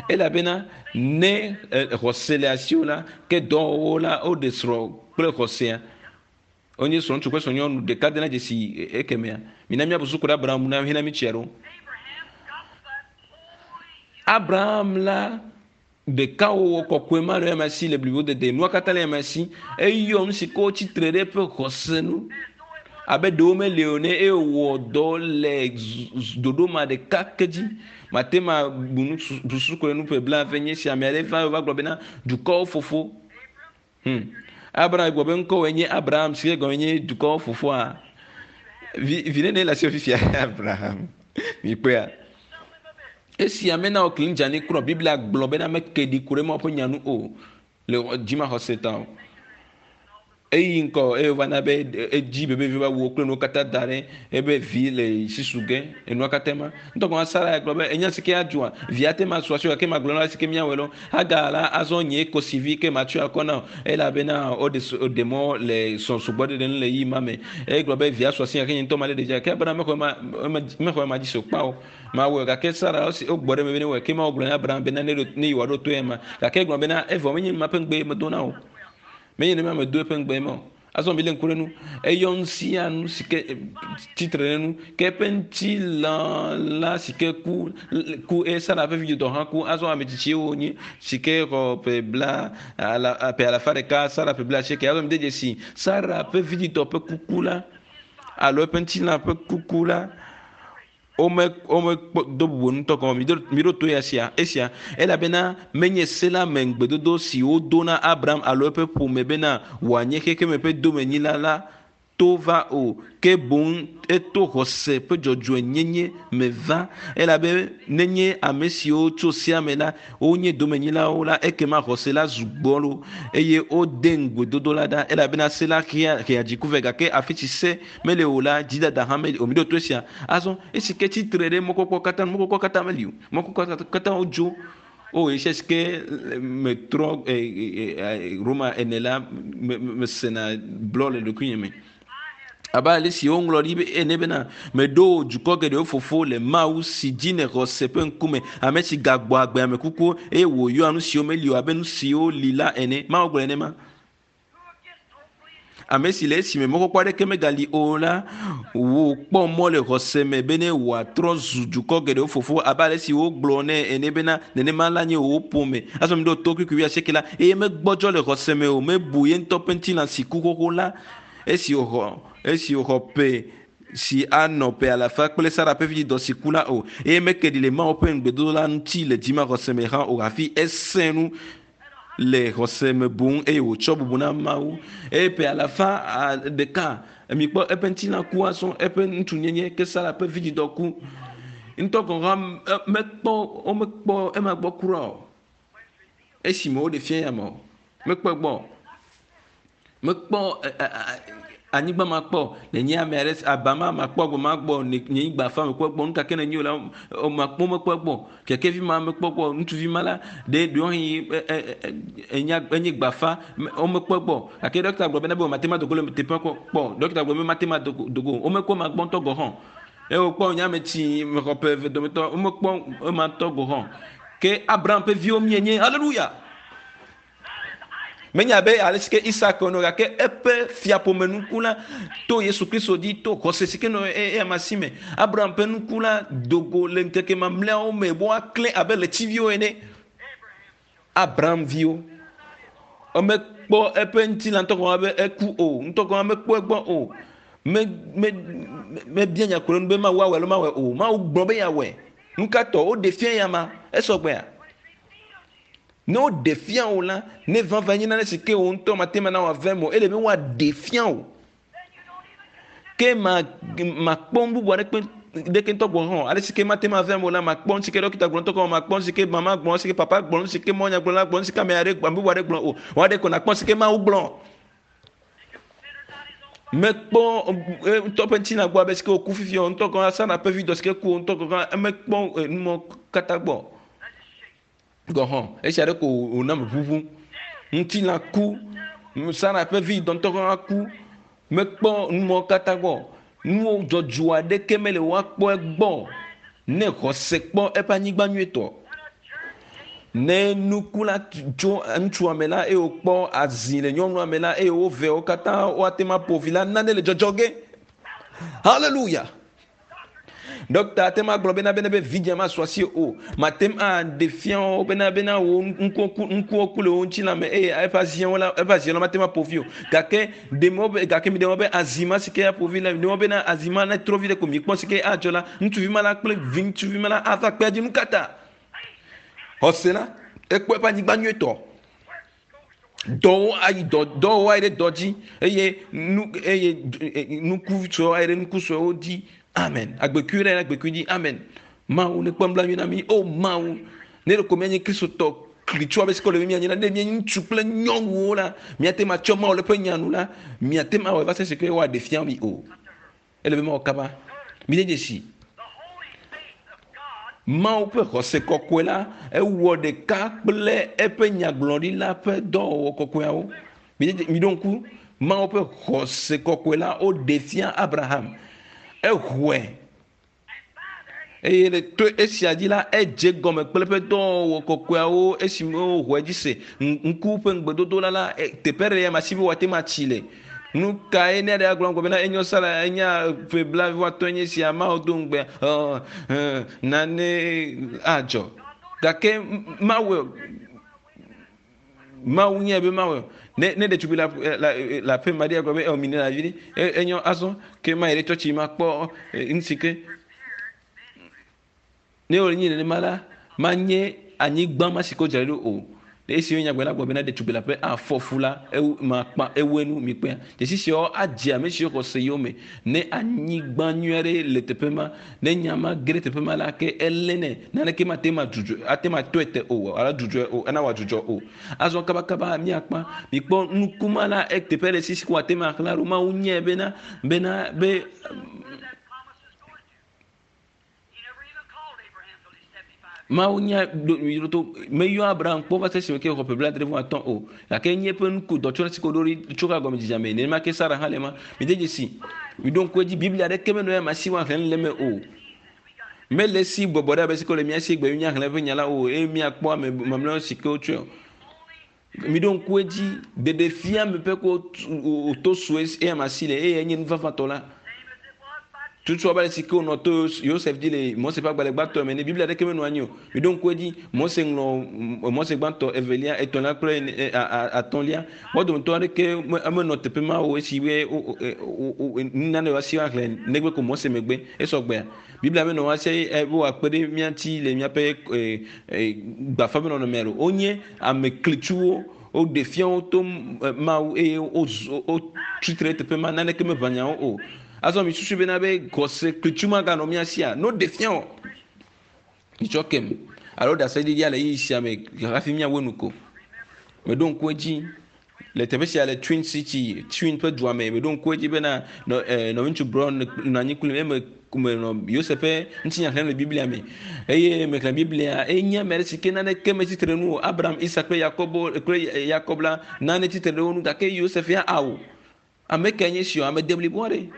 elabena ne xɔse le asiwò la ke dɔwɔwɔ la woɖe srɔ̃ kple xɔsea wonye srɔ̃ŋutsu kple srɔ̃nyɔnu ɖeka dena dzesi ekemea mina míabu suku ɖe Abraham na hena mi tsia ɖo Abraham la ɖekawɔwɔ kɔkɔe ma le eme si le blibo dede nua katã le eme si eyɔ nu si ke wotsi tre ɖe eƒe xɔse nu abe ɖewo meli o ne eye wòwɔ dɔ le ɖoɖo ma ɖeka ke dzi mate ma bu nu susu ko ɖe nu ƒe blaeve nye si ame aɖe va va gblɔ bena dukɔwo fofo Abraham gblɔ be ŋkɔwòe nye Abraham si ke gɔme nye dukɔwo fofoa vi vi nene le asi fifia Abraham mikpɔea esia mena wò kli dzani kura Biblia gblɔ bena meke ɖi ku ɖe Mawu ƒe nya nu o le dzimaxɔse ta o. Eyi ŋkɔ eye wova na be edzi bebevi va wu kple nuwo katã da ɖe ebe vi le sisu ge enua katã ma. Ŋutɔ gɔme Sara ya gblɔ be enya si ke adzɔa via te ma su asi gake magblɔ na si ke míawɔe lɔ. Hagar la azɔ nye kosivi ke matsɔe akɔ na o elabena woɖe woɖe mɔ le srɔ̃ sugbɔ ɖeɖe nu le ɣeyiɣi ma me. Egblɔ be via su asi gake nye ŋutɔ malé ɖevia gake Abraham mexɔ ema mexɔ ema dzi se o kpao. Mawɔe gake Sara esi wogbɔ ɖe eme be newɔe ke Mawu gblɔ na Abraham bena ne ne yewoaɖo to ema gake egblɔ bena evɔ menye ma ƒe ŋugbe medo na o. Menye nenema medo eƒe ŋugbe ma o. Azɔ milé ŋku ɖe nu. Eyɔ nu sia nu si ke tsitre ɖe nu ke eƒe ŋutilã la si ke ku ku eye Sara ƒe vidzidɔ hã ku. Azɔ ame tsitsiwo wonye si ke xɔ ƒe bla ala ƒe alafa ɖeka Sara ƒe bla asieke. Azɔ mide dzesi Sara ƒe vidzidɔ ƒe kuku la alo eƒe ŋutilã ƒe kuku la Wome womekpɔ do bubu ŋutɔ gɔme miɖo miɖo to ya sia esia elabena menye se la me ŋugbedodo si wodo na Abraham alo eƒe ƒome bena wòanye xexeme ƒe domenyila la to va o, ke boŋ eto xɔse ƒe dzɔdzɔenyenye me va. Elabe nenye ame siwo tso sea me la wonye domenyilawo la, ekema xɔse la zu gbɔlo eye wode ŋugbedodo la ɖa elabena se la hea hea dziku vɛ gake afi si se mele o la, dzidada hã meli o. Miɖo to esia. Azɔ, esi ke tsitre ɖe mɔkpɔkpɔ katã nu, mɔkpɔkpɔ katã meli o. Mɔkpɔkpɔ katã wodzo. O, esi si ke metrɔ Roma ene la, mesena blɔ le ɖokuinye me. Abe ale si woŋlɔ ɖi ene bena, meɖo dukɔ geɖewo fofo le Mawu si dzi nèxɔ se ƒe ŋkume, ame si gagbɔ agbe ame kukuwo eye wòyɔa nu siwo meli o abe nu siwo li la ene. Mawu gblɔ nenema. Ame si le esime mɔkpɔkpɔ aɖeke megali o la, wòkpɔ mɔ le xɔse me bene wòatrɔ zu dukɔ geɖewo fofo abe ale si wogblɔ nɛ ene bena, nenema la nye wò ƒome. Azɔ miɖo to kpukpui wuiasieke la, eye megbɔdzɔ le xɔse me o, mebu ye ŋutɔ ƒe ŋutilã si ku xoxo la, esi wòxɔ esi wòxɔ ƒe si anɔ ƒe alafa kple Sara ƒe vidzidɔ si ku la o, eye meke ɖi le Mawu ƒe ŋugbedodo la ŋuti le dzimaxɔse me hã o hafi esẽ nu le xɔse me boŋ eye wòtsɔ bubu na Mawu. Eye ƒe alafa ɖeka mikpɔ eƒe ŋutilã ku azɔ eƒe ŋutsunyenye ke Sara ƒe vidzidɔ ku. Ŋutɔ gɔ̃ hã mekpɔ womekpɔ ema gbɔ kura o. Esime woɖe fia ya me o, mekpɔ egbɔ o. Mekpɔ anyigba ma kpɔ nenye ame aɖe aba ma makpɔ agbe ma gbɔ nye nyigba fa mekpɔ gbɔ nu ka ke nenye o la makpɔ mekpɔ gbɔ kekevi ma mekpɔ gbɔ ŋutsuvi ma la ɖe ɖewohĩ enya enye gbafa womekpɔ gbɔ gake ɖɔkita gblɔ bena be mate ma dogo le teƒe kpɔ kpɔ ɖɔkita gblɔ be mate ma dogo womekpɔ ma gbɔ ŋutɔ gɔ hã eye wokpɔ nye ame tsi mexɔ ƒe eve dometɔ womekpɔ ema ŋutɔ gɔ hã ke Abraham ƒe viwo mienye haleluya. Menye abe ale si ke Isak ene o, gake eƒe fiaƒome nuku la to Yesu Kristo dzi to xɔse si ke nɔ eyama si me. Abraham ƒe nuku la do go le ŋkeke mamlɛawo me be woaklẽ abe ɣletiviwo ene. Abraham viwo. Womekpɔ eƒe ŋutilã ŋutɔ gɔme be eku o, ŋutɔ gɔme mekpɔ egbɔ o. Me, me, mebia nya ku ɖe nu be Mawu awɔe alo mawɔe o. Mawu gblɔ be yeawɔe. Nu ka tɔ woɖe fia eyama? Esɔgbea? Ne woɖe fia wò la, ne vava nye nane si ke wò ŋutɔ mate ŋu ana wòave eme o, ele be woaɖe fia wò. Ke ma makpɔ nu bubu aɖeke ɖeke ŋutɔ gɔ̃ hã o. Ale si ke mate ŋu ave eme o la, makpɔ nu si ke ɖɔkita gblɔ ŋutɔ gɔ̃ hã o, makpɔ nu si ke mama gblɔ, nu si ke papa gblɔ, nu si ke mɔnyagblɔla gblɔ, nu si ke ame aɖe ame bubu aɖe gblɔ o. Wò aɖe ko nakpɔ nu si ke Mawu gblɔ. Mekpɔ ŋutɔ ƒe ŋutilã gbɔ abe si ke wòku fifia o ŋutɔ gɔ̃ hã Sara ƒe vi dɔ si ke ku o ŋutɔ gɔ̃ hã emekpɔ numɔ katã gbɔ o. Gɔ̃ hã, esia ɖe ko wòna meʋuʋu. Ŋutilã ku, Sara ƒe vi dɔntɔ hã ku. Mekpɔ numɔwo katã gbɔ. Nuwo dzɔdzɔ aɖeke mele woakpɔ egbɔ ne xɔse kpɔ eƒe anyigba nyuitɔ. Ne nuku la tso ŋutsua me la eye wòkpɔ azi le nyɔnua me la eye wo veawo katã woate ŋu aƒo vi la, nane le dzɔdzɔ ge. Haleluya! Ɖɔkta ate ŋu agblɔ bena bena be vidzĩa masu asi o. Mate ŋu aɖe fia wo bena bena wo ŋkuwo ku ŋkuwo ku le wo ŋutilã me eye eƒe aziawo la eƒe azia la mate ŋu aƒo vi o. Gake ɖe mɔ be gake miɖe mɔ be azi ma si ke aƒo vi la miɖe mɔ bena azi ma netrɔ vi ɖe ko mikpɔ si ke adzɔ la ŋutsuvi ma la kple vi ŋutsuvi ma la ava kpea dzi. Nukata xɔse la ekpɔ eƒe anyigba nyuietɔ. Dɔwo ayi dɔ dɔwo ayi ɖe dɔ dzi eye nu eye nuku suewo ayi ɖe nuku suewo dzi. Amen. Agbekui ɖe agbekui dzi. Amen. Mawu ne kpɔ nublanui na mí. O Mawu, ne ɖeko míanye Kristotɔ klitsu abe si ke wòle be míanye la, ne míenye ŋutsu kple nyɔnuwo la, míate ŋu atsɔ Mawu le eƒe nya nu la, miate ŋu awɔe va se esi ke woaɖe fia mi o. Ele be mawɔ kaba. Mide dzesi. Mawu ƒe xɔse kɔkɔe la ewɔ ɖeka kple eƒe nyagblɔɖila ƒe dɔwɔwɔ kɔkɔeawo. Miɖo ŋku Mawu ƒe xɔse kɔkɔe la woɖe fia Abraham. Exɔe eye le to esia dzi la edze gɔme kple eƒe dɔwɔwɔ kɔkɔeawo esime woxɔe dzi se ŋku ƒe ŋugbedodo la la teƒe ɖe ya ma si be woate ŋu atsi le. Nu kae ne ɖe agblɔ ŋgɔ bena enyo sala enya ƒe blaeve nye sia Mawu do ŋugbe nane adzɔ gake Mawu Mawu nye be Mawu ne ne ɖetugbui la la la aƒe ma ɖe agblɔ be ɔ mi ne la vi ɖe enyo azɔ ke ma yi ɖe tsɔtsi ma kpɔ nu si ke ne wòle nyi nenema la manye anyigba ma si ke wodzra ɖo o. Esi wonya gbe la gblɔ bena ɖetugbui leaƒe afɔ fu la ewu makpa ewu enu mikpɔea. Dzesi siawo adze ame siwo xɔ se yome ne anyigba nyui aɖe le teƒe ma ne nya ma ge ɖe teƒe ma la ke elé nɛ naneke mate ma dzudzɔ ate ma tɔe te o alo dzudzɔe o ena wòadzudzɔ o. Azɔ kabakaba míakpa mikpɔ nukuma la eteƒe ɖe si si ko wòate ma xlã ɖo Mawu nyae bena bena be Mawu nya to meyɔ Abraham kpɔ va se esime ke xɔ ƒe blaadre vɔ atɔ̃ o gake enye eƒe nuku dɔtsɔna si ke woɖo ɖi tso ka gɔmedzedzea me nenema ke Sara hã le ema. Mide dzesi, miɖo ŋku edzi Biblia aɖeke menɔ ya me si woaxlẽ nu le eme o. Mele esi bɔbɔ ɖe abe si ke wole mía si egbe míaxlẽ eƒe nya la o eye míakpɔ ame mamlɛawo si ke wotsɔe o. Miɖo ŋku edzi, ɖeɖefia me ƒe ko wòto sue eya ma si le eye enye nu vavãtɔ la. Tutu abe ale si ke wònɔ to Yosef dzi le Mose ƒe agbalẽ gbãtɔ me ene. Biblia aɖeke menɔ anyi o. Miɖo ŋku edzi, Mose ŋlɔ Mose gbãtɔ, evelia, etɔ̃lia kple atɔ̃lia. Wo dometɔ aɖeke menɔ teƒe ma o esi be nane woasi woaxlẽ negbe ko Mose megbe. Esɔ gbea. Biblia menɔ woasi be wòakpe ɖe mía ŋuti le míaƒe gbafa ƒe nɔnɔmea o. Wonye Ame klitsuwo, woɖe fia wo to Mawu eye wotsi tre ɖe teƒe ma, naneke meʋã nyawo o. Azɔ misusui bena be xɔse klitsu maganɔ mía sia? Ne woɖe fia wò, mitsɔ kem alo ɖaseɖiɖia le ɣeyiɣi sia me hafi míawu enu ko. Meɖo ŋku edzi le teƒe sia le Twin City, Twin ƒe dua me. Meɖo ŋku edzi bena nɔviŋutsu Brown nɔ anyi kplim eye menɔ Yosef ƒe ŋutinya xlẽm le Biblia me. Eye mexlẽ Biblia eye nye ame aɖe si ke naneke metsi tre nu o. Abraham, Isak kple Yakobo kple Yakob la nane tsi tre ɖe wo ŋu gake Yosef ya ao. Ame kae nye esi o? Ame deblibo aɖe.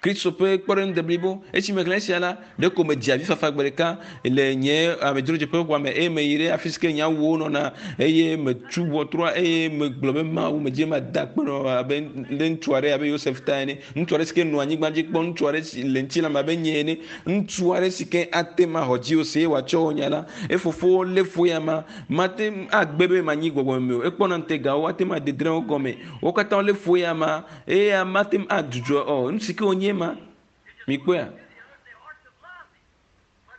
Kristo ƒe kpɔɖeŋu deblibo. Esi mexlẽ esia la, ɖeko medze avifafa gbe ɖeka le nye amedzrodzeƒe xɔa me eye meyi ɖe afi si ke nye awuwo nɔna eye metu ʋɔtrua eye megblɔ be Mawu medze mada akpe nɔ abe ɖe ŋutsu aɖe abe Yosef ta ene, ŋutsu aɖe si ke nɔ anyigba dzi kpɔ, ŋutsu aɖe si le ŋutilã me abe nye ene, ŋutsu aɖe si ke ate ŋu axɔ dziwò se eye wòatsɔ wò nya la. Efofowo lé fu eya ma. Mate ŋu agbe be manyi gbɔgbɔmeme o. Ekpɔna ŋutegawo, ate ŋu ade drẽwo gɔme. Wo katã wolé fu eya ma eye mate ŋu adzudzɔ o. Nu si ke wònye ema. Mikpɔea?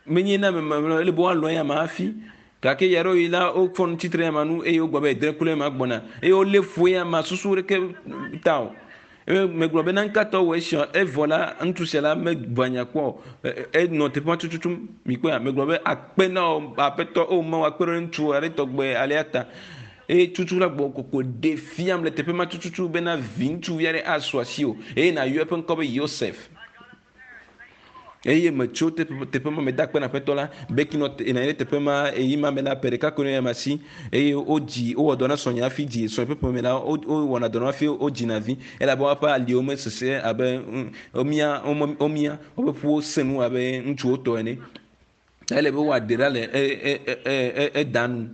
Menye na ame mamlɛwo ele be woalɔ̃ eya ma hafi. Gake ɣeaɖewoɣi la, wofɔ nu tsitre eya ma nu eye wogblɔ be edre kple ema gbɔna eye wolé fu eya ma susu ɖeke ta o. Eye megblɔ be nanka tɔ wɔ esia evɔ la ŋutsu sia la meʋã nya kpɔ o. Enɔ teƒe ma tututu mikpɔea? Megblɔ be akpe na wò aƒetɔ o Mawu akpe ɖe ŋutsu aɖe tɔgbe alea ta. Eye tutu la gbɔ koko ɖe fiam le teƒe ma tututu bena vi ŋutsuvi aɖe asu asiwò eye nàyɔ eƒe ŋkɔ be Yosef. Eye metso teƒe ma meda akpe na Aƒetɔ la. Becky nɔ nɔ anyi ɖe teƒe ma ɣeyiɣi ma me la, ƒe ɖeka koe nɔ eya si eye wodzi wowɔ dɔ na srɔ̃nye hafi dzi srɔ̃nye ƒe ƒome la wowɔna dɔ na hafi wodzina vi elabe woƒe aliwo mesesẽ abe womia womia woƒe ƒuwo sẽ nu abe ŋutsuwo tɔ ene. Ele be woaɖe ɖa le eda nu.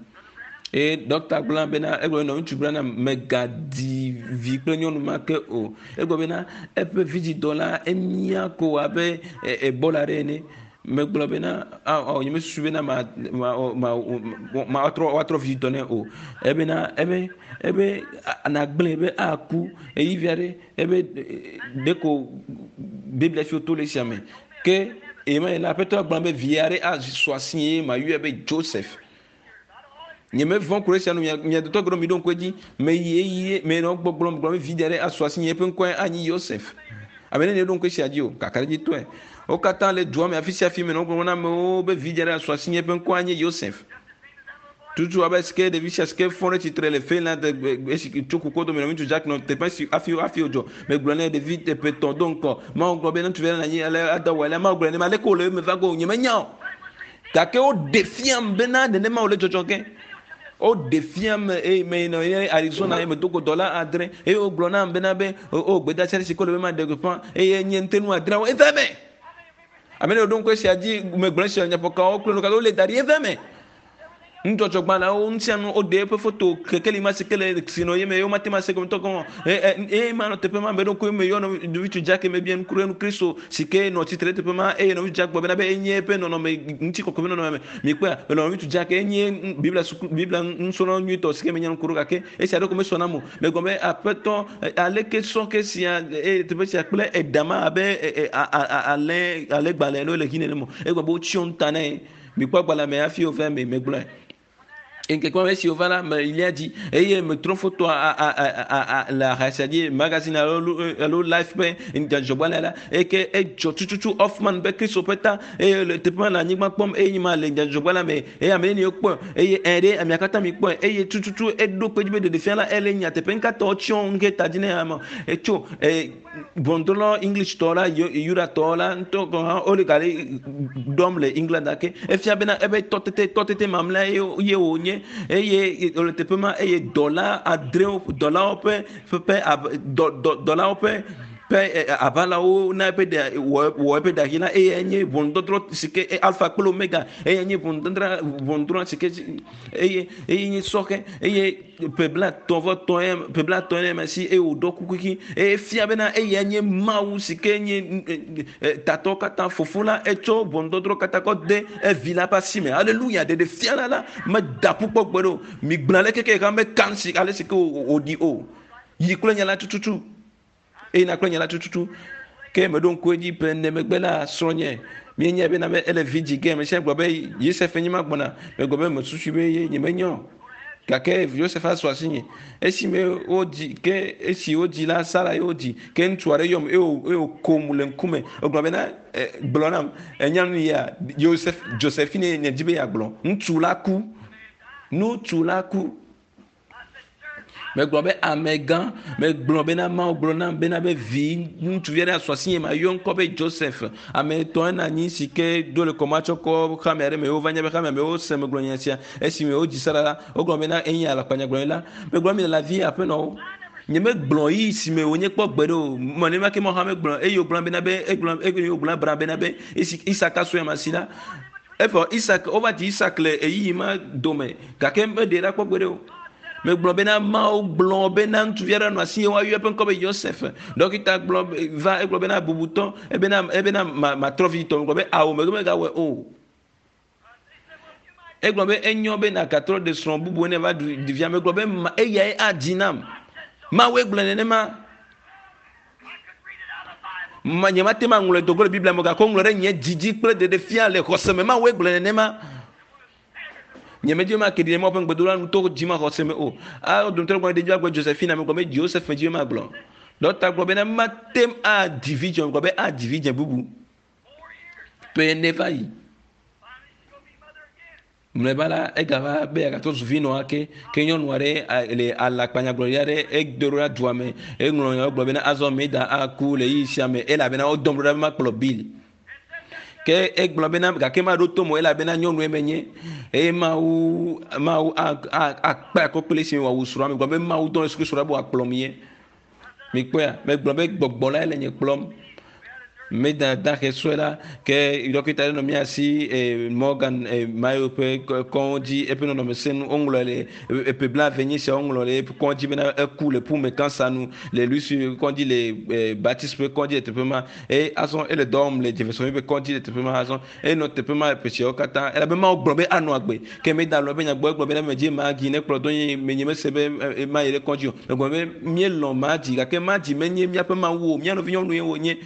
Eye ɖɔkta gblɔ bena egblɔ be ŋutsu bena megadi vi kple nyɔnu ma ke o. Egblɔ bena eƒe vidzidɔ la emia ko abe ebola ɖe ene. Megblɔ bena ao nyemesusu bena ma ma ma ma woatrɔ vidzidɔ nɛ o. Ebena ebe ebe nagblẽ be aku ɣeyiɣi vi aɖe ebe ɖeko Biblia fi woto le esia me. Ke ɣemaɣi la, Aƒetɔ gblɔ be vi aɖe asu asi eye mayɔe be Joseph. Nyemevɔ̃ ku ɖe esia nu mia mia dotɔ geɖewo miɖo ŋku edzi. Meyi eye menɔ gbɔgblɔm gblɔm be vi aɖe asu asi eƒe ŋkɔe anyi Yosef. Ame nenie ɖo ŋku esia dzi o? Kakaɖedzitɔe. Wo katã le dua me afi sia afi menɔ gblɔm na amewo be vi aɖe asu asi eƒe ŋkɔe anye Yosef. Tutu abe si ke ɖevi sia si ke fɔ ɖe tsitre le Finland esi tso kuku dome nɔ ŋutsu Jack nɔ teƒe si hafi hafi wodzɔ. Megblɔ nɛ ɖevi teƒe tɔ̃ do ŋkɔ. Mawu gblɔ be ne ŋutsuvi aɖe nɔ anyi ale ada wɔ alea. Mawu gblɔ nenema aleke wòle eme va ge o nyemenya o. Gake woɖe fiam bena nenema wòle dzɔdzɔ ge. Woɖe fiam eye meyina ye Arizona eye medo go dɔla adre eye wogblɔ nam bena be o gbedeasi aɖe si ke wole be maɖe gbeƒã eye nye ŋutenu adreawo eva eme. Ame ɖe ɖo ŋku esia dzi megblɔ esia nyaƒokawo kple nuka wole da ɖi eva eme. Nudzɔdzɔgbalẽwo ŋutianu woɖe eƒe foto kekeli ma si ke le si nɔ ye me ye womate ŋu ase gɔme tɔ gɔme eye ma nɔ teƒe ma meɖo ŋku eme yɔ nɔvi Jack mebia nu ku ɖe nu Kristo si ke nɔ tsitre ɖe teƒe ma eye nɔvi Jack gblɔ bena be enye eƒe nɔnɔme ŋutikɔkɔe ƒe nɔnɔme me mikpɔa nɔvi Jack enye Biblia suku Biblia nusrɔ̃la nyuitɔ si ke menya nu ku ɖo gake esia ɖeko mesɔ nam o megblɔ be aƒetɔ aleke sɔ ke sia eye teƒe sia kple eɖa ma abe alẽ alẽgbalẽ alo le hi nenem o egblɔ be wotsyɔ nu ta nɛ mikpɔ agbalẽ me hafi wova eme megblɔe ŋkeke ma esi wova la melia dzi eye metrɔ fotoa le aha sia dzi magazine alo alo life ƒe dzɔdzɔgbalẽ la eke edzɔ tututu Hoffman ƒe Kristo ƒe ta eye le teƒe ma le anyigba kpɔm eye nye ma le dzɔdzɔgbalẽ me eye ame neni wokpɔe eye ɛ ɖe amea katã mi kpɔe eye tututu eɖo kpe dzi be ɖeɖefia la ele nyateƒe ŋkatɔ tsyɔ ŋke ta dzi ne ame etso e ʋɔnudrɔ̃la English-tɔ la, Yudatɔ la ŋutɔ gɔ̃ hã wole gale ɖɔm le England gake efia bena eƒe tɔtete tɔtete mamlɛa ye ye wònye eye wòle teƒe ma eye dɔla adrewo dɔlawo ƒe ƒe dɔ dɔ dɔlawo ƒe ƒe aʋalawo na eƒe ɖa wɔ wɔ eƒe ɖa ɣi la eye nye ʋɔnudɔdrɔ̃ si ke alfa kple omega eye nye ʋɔnudɔdrɔ̃ ʋɔnudrɔ̃ si ke eye eye nye sɔhɛ eye ƒe blaetɔ̃ vɔ tɔ̃ ye ƒe blaetɔ̃ ye ma si eye wòɖɔ kuku ɣi eye fia bena eya nye Mawu si ke nye tatɔ katã fofo la etsɔ ʋɔnudɔdrɔ̃ katã kɔ de evi la ƒe asi me aleluya ɖeɖe fia la la meda ƒu kpɔ gbe ɖe o migblɔ ale keke xa meka si ale si ke wòɖi o yi kple nya la tututu eye na kple nya la tututu ke meɖo ŋku edzi ƒe ene megbe la srɔ̃nye míenyae bena be ele vi dzi ge ame sia gblɔ be Yosef nye ma gbɔna megblɔ be mesusui be ye nyemenya o gake Yosef asu asinye esime wodzi ke esi wodzi la Sara ye wodzi ke ŋutsu aɖe yɔm eye wòkom le ŋkume egblɔ bena gblɔ nam enya nu ya Yosef Josephine nye dzi be yeagblɔ ŋutsu la ku ŋutsu la ku Megblɔ be amegã, megblɔ bena Mawu gblɔ nam bena be vi ŋutsuvi aɖe asu asinye mayɔ ŋkɔ be Joseph. Ame etɔ̃ ena anyi si ke do le kɔmatsɔkɔ xame aɖe me wova nya be xamea me wose megblɔ nya sia. Esime wodzi Sara la, wogblɔ bena enye alakpanyagblɔɖila. Megblɔ mi le la vi aƒenɔwo. Nyemegblɔ yi si me wònye kpɔ gbeɖe o. Nenema ke Mawu hã megblɔ eye wògblɔ bena be egblɔ eye wògblɔ Abraham bena be esi Isak asu ame asi la, evɔ Isak wova dzi Isak le ɣeyiɣi ma dome gake meɖee ɖa kpɔ gbeɖe o. Megblɔ bena Mawu gblɔ bena ŋutsuvi aɖe nɔ asi ye woayɔ eƒe ŋkɔ be Yosef. Ɖɔkita gblɔ va egblɔ bena bubutɔ ebena ebena matrɔ vi tɔ. Megblɔ be awo megbe megawɔe o. Egblɔ be enyo be nàgatrɔ ɖe srɔ̃ bubu ne va ɖu ɖevia. Megblɔ be eyae adzi nam. Mawue gblɔe nenema. Ma nyemate ŋu aŋlɔe do go le Biblia me gake woŋlɔ ɖe nye dzi dzi kple ɖeɖefia le xɔse me. Mawue gblɔe nenema. Nyemedi be make ɖi ɖe Mawu ƒe ŋugbedola nu to dzimaxɔse me o. A dometɔ ɖe gblɔ ɖevi agblɔ Josephine megblɔ be Joseph dzi be magblɔ. Ɖɔkta gblɔ bena mate ŋu adzi vidzĩ o. Megblɔ be adzi vidzĩ bubu. Ƒe ene va yi. Mlɔeba la, egava be yeagatrɔ zu vinɔ ake. Ke nyɔnu aɖe le alakpanyagblɔɖi aɖe edo ɖo ɖa dua me. Eŋlɔ nya gblɔ bena azɔ Meda aku le ɣeyiɣi sia me elabena wodɔm ɖo ɖa be makplɔ Bill. Ke egblɔ bena gake maɖo to mo elabena nyɔnue menye eye Mawu Mawu akpe akɔ kple esi wòawu srɔ̃a. Megblɔ be Mawu dɔ Yesu Kristo ɖa be wòakplɔm ye. Mikpɔea? Megblɔ be gbɔgbɔ lae le nye kplɔm. Meda dahe sue la ke ɖɔkita ɖe nɔ mía si Morgan Mayo ƒe kɔdzi eƒe nɔnɔme sẽ nu woŋlɔ le eƒe blaeve nyi sia woŋlɔ le eƒe kɔdzi bena eku le ƒume kansa nu le Louis kɔdzi le Baptiste ƒe kɔdzi le teƒe ma eye azɔ ele dɔ wɔm le Jefferson ƒe kɔdzi le teƒe ma azɔ enɔ teƒe ma ƒe siawo katã elabe Mawu gblɔ be anɔ agbe ke meda lɔ eƒe nya gbɔ egblɔ bena medzi Magi ne kplɔ do nye menye mese be mayi ɖe kɔdzi o megblɔ be míelɔ̃ Magi gake Magi menye míaƒe Mawu o mía nɔvi nyɔnue wònye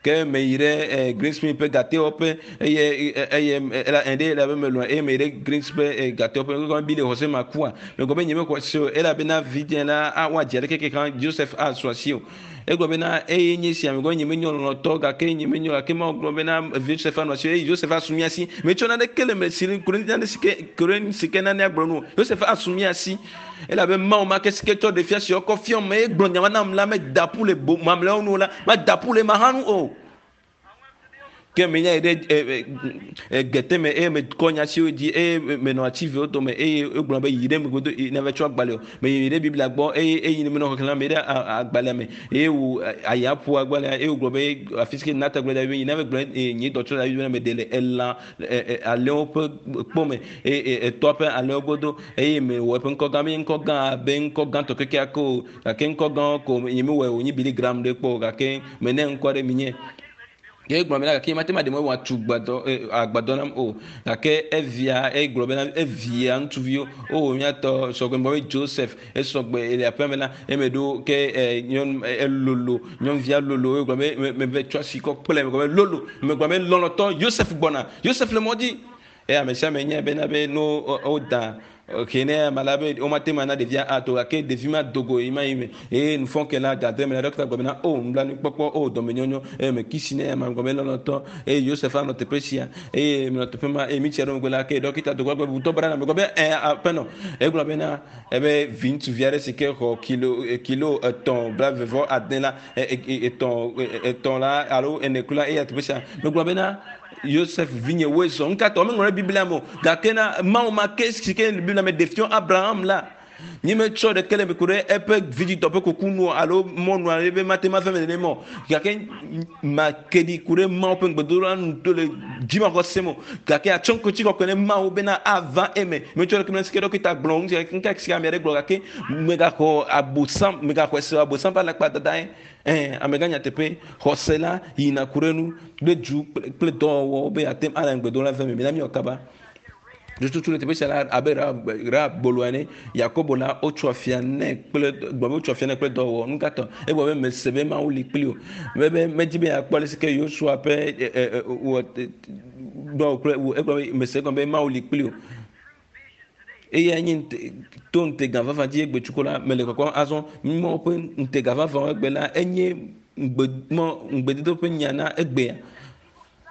ke meyi ɖe Greensmith ƒe gatewɔƒe eye eye ela ɖe elabe melɔ̃ eye meyi ɖe Greens ƒe gatewɔƒe megblɔ be Billy xɔ se makua megblɔ be nyemexɔ se o elabena vidzĩ la woadzi aɖeke ke hã Joseph asu asi o. Egblɔ bena eye nye sia megblɔ nye menye lɔlɔ̃tɔ gake nye menye gake Mawu gblɔ bena Yosef anɔ asi eye Yosef asu mía si. Metsɔ naneke le me si ku ɖe nane si ke ku ɖe nu si ke nanea gblɔ nu o. Yosef asu mía si elabe Mawu ma ke si ke tsɔ ɖevia si wokɔ fiɔm eye gblɔ nya ma nam la meda ƒu le bo mamlɛawo nu o la mada ƒu le ema hã nu o. Ke menya yi ɖe gete me eye mekɔ nya siwo dzi eye menɔ ati vewo dome eye wogblɔ be yi ɖe megbe nava tsɔ agbalẽ o. Meyi ɖe Biblia gbɔ eye eyi menɔ xexlẽm me ɖe agbalẽa me eye wò aya ƒo agbalẽa eye wogblɔ be afi si ke Natan gblɔ da be yi nava gblɔ nye dɔtsɔ da be meɖe le elã alẽwo ƒe kpɔ me eye etɔa ƒe alẽwo godo eye mewɔ eƒe ŋkɔ gã menye ŋkɔ gã abe ŋkɔ gãtɔ kekeake o gake ŋkɔ gãwo ko nye mewɔe wònye Billy Graham ɖe kpɔ o gake mene ŋkɔ ɖe minye. Ke egblɔ bena gake mate ŋu aɖe mɔ wòatu gbadɔ agbadɔ nam o. Gake evia egblɔ bena evia ŋutsuviwo o míatɔ sɔgbe gbɔ be Joseph esɔgbe le aƒea me la eme ɖo ke nyɔnu elolo nyɔnuvia lolo egblɔ be meve tsɔ asi kɔ kple megblɔ be lolo megblɔ be lɔlɔtɔ Joseph gbɔna Joseph le mɔ dzi. Eye ame sia ame nya bena be ne woda ke ne ame la be womate ŋu ana ɖevia ato gake ɖevi ma do go yi ma yi me eye nufɔke la gade me la ɖɔkita gblɔ bena o nublanuikpɔkpɔ o dɔmenyɔnyɔ eye me kisi ne ame gblɔ be lɔlɔtɔ eye Yosef anɔ teƒe sia eye menɔ teƒe ma eye mitsi ɖe megbe la ke ɖɔkita do go gblɔ be butɔ bra na me gblɔ be ɛ aƒenɔ egblɔ bena ebe vi ŋutsuvi aɖe si ke xɔ kilo kilo etɔ̃ blaeve vɔ ade la etɔ̃ etɔ̃ la alo ene kura eya teƒe sia megblɔ bena Yosef vinye woe zɔ ŋka tɔ meŋlɔ ɖe Biblia me o gake na Mawu ma ke si ke le Biblia me ɖe fiɔ Abraham la nye metsɔ ɖeke le me ku ɖe eƒe vidzidɔ ƒe kuku nu alo mɔnu aɖe be mate ma ve me nenema o gake make ɖi ku ɖe Mawu ƒe ŋugbedodoɖa nu to le dzimaxɔse me o gake atsɔ ŋkutsi kɔkɔe ne Mawu bena ava eme metsɔ ɖeke me si ke ɖɔkita gblɔ ŋu ŋka si ame aɖe gblɔ gake megaxɔ abosam megaxɔe se abosam ƒe alakpa dada ye ɛɛ amegã nyateƒe xɔse la yina ku ɖe nu kple du kple dɔwɔwɔ be ate ŋu ana ŋugbedola ve me mina míwɔ kaba tututu le teƒe sia la abe Rahab gbolo ene Yakobo la wotsɔ afia nɛ kple gblɔ be wotsɔ afia nɛ kple dɔwɔwɔ nu ka tɔ egblɔ be mese be Mawu li kpli o be be medzi be yeakpɔ ale si ke Yosua ƒe wɔ dɔwɔ kple egblɔ be mese egɔme be Mawu li kpli o eya nye to ŋutega vavã dzi egbe tsuko la mele kɔkɔm azɔ Mawu ƒe ŋutega vavã egbe la enye ŋugbe mɔ ŋugbedodo ƒe nya na egbea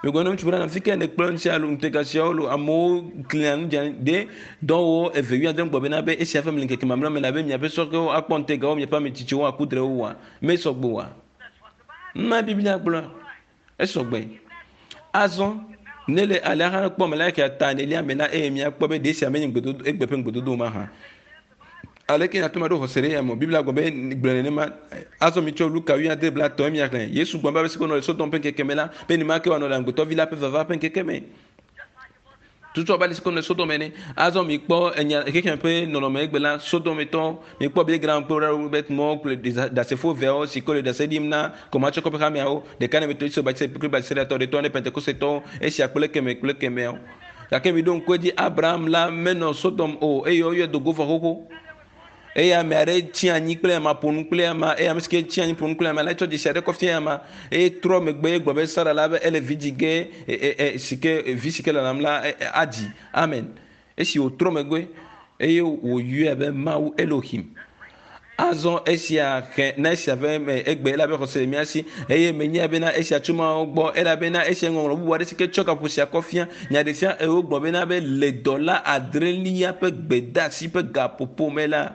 megblɔ na ŋutsu bena fi ke ne kplɔ ŋuti alo ŋutega siawo lo amewo klia nu dza ɖe dɔwɔwɔ eve wuiade gbɔ bena be esia ƒe me le ŋkeke mamlɛ me la be miaƒe sɔhɛwo akpɔ ŋutegawo miaƒe ame tsitsiwo aku drewo wa mesɔgbe wa ma Biblia gblɔ esɔgbe azɔ ne le alea hã kpɔ me la ke ta enelia me la eye miakpɔ be ɖe sia menye ŋugbedodo egbe ƒe ŋugbedodo ma hã aleke nyate ma ɖo xɔse ɖe ya me Biblia gblɔ be gblɔ nenema azɔ mi tsɔ Luka wuiade blatɔ̃ miaxlẽ Yesu gblɔ be ame si ke nɔ le Sodom ƒe ŋkeke me la be nenema ke wòanɔ le amegbetɔvi la ƒe vava ƒe ŋkeke me tutu abe ale si ke nɔ Sodom ene azɔ mi kpɔ enya xexea ƒe nɔnɔme egbe la Sodometɔ mi kpɔ Billy Graham kple Robert Moore kple ɖasefo eveawo si ke le ɖase ɖim na Kɔmatsɔkɔ ƒe hameawo ɖeka ne Methodist Baptist kple Presbyteriatɔ ɖetɔ ne Pentekostetɔwo esia kple keme kple kemeawo gake mi ɖo ŋku edzi Abraham la menɔ Sodom o eye woyɔe do go vɔ xoxo eye ame aɖe tsi anyi kple ama ƒo nu kple ama eye ame si ke tsi anyi ƒo nu kple ama la etsɔ dzesi aɖe kɔ fia ama eye trɔ megbe gblɔ be Sara la be ele vi dzi ge si ke vi si ke lalam la adzi amen esi wòtrɔ megbe eye wòyɔe be Mawu Elohim azɔ esia xe na esia ƒe me egbe elabe xɔse le mía si eye menya bena esia tso Mawu gbɔ elabena esia ŋɔŋlɔ bubu aɖe si ke tsɔ gaƒo sia kɔ fia nya ɖe fia eye wogblɔ bena be le dɔla adrelia ƒe gbedeasi ƒe gaƒoƒo me la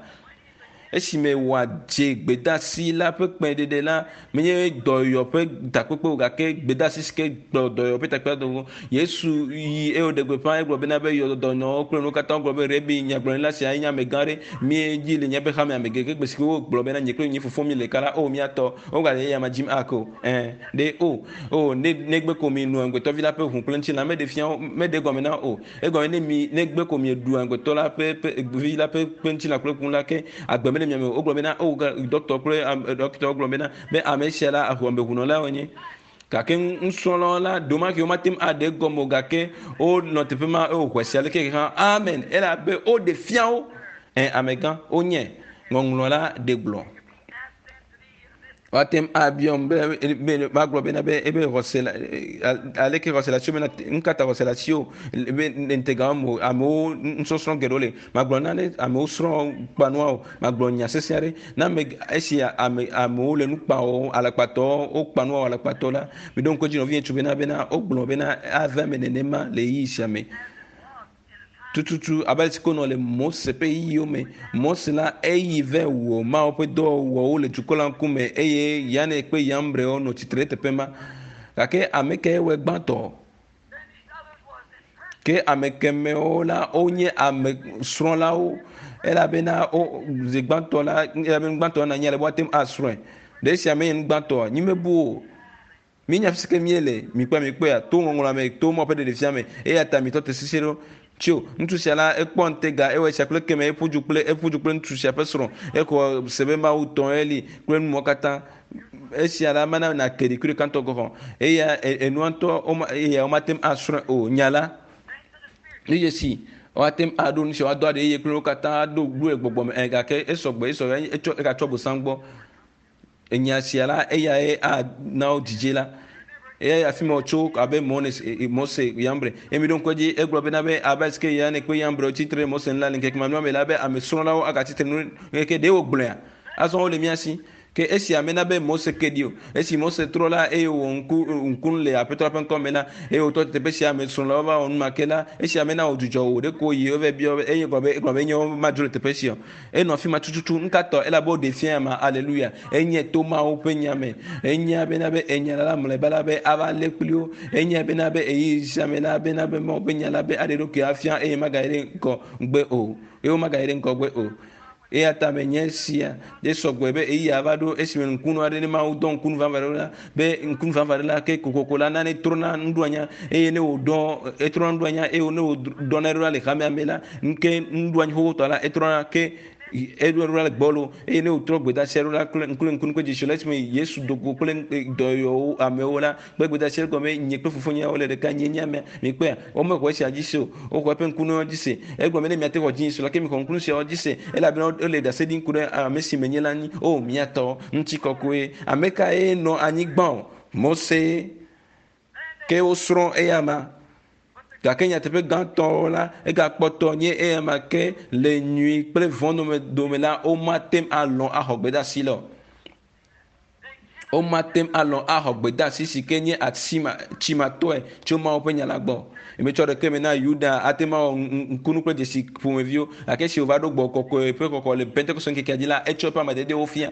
esime wòadze gbedeasi la ƒe kpẽɖeɖe la menye dɔyɔ ƒe takpekpe o gake gbedeasi si ke kplɔ dɔyɔ ƒe takpekpe do Yesu yi eye wòɖe gbeƒã egblɔ bena be yɔ dɔnɔwo kple nuwo katã gblɔ be Rebi nyagblɔɖila sia nye amegã ɖe míedzi le míaƒe xame ame gege gbe si ke wogblɔ bena nye kple nye fofo mi le ɖeka la o míatɔ wogale eya ma dzim ake o ɛ ɖe o o ne negbe ko mi nu amegbetɔvi la ƒe ʋu kple ŋutilã meɖe fia wo meɖe egɔme na o egɔme ne mi negbe ko mi ɖu amegbetɔ la ƒe ƒe vi la ƒe ƒe ŋutilã kple ʋu la ke agbe mele mia me o wogblɔ bena o dɔkitɔ kple dɔkitɔwo gblɔ bena be ame sia la ameʋunɔla wonye gake nusrɔ̃lawo la ɖomake womate ŋu aɖe egɔme o gake wonɔ teƒe ma eye woxɔe se aleke hã amen elabe woɖe fia wo ɛ amegã wonye ŋɔŋlɔ la ɖe gblɔ. Woate ŋu abiɔm be be magblɔ bena be ebe xɔse le aleke xɔse le asiwò bena nu ka ta xɔse le asiwò be ŋutega me amewo nusɔsrɔ̃ geɖewo le. Magblɔ na ne amewo srɔ̃ kpa nua o. Magblɔ nya sesẽ aɖe na ame esi ame amewo le nu kpa wɔm alakpatɔwo wokpa nua wɔ alakpatɔ la. Miɖo ŋku edzi nɔvinye tso bena bena wogblɔ bena ava eme nenema le ɣeyiɣi sia me. Tututu abe ale si ko nɔ le Mose ƒe ɣeyiɣiwo me. Mose la, eyi vɛ wɔ Mawu ƒe dɔwɔwɔwo le dukɔ la ŋkume eye Yane kple Yambrewo nɔ tsitre ɖe teƒe ma. Gake ame kae wɔe gbãtɔ? Ke ame kemɛwo la, wonye ame srɔ̃lawo elabena wo zi gbãtɔ la, elabe nu gbãtɔ na anyi ale be woate ŋu asrɔ̃e. Ɖe esia menye nu gbãtɔa? Nyimebu o. Míenya fi si ke míele, mikpɔe, mikpɔea, to ŋɔŋlɔa me, to Mawu ƒe ɖeɖefia me, eya ta mitɔ te sisi ɖo. Tso, ŋutsu sia la, ekpɔ ŋutega, ewɔ esia kple ekemɛ, eƒu du kple, eƒu du kple ŋutsu sia ƒe srɔ̃, exɔ se be Mawu tɔ eli kple nu mawo katã. Esia la, mana nàke ɖi kuɖeka ŋutɔ gɔ̃ hã. Eya, enua ŋutɔ, woma, eya womate ŋu asrɔ̃e o. Nya la, nu dzesi, woate ŋu aɖo nu sia, woado aɖe eye kple wo katã aɖo gblɔe gbɔgbɔ me, ɛ, gake esɔ gbɔ, esɔ, etsɔ, egatsɔ bosam gbɔ. Enya sia la, eyae ana wo dzidzi la. Eyae afi ma wòtso abe Mose, Yambre. Eye miɖo ŋku edzi, egblɔ bena be abe alesi ke Yane kple Yambre wotsi tre ɖe Mose ŋu la, le ŋkeke mamlɛawo me la, be ame srɔ̃lawo agatsi tre nu ŋkeke ɖe wògblɔea? Azɔ wole mía si. Ke esia mena be Mose ke ɖi o. Esi Mose trɔ la, eye wòwɔ ŋku, ŋkunu le Aƒetɔ la ƒe ŋkɔ me la, eye wòtɔ te teƒe sia ame srɔ̃lawo va wɔ nu ma ke la, esia mena wòdzudzɔ o. Ɖeko wòyi eva biɔ be, eye egblɔ be, egblɔ be, nye madzro le teƒe sia o. Enɔ afi ma tututu. Nu ka tɔ? Elabe woɖee fia ma. Aleluya. Enye to Mawu ƒe nya me. Enya bena be enya la mlɔeba la be ava lé kpli wo. Enya bena be ɣeyiɣi sia me la bena be Mawu ƒe nya la be aɖe eɖokui afia eye magayi ɖe ŋgɔ gbe o. Eye womagayi ɖe ŋgɔgbe o. Eya ta menye esia ɖe sɔgbɔe be ɣeyiɣia va ɖo esime ŋkunu aɖe ne Mawu dɔ ŋkunu vavã ɖe la be ŋkunu vavã ɖe la ke kokoko la nane trɔna nuɖoanya eye ne wòdɔ etrɔna nuɖoanya eye ne wòdɔna ɖo la le hamea me la Nke nuɖoanyi xoxotɔ la, etrɔna ke eɖo ɖo le gbɔlo eye ne wòtrɔ gbedeasi ɖo la kple ŋku ŋku ŋku dzesi le esime Yesu do go kple dɔyɔwo amewo la kple gbedeasi ɖe gɔme nye kple fofonye wole ɖeka nye nye amea mikpɔea womexɔ esia dzi se o woxɔ eƒe ŋkunuwo dzi se egɔme ne miate xɔ dzi se la ke mixɔ ŋkunu siawo dzi se elabena wole ɖase ɖim ku ɖe ame si menye la ŋu o mia tɔ ŋutikɔkɔe ame kae nɔ anyigba o Mose Ke wosrɔ̃ eyama. Gake nyateƒe gãtɔ la, egakpɔtɔ nye eyama ke le nyui kple vɔ̃ dome dome la, womate ŋu alɔ̃ axɔ gbedeasi la o. Womate ŋu alɔ̃ axɔ gbedeasi si ke nye atsimatɔe tso Mawu ƒe nya la gbɔ. Metsɔ ɖeke me na Yuda ate ŋu awɔ ŋkunu kple dzesi ƒomeviwo, gake esi wòva ɖo gbɔgbɔ kɔkɔe ƒe xɔxɔ le Pentekoste ŋkekea dzi la, etsɔ eƒe amededewo fia.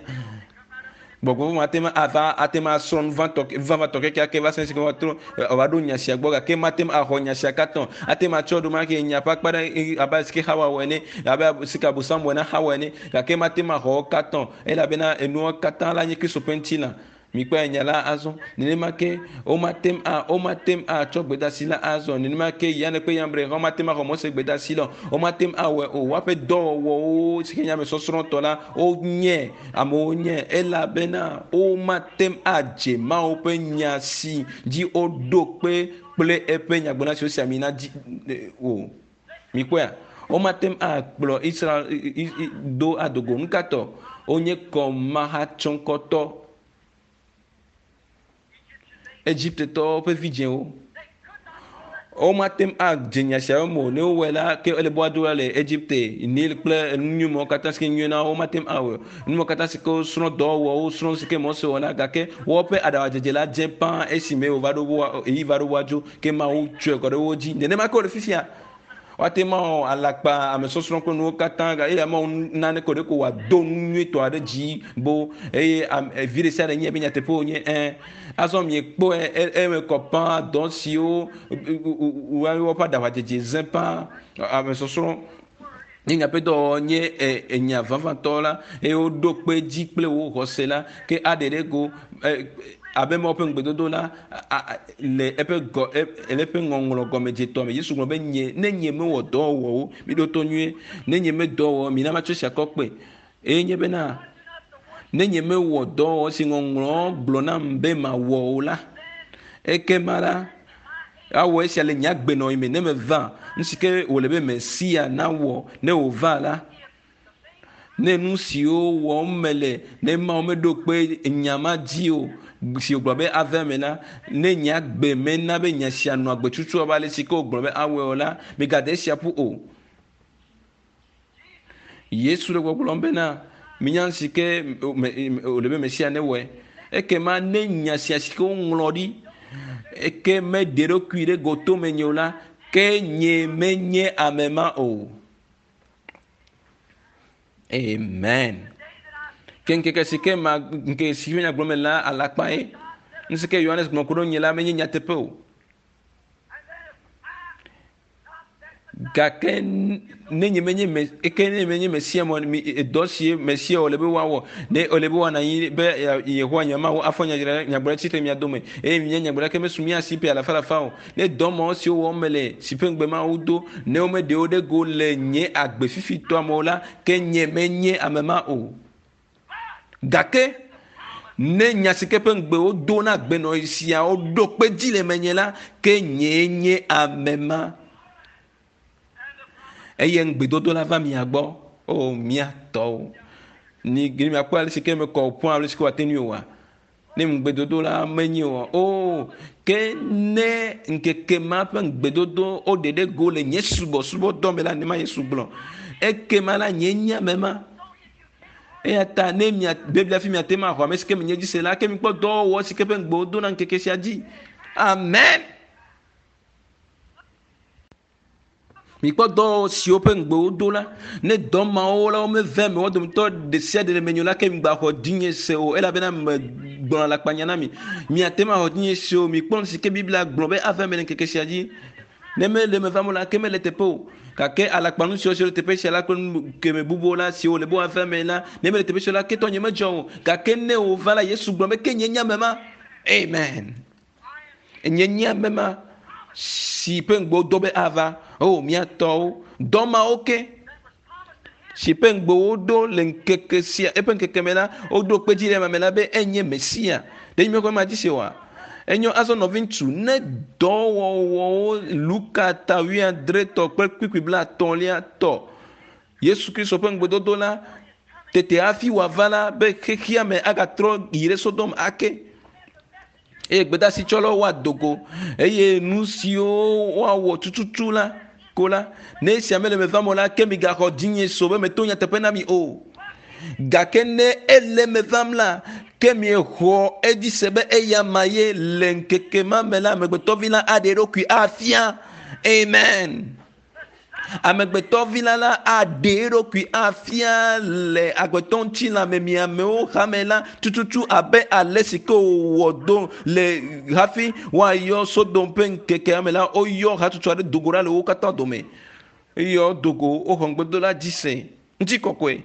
Gbɔgbɔ vɔ̃ ate ŋu ava, ate ŋu asrɔ̃ nu vãtɔ, vavãtɔ kekeake va se esime wòatrɔ, wòava ɖo nya sia gbɔ gake mate ŋu axɔ nya sia katã o. Ate ŋu atsɔ ɖomake nya ƒe akpa ɖe abe ale si ke Xawa wɔ ene, abe si ke Abosam wɔe na Xawa ene gake mate ŋu axɔ wo katã o elabena enuwo katã la nye Kristo ƒe ŋutilã. Mikpɔe nya la azɔ. Nenema ke womate ŋu a, womate ŋu atsɔ gbedeasi la azɔ. Nenema ke Yane kple Yambre hã womate ŋu axɔ Mose gbedeasi la o. Womate ŋu awɔe o. Woaƒe dɔwɔwɔwo si ke nye ame sɔsrɔ̃tɔ la, wonye amewo nye elabena womate ŋu adze Mawu ƒe nya si dzi woɖo kpe kple eƒe nyagblɔɖila si wosi ami na dzi o. Mikpɔea? Womate ŋu akplɔ Israel do ado go. Nukatɔ? Wonye kɔmahatsɔŋkɔtɔ. Egiptetɔwo ƒe vidzĩwo. Womate ŋu adze nya siawo me o. Ne wowɔe la, ke ele be woado ɖa le Egipte, Nil kple enu nyui mawo katã si ke nyui na wo, womate ŋu awɔe o. Nu mawo katã si ke wosrɔ̃ dɔwɔwɔ, wosrɔ̃ nu si ke Mose wɔ la, gake woƒe aɖaŋudzedze la dze ƒãa esime wòva ɖo woa, ɣeyiɣi va ɖo woadzo, ke Mawu tsɔe kɔ ɖe wo dzi. Nenema ke wòle fifia. Woate ŋu awɔ alakpa, amesɔsrɔ̃ kple nuwo katã eye amewo nane ko ɖeko wòado nu nyuitɔ aɖe dzi bo eye vi ɖe sia ɖe nye be nyateƒe wònye ẽ. Azɔ miekpɔe eme kɔ pã dɔ siwo woƒe aɖaʋadzedze zẽ pã amesɔsrɔ̃ nye miaƒe dɔwɔwɔ nye enya vavãtɔ la eye woɖo kpe edzi kple wò xɔse la ke aɖe ɖe go abe Mawu ƒe ŋugbedodo la le eƒe gɔ le eƒe ŋɔŋlɔ gɔmedzetɔ me. Yesu gblɔ be nye ne nye mewɔ dɔ wɔ wo miɖo to nyuie ne nye medɔ wɔ mina matsɔ esia kɔ kpe eye nye bena ne nye mewɔ dɔ wɔ si ŋɔŋlɔ gblɔ nam be mawɔ o la ekema la Awɔ esia le nye agbenɔɣi me ne meva. Nu si ke wòle be Mesia nawɔ ne wòva la, Ne nu siwo wɔm mele ne Mawu meɖo kpe nya ma dzi o si wògblɔ be ava eme la, ne nye agbe mena be nya sia nɔ agbe tutu abe ale si ke wògblɔ be awɔe o la, migade esia ƒu o. Yesu le gbɔgblɔm bena, minya nu si ke wòle be Mesia newɔe. Ekema ne nya sia si ke woŋlɔ ɖi eke meɖe eɖokui ɖe goto menye o la, ke nye menye ame ma o. Amen. Ke ŋkeke si ke ma ŋkeke si nya gblɔm la alakpa ye. Nu si ke Yohanes gblɔ ku ɖe nye la menye nyateƒe o. Gake ne nye menye me eke ne menye Mesia mɔ mi dɔ si Mesia wòle be woawɔ ne wòle be woanɔ anyi be Yehowa nye Mawu afɔ nyagblɔɖi tsitre mia dome eye minya nyagblɔɖi ke mesu mía si ƒe alafa alafa o. Ne dɔ mawo siwo wɔm mele si ƒe ŋugbe Mawu do ne womeɖe wo ɖe go le nye agbe fifitɔa me o la, ke nye menye ame ma o. Gake ne nya si ke ƒe ŋugbe wodo na agbenɔɣi siawo ɖo kpe dzi le menye la, ke nyee nye ame ma. Eye ŋugbedodo la va mia gbɔ. O mía tɔwo. Ni miakpɔ ale si ke mekɔ ƒu ale si ke wòate ŋui oa? Ne ŋugbedodo la menye o. O ke ne ŋkeke ma ƒe ŋugbedodo woɖe ɖe go le nye subɔsubɔdɔ me la, nema Yesu gblɔ. Ekema la nye nye ame ma. Eya ta ne mia Biblia fi miate ma xɔ ame si ke menye dzi se la, ke mikpɔ dɔwɔwɔ si ke ƒe ŋugbe wodo na ŋkeke sia dzi. Amen. Mikpɔ dɔ siwo ƒe ŋugbe wodo la, ne dɔ mawo la womeve eme wo dometɔ ɖe sia ɖe le menye o la, ke migbaxɔ dzinye se o, elabena megblɔ alakpanya na mi. Miate ŋu axɔ dzinye se o. Mikpɔ nu si ke Biblia gblɔ be ava eme le ŋkeke sia dzi. Ne mele eme vam o la, ke mele teƒe o. Gake alakpanu siwo siwo le teƒe sia la kple nu keme bubuwo la, siwo wòle be woava eme la, ne mele teƒe sia o la, ke tɔnye medzɔ o. Gake ne wòva la, Yesu gblɔ be, ke nye nye ame ma. Amen. Nye nye ame ma si ƒe ŋugbe wodo be ava. O, mía tɔwo, dɔ mawo ke si ƒe ŋugbe woɖo le ŋkeke sia, eƒe ŋkeke me la, woɖo kpe dzi ɖe eme la be enye Mesia. Ɖe míekpɔ ema dzi se oa? Enyo azɔ nɔviŋutsu, ne dɔwɔwɔwo Luka ta wuiadretɔ kple kpukpui blaetɔ̃lia tɔ Yesu Kristo ƒe ŋugbedodo la, tete hafi wòava la be xexea me agatrɔ yi ɖe Sodom ake. Eye gbedeasi tsɔlawo woado go eye nu siwo woawɔ tututu la ko la, ne esia mele me vam o la, ke migaxɔ dzinye so be meto nyateƒe na mi o. Gake ne ele me vam la, ke miexɔ edzi se be eya ma ye le ŋkeke ma me la, amegbetɔvi la aɖe eɖokui afia. Amen. Amegbetɔvi la la aɖe eɖokui afia le agbetɔ ŋutilãme miamewo hame la tututu abe ale si ke wòwɔ do le hafi woayɔ Sodom ƒe ŋkekea me la, woyɔ hatsotso aɖe do go ɖa le wo katã dome. Eyɔ do go, woxɔ ŋugbedodo la dzi se. Ŋutikɔkɔe.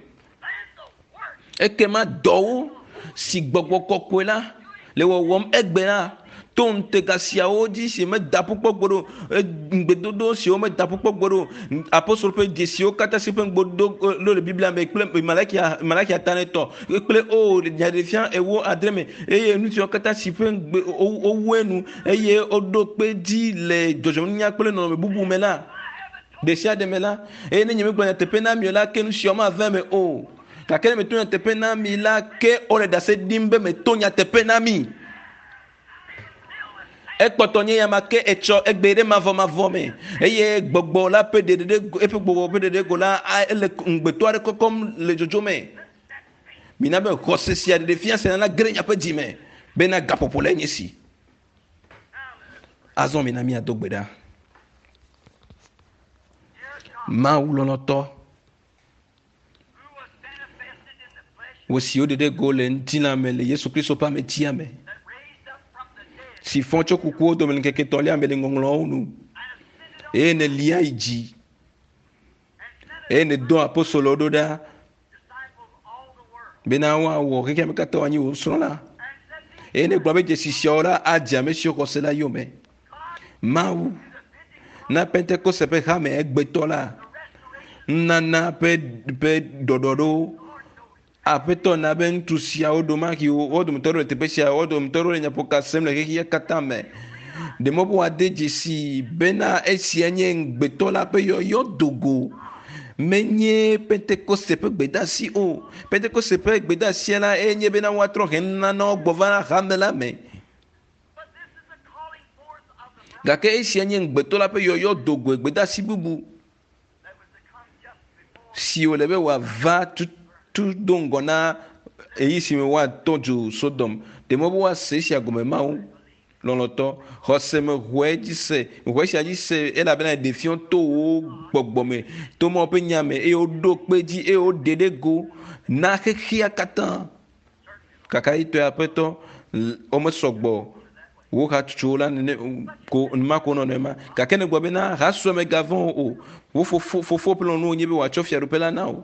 Ekema dɔwo si gbɔgbɔ kɔkɔe la le wɔwɔm egbe la to ŋutega siawo dzi si meda ƒu kpɔ gbeɖe o, ŋugbedodo siwo meda ƒu kpɔ gbeɖe o, apostolo ƒe dzesiwo katã si ƒe ŋugbedodo le Biblia me kple Malakia, Malakia ta ne tɔ kple o nyaɖeɖefia ewo adre me eye nu siwo katã si ƒe ŋugbe wowu enu eye woɖo kpe dzi le dzɔdzɔmenunya kple nɔnɔme bubu me la ɖe sia ɖe me la, eye ne nyemegblɔ nyateƒe na mi o la, ke nu siawo mava eme o. Gake ne meto nyateƒe na mi la, ke wole ɖase ɖim be meto nyateƒe na mi. Ekpɔtɔ nye yama ke etsɔ egbe ɖe mavɔmavɔ me eye gbɔgbɔ la ƒe ɖeɖe eƒe gbɔgbɔ ƒe ɖeɖe go la ele ŋugbetɔ aɖe kɔkɔm le dzodzo me. Mina be xɔse sia ɖeɖe fia sia la ge ɖe miaƒe dzi me bena gaƒoƒo lae nye si. Azɔ mina míado gbe ɖa. Mawu lɔlɔ̃tɔ, wò si woɖe ɖe go le ŋutilã me le Yesu Kristo ƒe ametia me, si fɔ tso kukuwo dome le ŋkeke etɔ̃lia me le ŋɔŋlɔawo nu, eye nèlia yi dzi, eye nèdɔ apostolowo ɖo ɖa bena woawɔ xexea me katã woanyi wò nusrɔ̃la. Eye negblɔ be dzesi siawo la adze ame siwo xɔ se la yome. Mawu na Pentekoste ƒe hame egbetɔ la nunana ƒe ƒe ɖɔɖɔɖo. Aƒetɔ na be ŋutsu siawo ɖomahi wo dometɔ ɖewo le teƒe sia, wo dometɔ ɖewo le nyaƒoka sem le xexea katã me. Ɖe mɔ be woade dzesi bena esia nye ŋugbetɔ la ƒe yɔyɔ do go. Menye Pentekoste ƒe gbedeasi o. Pentekoste ƒe gbedeasia la enye bena woatrɔ he nunanawo gbɔ va hame la me. Gake esia nye ŋugbetɔ la ƒe yɔyɔ dogoe gbedeasi bubu si wòle be wòava tutu do ŋgɔ na ɣeyiɣi si me woatɔ dzo Sodom. Ɖe mɔ be woase esia gɔme Mawu lɔlɔ̃tɔ. Xɔse me xɔe dzi se, xɔe sia dzi se elabena eɖe fiɔ to wò gbɔgbɔ me, to Mawu ƒe nya me eye woɖo kpe dzi eye woɖe ɖe go na xexea katã. Kakaɖitɔe aƒetɔ, womesɔ gbɔ wo hatsotsowo la nene ko numa ko nɔ nenema. Gake ne gblɔ bena hasue megavɔ̃ o, wo fofo fofo ƒe lɔlɔ̃nu wònye be wòatsɔ fiaɖuƒe la na wò.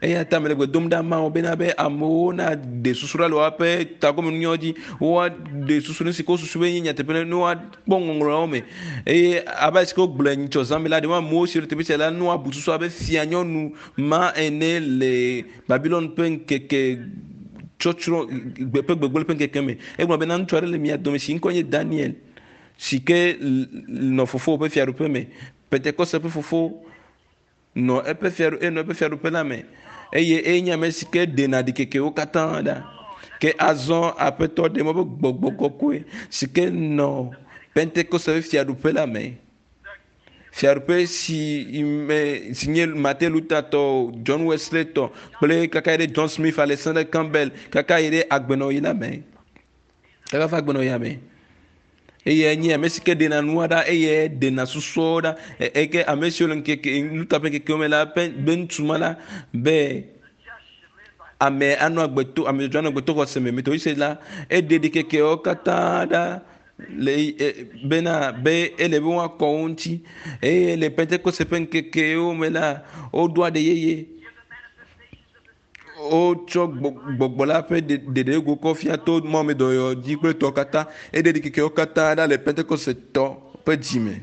Eya ta mele gbe dom ɖa Mawu bena be amewo naɖe susu ɖa le woaƒe tagɔmenunyawo dzi, woaɖe susu nu si ke wosusu be nye nyateƒe ne woakpɔ ŋɔŋlɔawo me. Eye abe ale si ke wogblɔe nyitsɔ zã me la, ɖe amewo siwo le teƒe sia la nu woabu susu abe fia nyɔnu ma ene le Babilon ƒe ŋkeke tsɔtsrɔ̃ ƒe gbegblẽ ƒe ŋkeke me. Egblɔ bena ŋutsu aɖe le mia dome si ŋkɔe nye Daniel si ke nɔ fofowò ƒe fiaɖuƒe me. Pentekoste ƒe fofo nɔ eƒe fiaɖu enɔ eƒe fiaɖuƒe la me eye eye nye ame si ke ɖena ɖikekewo katã ɖa. Ke azɔ Aƒetɔ ɖe mɔ be gbɔgbɔ kɔkɔe si ke nɔ Pentekoste ƒe fiaɖuƒe la me. Fiaɖuƒe si me si nye Martin Luther tɔ, John Wesley tɔ kple kaka yi ɖe John Smith, Alexander Campbell kaka yi ɖe agbenɔɣi la me. Kaka va agbenɔɣia me. Eye nye ame si ke ɖena nua ɖa eye ɖena susuawo ɖa. Eke ame siwo le ŋkeke Luther ƒe ŋkekewo me la ƒe be ŋutsu ma la be ame anɔ agbe to ame dzɔdzɔe anɔ agbe to xɔse me. Metodiste la eɖe ɖikekewo katã ɖa le e, bena be ele be woakɔ wo ŋuti eye le Pentekoste ƒe ŋkekewo me la woɖo aɖe yeye. Wotsɔ gbɔgbɔ la ƒe ɖeɖego kɔ fia to mɔmedɔyɔ dzi kple tɔ katã. Eɖe ɖikekewo katã ɖa le Pentekoste tɔ ƒe dzime.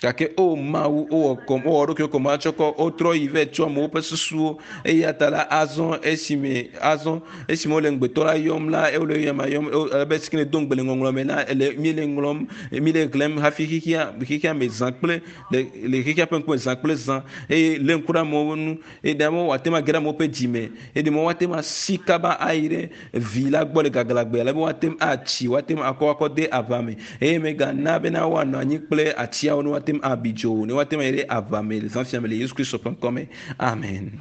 Gake o Mawu, wowɔ kɔm, wowɔ ɖokuiwo kɔm atsɔ kɔ, wotrɔ yi vɛ tsɔ amewo ƒe susuwo. Eya ta la, azɔ esime, azɔ esime wole ŋugbetɔ la yɔm la, wole eyama yɔm, abe si ke ne do ŋugbe le ŋɔŋlɔ me la, ele, míele ŋlɔm, míele xlẽm hafi xexea, xexea me zã kple, le, le xexea ƒe ŋkume zã kple zã. Eye lé ŋku ɖe amewo ŋu, eye ɖe amewo wòate ŋu age ɖe amewo ƒe dzi me, eye ɖe woate ŋu asi kaba ayi ɖe vi la gbɔ le gaglãgbe, ale be woate ŋu atsi, woate ŋu akɔ akɔ de aʋa me, eye megana bena woanɔ anyi kple atiawo ne woate ŋu abi dzo o, ne woate ŋu ayi ɖe aʋa me le zã sia me le Yesu Kristo ƒe ŋkɔ me. Amen.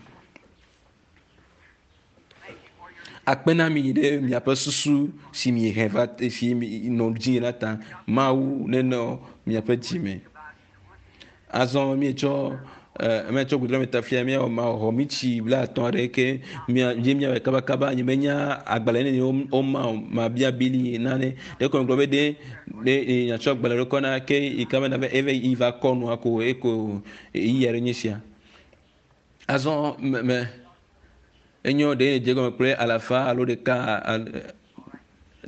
Akpe na mi ɖe miaƒe susu si miehe va si nɔ dzi la ta. Mawu nenɔ miaƒe dzi me. Azɔ míetsɔ míetsɔ gbedoɖa me ta fia míawɔ maxɔ mitsi blaatɔ̃ aɖe ke mía dzi míawɔe kabakaba nye menya agbalẽ nene woma o mabia bili nane ɖe ko gblɔ be ɖe ɖe nyatsɔ agbalẽ ɖe kɔ na ke yi ka be na be eve yi va kɔ nua ko eko ɣeyiɣi aɖe nye sia. Azɔ me me enyo ɖe dze gɔme kple alafa alo ɖeka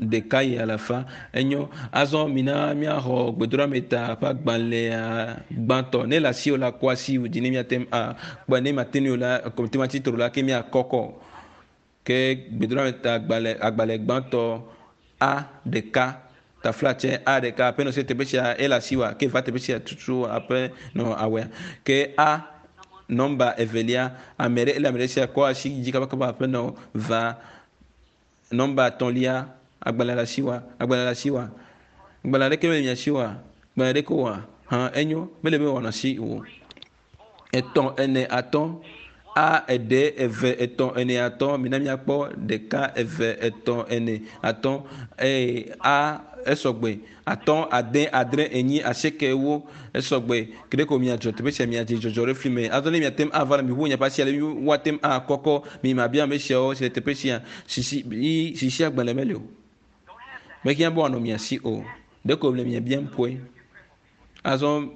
ɖeka yi alafa enyo. Azɔ mina míaxɔ gbedoɖame ta ƒe agbalẽa gbãtɔ. Ne le asiwò la, kɔ asi dzi ne míate ŋu akpɔe. Ne mate ŋui o la, kɔmiti ma tsi tro la ke míakɔkɔ. Ke gbedoɖame ta agbalẽ agbalẽ gbãtɔ A ɖeka taflatse A ɖeka aƒenɔ se teƒe sia ele asiwòa ke va teƒe sia tutu aƒenɔ awɔea. Ke A nɔmba evelia ame ɖe ele ame ɖe sia kɔ asi dzi kabakaba aƒenɔ va nɔmba etɔ̃lia agbalẽ le asiwòa agbalẽ le asiwòa agbalẽ aɖeke mele mia si oa agbalẽ ɖeke oa hã enyo mele be wòanɔ asi o. Etɔ̃, ene, atɔ̃. A, eɖe, eve, etɔ̃, ene, atɔ̃. Mina míakpɔ ɖeka, eve, etɔ̃, ene, atɔ̃. Eye a esɔgbe. Atɔ̃, ade, adre, enyi, asieke, ewo. Esɔgbe. Ke ɖeko miadzɔ teƒe sia miadze dzɔdzɔ ɖe fli me. Azɔ ne miate ŋu ava le miʋu miaƒe asi ale woate ŋu akɔkɔ mi mabia ame siawo si le teƒe sia. Sisi, yi, sisi agbalẽ meli o. Mehiã be wòanɔ mia si o. Ɖeko le mia biam koe. Azɔ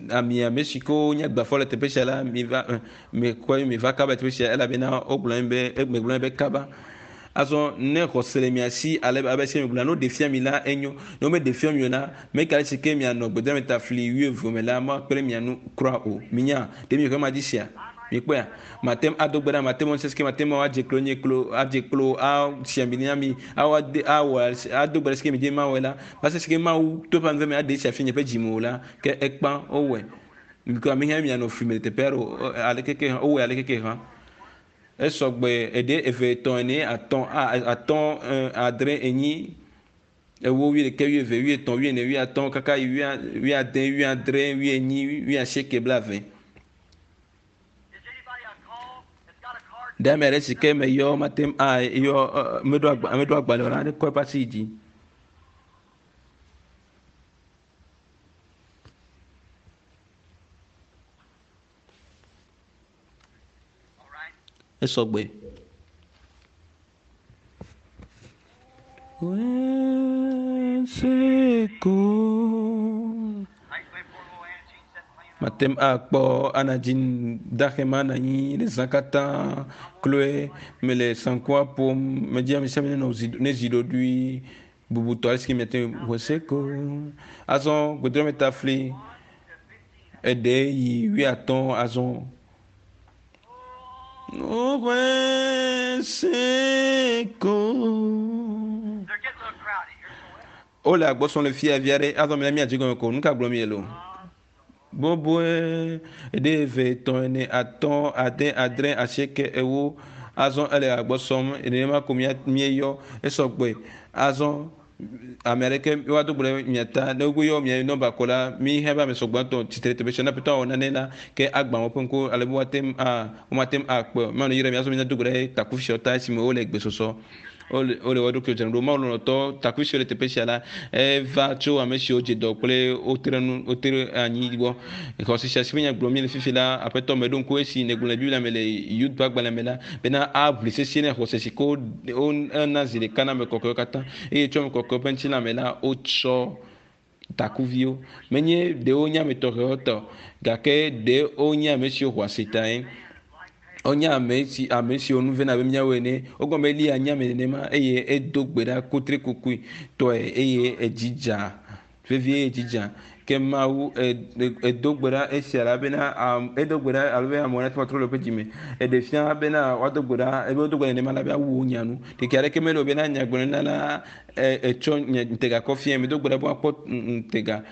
ami ame si ke wonye gbafɔ le teƒe sia la, miva mikɔe miva kaba teƒe sia elabena wogblɔ be megblɔ be kaba. Azɔ ne xɔse le mia si ale abe se megblɔ ne woɖe fia mi la enyo. Ne womeɖe fia mi o la, meka ɖe si ke mianɔ gbedame ta fli wuieve me la makpe ɖe mia nu kura o. Minya ɖe mi xɔ ma dzi sia? Mikpɔea? Mate ŋu ado gbe ɖa, mate ŋu sesike, mate ŋu adze klo nye klo, adze klo, asi ami na mi, awɔ ade, awɔ ado gbe ɖa sike mi dzi mawɔe la. Va se sike Mawu to eƒe ame me aɖe esia fia nye ƒe dzime o la, ke ekpã wowɔe. Mikɔ ame hã mianɔ fli me le teƒe aɖe o. Aleke ke hã wowɔe aleke ke hã. Esɔgbe eɖe eve etɔ̃ ene atɔ̃ atɔ̃ adre enyi ewo wuiɖekɛ wuieve wuietɔ̃ wuiene wuiatɔ̃ kaka yi wuiade wuiadre wuienyi wuiasieke blaeve. Ɖe ame aɖe si ke meyɔ mate ŋu ayɔ meɖo agba meɖo agbalẽ o la nekɔ eƒe asi yi dzi. Esɔgbe. Mate ŋu akpɔ Anna Jean dahe ma nɔ anyi le zã katã kloe mele saŋkua ƒom. Medzi ame sia ame nenɔ zi nezi ɖoɖoe bubutɔ ale si ke miate ŋu hweseko. Azɔ gbedrɔ̃metafli eɖe yi wuiatɔ̃ azɔ. Wole agbɔsɔm le fia vi aɖe azɔ mina míadze gɔme ko. Nu ka gblɔm miele o? Boboe ɖe eve etɔ̃ ene atɔ̃ ade adre asieke ewo azɔ ele agbɔsɔm nenema ko míeyɔ esɔgbe azɔ ame aɖeke woado gbe ɖe mia ta ne woyɔ mia nɔmba ko la mi hã be ame sɔgbɔtɔ tsitre teƒe sia ne aƒetɔ awɔ nane la ke agbã woƒe ŋku ale be woate ŋu a womate ŋu akpɔe o. Mawu neyra mi azɔ mina do gbe ɖe takuvi siawo ta esime wole gbesɔsɔ wole wole wo ɖokuiwo dzram ɖo. Mawu lɔlɔ̃tɔ takuvi siwo le teƒe sia la eva tso ame siwo dze dɔ kple wotre nu wotre anyi gbɔ. Xɔse sia si ƒe nya gblɔm míele fifi la aƒetɔ meɖo ŋku esi nègblɔ le Biblia me le Yud ƒe agbalẽ me la bena aʋli sesĩe ne xɔse si ke wona zi ɖeka na ame kɔkɔewo katã eye tso ame kɔkɔewo ƒe ŋutilã me la wotsɔ takuviwo. Menye ɖe wonye ame tɔxɛwo tɔ o gake ɖe wonye ame siwo xɔ asi tae. Wonye ame si ame siwo nu vena abe míawo ene. Wogblɔ be Eliya nye ame nenema eye edo gbe ɖa kutrikukui tɔe eye edzi dza vevie edzi dza. Ke Mawu edo gbe ɖa esia la bena edo gbe ɖa alo be amewo nate ŋu atrɔ le woƒe dzime. Eɖe fia bena woado gbe ɖa ebe wodo gbe ɖa nenema la be awu wo nya nu. Ɖeke aɖeke mele o bena nyagblɔɖila la etsɔ nye ŋutega kɔ fiae. Medo gbe ɖa be woakpɔ ŋutega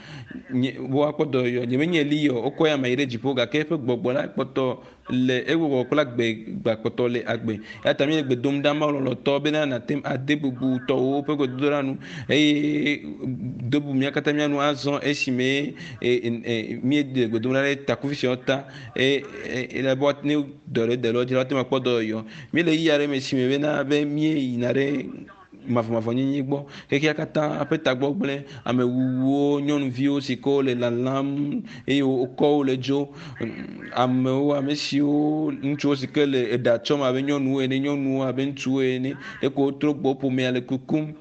nye be woakpɔ dɔyɔyɔ. Nye menye Eliya o. Wokɔ ya me yi ɖe dziƒo gake eƒe gbɔgbɔ la kpɔtɔ le eƒe gbɔgbɔ kple agbe gakpɔtɔ le agbe. Eya ta míele gbe dom ɖa Mawu lɔlɔ̃tɔ bena nàte ŋu ade bubu tɔwòwo ƒe gbedodoɖa nu eye do bubu mía katã mía nu azɔ esime míele gbe dom ɖa ɖe takuvi siawo ta eye ele be ne dɔ ɖe de le wo dzi la woate ŋu akpɔ dɔyɔyɔ. Míele ɣeyiɣi aɖe me si me bena be míeyina ɖe mavɔmavɔnyenye gbɔ. Xexea katã ƒe tagbɔ gblẽ. Amewuwuwo, nyɔnuviwo si ke wole lalam eye wokɔ wo le dzo. Amewo, ame siwo ŋutsuwo si ke le eɖa tsɔm abe nyɔnuwo ene, nyɔnuwo abe ŋutsuwo ene. Ɖeko wotrɔ gbɔ ƒomea le kukum.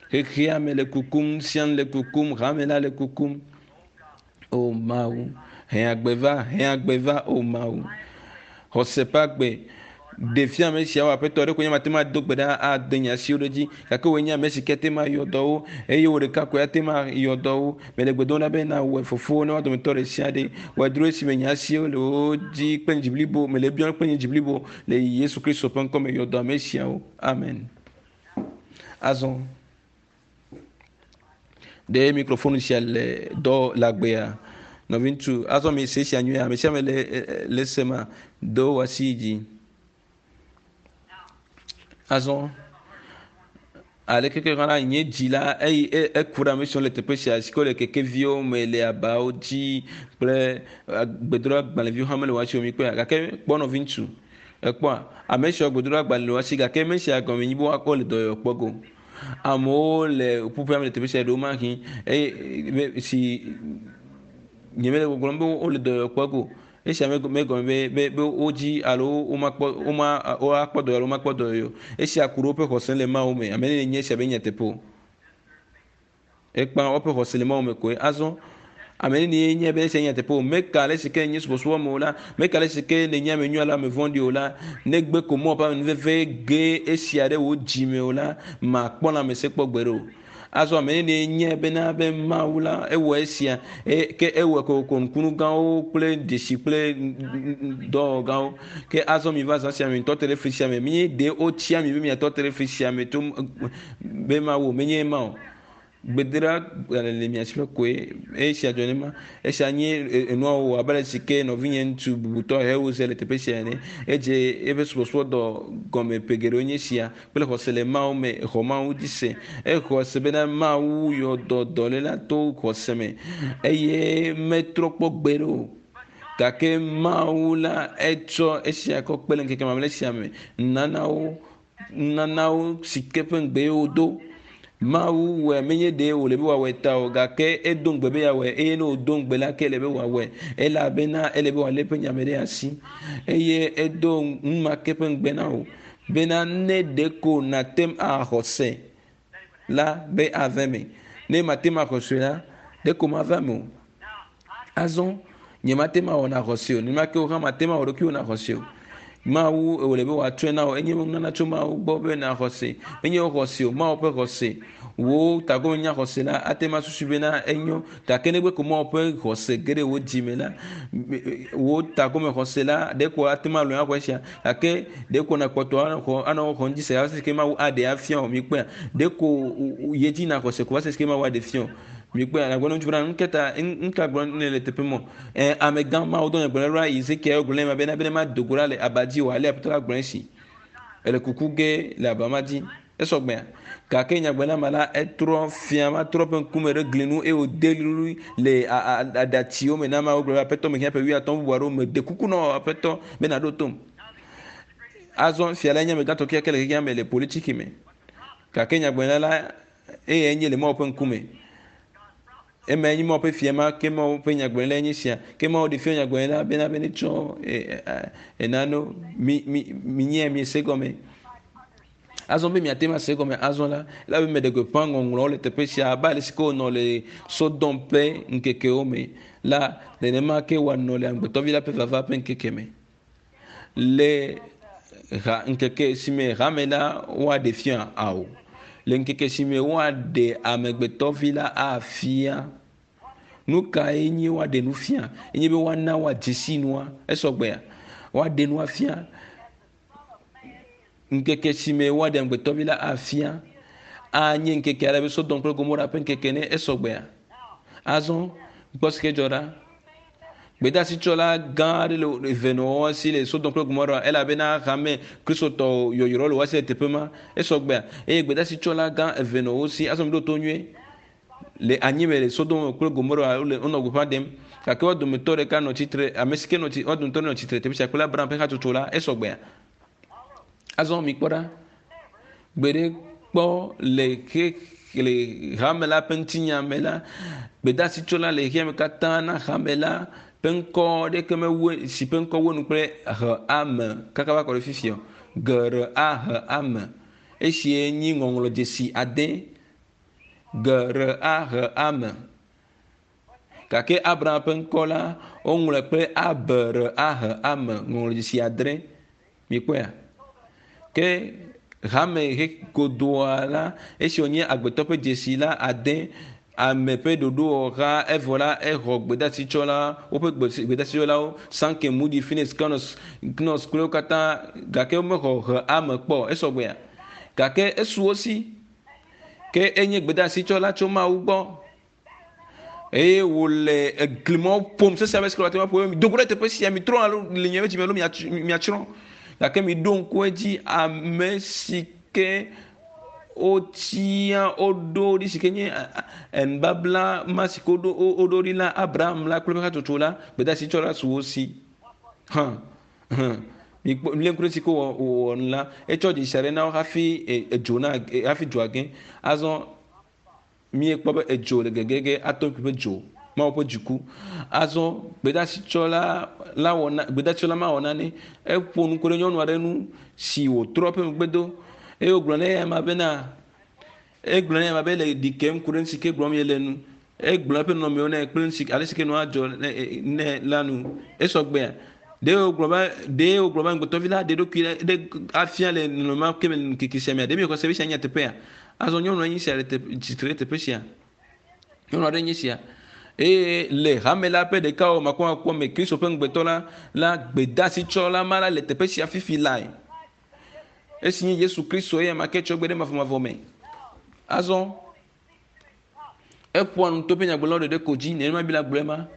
Xexea me le kukum, sia nu le kukum, hame la le kukum. O Mawu, he agbe va, he agbe va, o Mawu. Xɔse ƒe agbe. Ɖe fia ame siawo aƒetɔ ɖe ko nye mate ŋu ado gbe ɖa ade nye asiwo ɖe edzi gake wòe nye ame si ke ate ŋu ayɔ dɔwo eye wò ɖeka koe ate ŋu ayɔ dɔwo. Mele gbe dom ɖa be nawɔe fofo ne woa dometɔ ɖe sia ɖe wɔe dro esime nye asiwo le wo dzi kple nye dzi blibo mele ebiɔm kple nye dzi blibo le Yesu Kristo ƒe ŋkɔ me yɔ dɔ ame siawo. Amen. Azɔ ɖe mikrofonu sia le dɔ le agbea nɔviŋutsu azɔ mi se sia nyuie ame sia ame le le se ma do wò asi yi dzi azɔ aleke ke hã la nye dzi la eyi eku ɖe ame siwo le teƒe sia si ke wole kekeviwo me le abawo dzi kple gbedoɖagbalẽviwo hã mele wo asi o mi kpɔe gake kpɔ nɔviŋutsu ekpɔa ame siwo gbedoɖagbalẽ le wo asi gake ame sia gɔme nyi be woakpɔ le dɔyɔyɔ kpɔ go. Amewo le ƒuƒoƒea me le teƒe sia ɖewo mahi eye si nye mele gbɔgblɔm be wole dɔyɔyɔ kpɔ go. Esia megɔme be be be wodzi alo womakpɔ woma woakpɔ dɔyɔyɔ alo womakpɔ dɔyɔyɔ o. Esia ku ɖe woƒe xɔse le Mawu me. Ame nene nye esia be nyateƒe o. Ekpã woƒe xɔse le Mawu me koe. Azɔ, ame nenie nye be esia nye nyateƒe o? Meka ale si ke nye subɔsubɔ me o la, meka ale si ke nènye ame nyui alo ame vɔ̃ɖi o la, negbe ko Mawu ƒe amenuveve ge esia ɖe wò dzi me o la, màkpɔ lãmesẽ kpɔ gbeɖe o. Azɔ ame nenie nye bena be Mawu la ewɔ esia, e, ke ewɔe kokoko nukunu gãwo kple dzesi kple dɔwɔwɔ gãwo. Ke azɔ miva zã sia me, mitɔ te ɖe fli sia me. Míeɖe wotia mi be miatɔ te ɖe fli sia me to be Mawu o, menye ema o. Gbedoɖa le mia si ƒe koe esia dzɔ nema. Esia nye enua wɔwɔ abe ale si ke nɔvinye ŋutsu bubutɔ Hewose le teƒe sia ene. Edze eƒe subɔsubɔdɔ gɔme ƒe geɖewo nye esia kple xɔse le Mawu me. Exɔ Mawu dzi se. Exɔ se bena Mawu yɔ dɔ dɔléla to xɔse me eye metrɔ kpɔ gbeɖe o. Gake Mawu la etsɔ esia kɔ kpe le ŋkeke mamlɛ sia me. Nunanawo nunanawo si ke ƒe ŋugbe wodo. Mawu wɔe menye ɖe wòle be wòawɔe ta o gake edo ŋugbe be yeawɔe eye ne wòdo ŋugbe la ke ele be wòawɔe elabena ele be wòalé eƒe nya me ɖe asi eye edo nu ma ke ƒe ŋugbe na wò bena ne ɖeko nàte ŋu axɔ se la be ava eme. Ne mate ŋu axɔ se la, ɖeko mava eme o. Azɔ nyemate ŋu awɔ nàxɔ se o. Nenema ke wò hã mate ŋu awɔ ɖokuiwò nàxɔ se o. Mawu wòle be wòatsɔe na wò. Enye nunana tso Mawu gbɔ be nàxɔ se. Menye wò xɔse o, Mawu ƒe xɔse. Wò tagbɔ nya xɔse la ate ŋu asusui bena enyo gake negbe ko Mawu ƒe xɔse ge ɖe wò dzi me la, wò tagome xɔse la ɖeko ate ŋu alɔe axɔ esia gake ɖeko nàkpɔtɔ axɔ anɔ xɔm dzi se va se ke Mawu aɖe afia wò. Mikpɔea? Ɖeko yi edzi nàxɔ se ko va se ke Mawu aɖe fia wò. Mikpɔe nàgblɔ na ŋutsu bena nukata nuka gblɔm nèle le teƒe mɔ? Ɛ amegã Mawu dɔ nye gblɔ ɖa Ezekiel gblɔ nɛ bena bena mado go ɖa le aba dzi o ale Aƒetɔ la gblɔ esi. Ele kuku ge le aba ma dzi. Esɔgbea. Gake nyagblɔɖila ma la etrɔ fia ma trɔ ƒe ŋkume ɖe gli nu eye wòde ɣli le aɖatsiwo me na Mawu gblɔ be Aƒetɔ mehiã ƒe wuiatɔ̃ bubu aɖewo mede kuku na wò Aƒetɔ be nàɖo tom. Azɔ fia la nye amegãtɔ kekeake le xexea me le politiki me. Gake nyagblɔɖila la eye enye le Mawu ƒe ŋkume. Ema enye Mawu ƒe fia ma ke Mawu ƒe nyagblɔɖila enye sia. Ke Mawu ɖe fia nyagblɔɖila bena be netsɔ enano mi mi mi nye mi se gɔme. Azɔ be miate ŋu ase gɔme azɔ la, elabe meɖe gbeƒã ŋɔŋlɔwo le teƒe sia abe ale si ke wònɔ le Sodom ƒe ŋkekewo me la, nenema ke wòanɔ le Amegbetɔvi la ƒe vava ƒe ŋkeke me. Le ha ŋkeke si me hame la woaɖe fia ao. Le ŋkeke si me woaɖe amegbetɔvi la afia. Nu kae nye woaɖe nu fia? Enye be woana woadze si nua. Esɔgbea? Woaɖe nua fia. Ŋkeke si me woaɖe amegbetɔvi la afia anye ŋkeke aɖe be Sodom kple Gomora ƒe ŋkeke ne esɔgbea. Azɔ kpɔ si ke dzɔ ɖa. Gbedeasitsɔla gã aɖe le eve nɔ wo si le Sodom kple Gomora elabena hame kristotɔ yɔyrɔ le wo si le teƒe ma. Esɔgbea eye gbedeasitsɔla gã eve nɔ wo si. Azɔ mi ɖo to nyuie. Le anyime le Sodom kple Gomora wole wonɔ gbeƒã ɖem gake wo dometɔ ɖeka nɔ tsitre ame si ke nɔ wo dometɔ nɔ tsitre teƒe sia kple Abraham ƒe hatsotso la esɔgbea. Azɔ mikpɔ ɖa. Gbe ɖe kpɔ le xe le hame la ƒe ŋutinya me la, gbedeasitsɔla le xexea me katã na hame la ƒe ŋkɔ ɖeke mewu si ƒe ŋkɔ wu enu kple he ame kaka va kɔ ɖe fifia o. G R A H ame. Esie nyi ŋɔŋlɔdzesi ade. G R A H ame. Gake Abraham ƒe ŋkɔ la, woŋlɔe kple A B R A H ame ŋɔŋlɔdzesi adre. Mikpɔea? Ke hame he godoa la, esi wònye agbetɔ ƒe dzesi la ade ame ƒe ɖoɖowɔha evɔ la exɔ gbedeasitsɔla woƒe gbedasitsɔlawo Sankey, Moody, Phoenix, Knox, Knox kple wo katã gake womexɔ he ame kpɔ esɔgbea. Gake esu wo si. Ke enye gbedeasitsɔla tso Mawu gbɔ. Eye wòle eglimɔwo ƒom sesẽ abe sikɔ ate ŋu aƒo mi do go ɖe teƒe sia mitrɔ alo le nye dzime alo miatsrɔ̃. Gake miɖo ŋku edzi ame si ke wotia woɖo ɖi si ke nye nubabla ma si ke woɖo woɖo ɖi na Abraham la kple eƒe hatsotso la gbedeasitsɔla su wo si. Hã hã mikpɔ milé ŋku ɖe si ke wòwɔ wòwɔ nu la etsɔ dzesi aɖe na wo hafi edzo na hafi dzoa ge. Azɔ míekpɔ be edzo le gegege atom ƒe dzo Mawu ƒe dziku. Azɔ gbedeasitsɔla la wɔ na gbedeasitsɔla ma wɔ nane eƒo nu ku ɖe nyɔnu aɖe ŋu si wòtrɔ eƒe megbe do eye wògblɔ nɛ eya bena egblɔ nɛ eya be le ɖi kem ku ɖe nu si ke gblɔm yele nu. Egblɔ eƒe nɔnɔmewo nɛ kple nu si ale si ke nua dzɔ nɛ la nu. Esɔgbea ɖe wògblɔ be ɖe wògblɔ be amegbetɔvi la ɖe eɖokui ɖe afia le nɔnɔme ma ke me le ŋkeke sia mea? Ɖe miexɔ se be esia nye nyateƒea? Azɔ nyɔnua nye sia le tsitre ɖe teƒe sia. Nyɔnu aɖe nye sia eye le hame la ƒe ɖekawɔwɔ makɔmakɔ me Kristo ƒe ŋugbetɔ la la gbedeasitsɔla ma la le teƒe sia fifi lae. Esi nye Yesu Kristo eya ma ke tsɔ gbe ɖe mavɔmavɔ me. Azɔ Eƒoa nu to eƒe nyagblɔɖilawo ɖeɖe ko dzi, nenema Biblia gblɔe ma.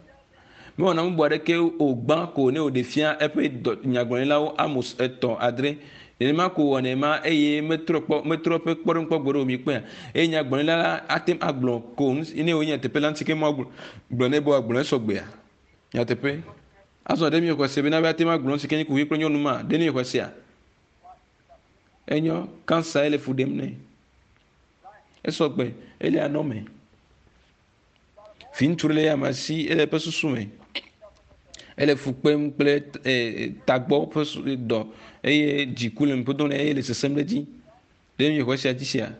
Mewɔna nu bubu aɖeke o gbã ko ne wòɖe fia eƒe dɔ, nyagblɔɖilawo Amos etɔ̃ adre. Nenema ko wòwɔnɛ ma eye metrɔ kpɔ, metrɔ eƒe kpɔɖeŋu kpɔ gbeɖe o, mikpɔea? Eye nyagblɔɖila la ate ŋu agblɔ ko nu si, ne wònye nyateƒe la, nu si ke Mawu gblɔ, gblɔ nɛ be wòagblɔ esɔgbea? Nyateƒe. Azɔ ɖe miexɔe se bena be ate ŋu agblɔ nu si ke nye kuxi kple nyɔnu ma? Ɖe miexɔe sea? Enyo, kansa ye le fu ɖem nɛ. Esɔ gbe, ele anɔ me. Viŋutsu ɖe le eya si, ele eƒe susu me. Ele fu kpem kple e, tagbɔ ƒe dɔ eye dziku le nuƒo dom nɛ eye le sesem ɖe edzi. Ɖe miexɔe sia dzi sea?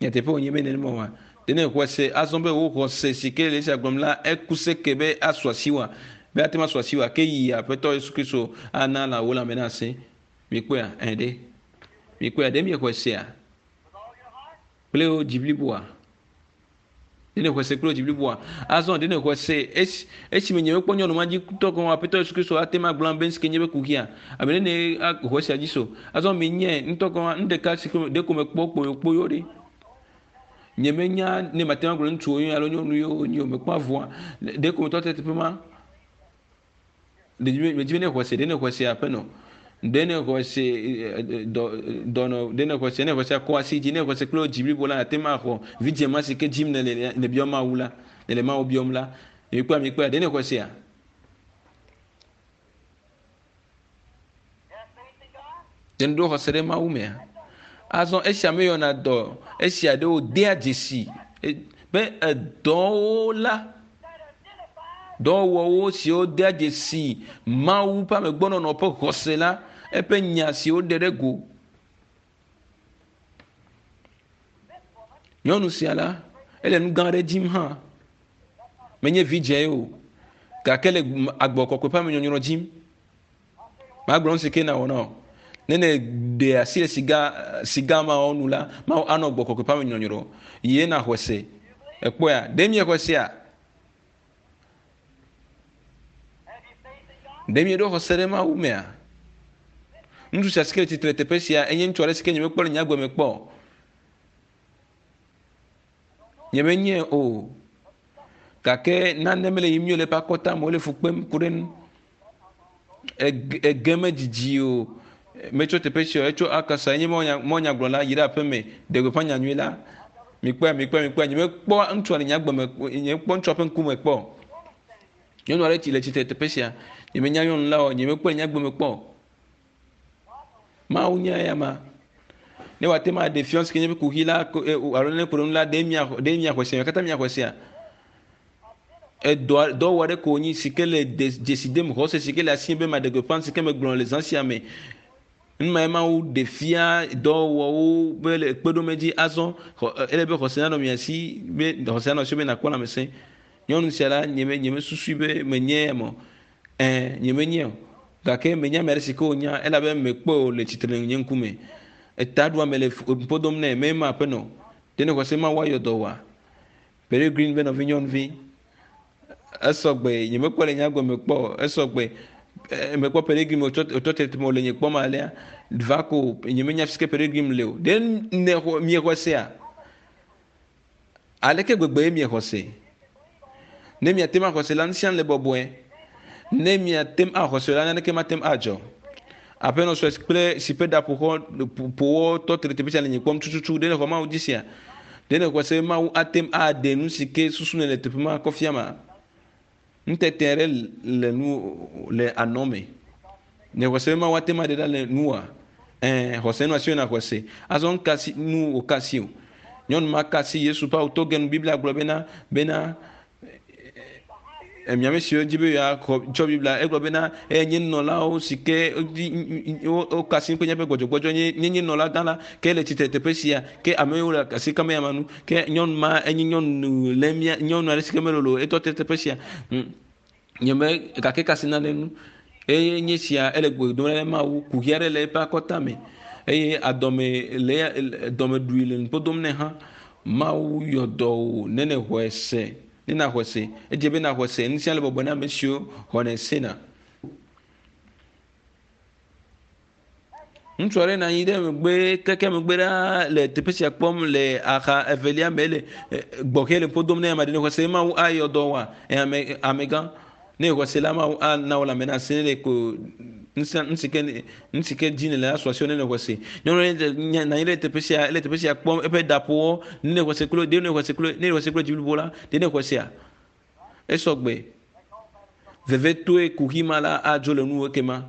Nyateƒe wònye be nenema oa? Ɖe ne èxɔe se azɔ be wò xɔse si ke le esia gblɔm la, eku seke be asu asiwòa? Be ate ŋu asu asiwòa? Ke yi Aƒetɔ Yesu Kristo ana la wò lãme nasẽ. Mikpɔea? Ẽ ɖe. Mikpɔea? Ɖe miexɔe sea? Kple wò dzi bliboa? Ɖe nèxɔe se kple wò dzi bliboa? Azɔ ɖe nèxɔe se esi esime nye mekpɔ nyɔnu ma dzi tɔ gɔ̃ Aƒetɔ Yesu Kristo ate ŋu agblɔ be nu si ke nye be kuxia? Abe ɖe nèxɔ esia dzi so? Azɔ menye ŋutɔ gɔ̃ nu ɖeka si ɖeko mekpɔ kpoyokpoyo ɖe. Nyemenya ne mate ŋu agblɔ ŋutsuwo alo nyɔnu yewo wonye o. Mekpɔ avɔa ɖeko metɔ te teƒe ma. Medzi be ne xɔ se, ɖe ne xɔ se aƒenɔ, ɖe ne xɔ se dɔ dɔnɔ, ɖe ne xɔ se, ne xɔ se akɔ asi dzi, ne xɔ se kple dzi blibo la, ate ŋu axɔ vidzĩ ma si ke dzim nèle nèbiɔ Mawu la, nèle Mawu biɔm la. Mikpɔa, mikpɔa, ɖe ne xɔ sea? Ɖe nèɖo xɔse ɖe Mawu mea? Azɔ esia meyɔna dɔ esia ɖewo dea dzesi be edɔwo la Dɔwɔwɔwo siwo dea dzesi Mawu ƒe amegbɔnɔnɔ ƒe xɔse la, eƒe nya si woɖe ɖe go. Nyɔnu sia la, ele nu gã aɖe dim hã. Menye vidzĩe o, gake le agbɔ kɔkɔe ƒe amenyɔnyrɔ dim. Magblɔ nu si ke nawɔ na wò. Ne nèɖe asi le siga siga mawo nu la, Mawu anɔ gbɔ kɔkɔe ƒe amenyɔnyrɔ. Ye naxɔe se. Èkpɔea? Ɖe miexɔe sea? Ɖe mieɖo xɔse ɖe Mawu mea? Ŋutsu sia si ke le tsitre le teƒe sia enye ŋutsu aɖe si ke nyemekpɔ le nye agbe me kpɔ o. Nyemenyae o. Gake nane mele yiyim nyuie le eƒe akɔta me, wole fu kpem ku ɖe nu. Ege medzidzi o. Metso teƒe sia o, etso Arkansas, enye mɔnyagblɔla, yi ɖe aƒe me, ɖe gbeƒã nyanyui la. Mikpɔe, mikpɔe, mikpɔe. Nyemekpɔ ŋutsua le nye agbe me, nyemekpɔ ŋutsua ƒe ŋkume kpɔ o. Nyɔnu aɖe tsi le tsitre teƒe sia. Nyemenya nyɔnu la o, nyemekpɔe le nye agbe me kpɔ o. Mawu nya eya ma. Ne wòate ŋu aɖe fiɔ si ke nye be kuxi la e, alo ne ku ɖe nu la, ɖe mia ɖe miaxɔe sea? Katã miaxɔe sea? Edɔ dɔwɔ aɖe ko wònyi si ke le dzesi dem xɔse si ke le asi be maɖe gbeƒã si ke megblɔ le zã sia me. Nu mae Mawu ɖe fia dɔwɔwɔwo be le kpeɖomedzi azɔ ele be xɔse nanɔ mia si be xɔse nanɔ asi be nakpɔ lãmesẽ. Nyɔnu sia la nye nyemesusui be menye eme o. Ẽ, nyemenyae o. Gake menya ame aɖe si ke wònya elabe mekpɔe o le tsitre le nye ŋkume. Etaɖuame le ƒo dom nɛ, mema aƒenɔ. Ɖe nèxɔ se Mawu ayɔ dɔ wòa? Peregrine be nɔvinyɔnuvi. Esɔ gbe, nyemekpɔe le nye agbe me kpɔ o. Esɔ gbe. Mekpɔ Peregrine wòtsɔ wòtɔ te wòle nye kpɔm alea. Va ko nyemenya fi si ke Peregrine le o. Ɖe nèxɔ miexɔe sea? Aleke gbegbe ye miexɔ se? Ne miate ŋu axɔ se la, nu sia nu le bɔbɔe. Ne miate ŋu axɔ se la, naneke mate ŋu adzɔ. Aƒenɔ sue kple si ƒe ɖa ƒoxɔ ƒowɔ tɔ tre teƒe sia le nye kpɔm tututu. Ɖe nèxɔ Mawu dzi sea? Ɖe nèxɔ se be Mawu ate ŋu aɖe nu si ke susu nèle teƒe ma kɔ fia ma? Nutete aɖe le nu le anɔ me. Nèxɔ se be Mawu ate ŋu aɖe ɖa le nuwòa? Ɛ̃, xɔse nɔ asiwò nàxɔe se. Azɔ nu ka si nu wòka asi o? Nyɔnu ma ka asi Yesu ƒe awu toge nu. Biblia gblɔ bena bena emi ame siwo di be yewoaxɔ tsɔ Biblia egblɔ bena eye nye nunɔlawo si ke woka asi kple míaƒe gbɔdzɔgbɔdzɔ nye nye nye nunɔla gã la ke le tsitre teƒe sia ke ame yiwo le asi kam eya ma nu ke nyɔnu ma enye nyɔnu le mía nyɔnu aɖe si ke melolo etɔ te teƒe sia nye me gake kasi nane nu eye nye sia ele gbe dom ɖe Mawu kuxi aɖe le eƒe akɔta me eye adɔme le dɔme ɖui le nuƒo dom nɛ hã Mawu yɔ dɔ wò ne nèxɔe se ne nàxɔe se edze be nàxɔe se nu sia le bɔbɔe na ame siwo xɔnɛ sena. Ŋutsu aɖe nɔ anyi ɖe megbe keke megbe ɖaa le teƒe sia kpɔm le axa evelia me le gbɔxɛ le ƒo dom ne ame aɖe ne xɔse Mawu ayɔ dɔ wa ame amegã ne xɔse la Mawu ana wò lãme nase ne ko ŋusẽ nu si ke nu si ke dzi nèle asu asiwò ne xɔse. Nyɔnu aɖe nɔ anyi ɖe teƒe sia le teƒe sia kpɔm eƒe ɖa ƒo ne xɔse klo ɖe ne xɔse klo ne xɔse kple dzi blibo la ɖe ne xɔsea esɔgbe vevetoe kuxi ma la adzo le nuwò ekema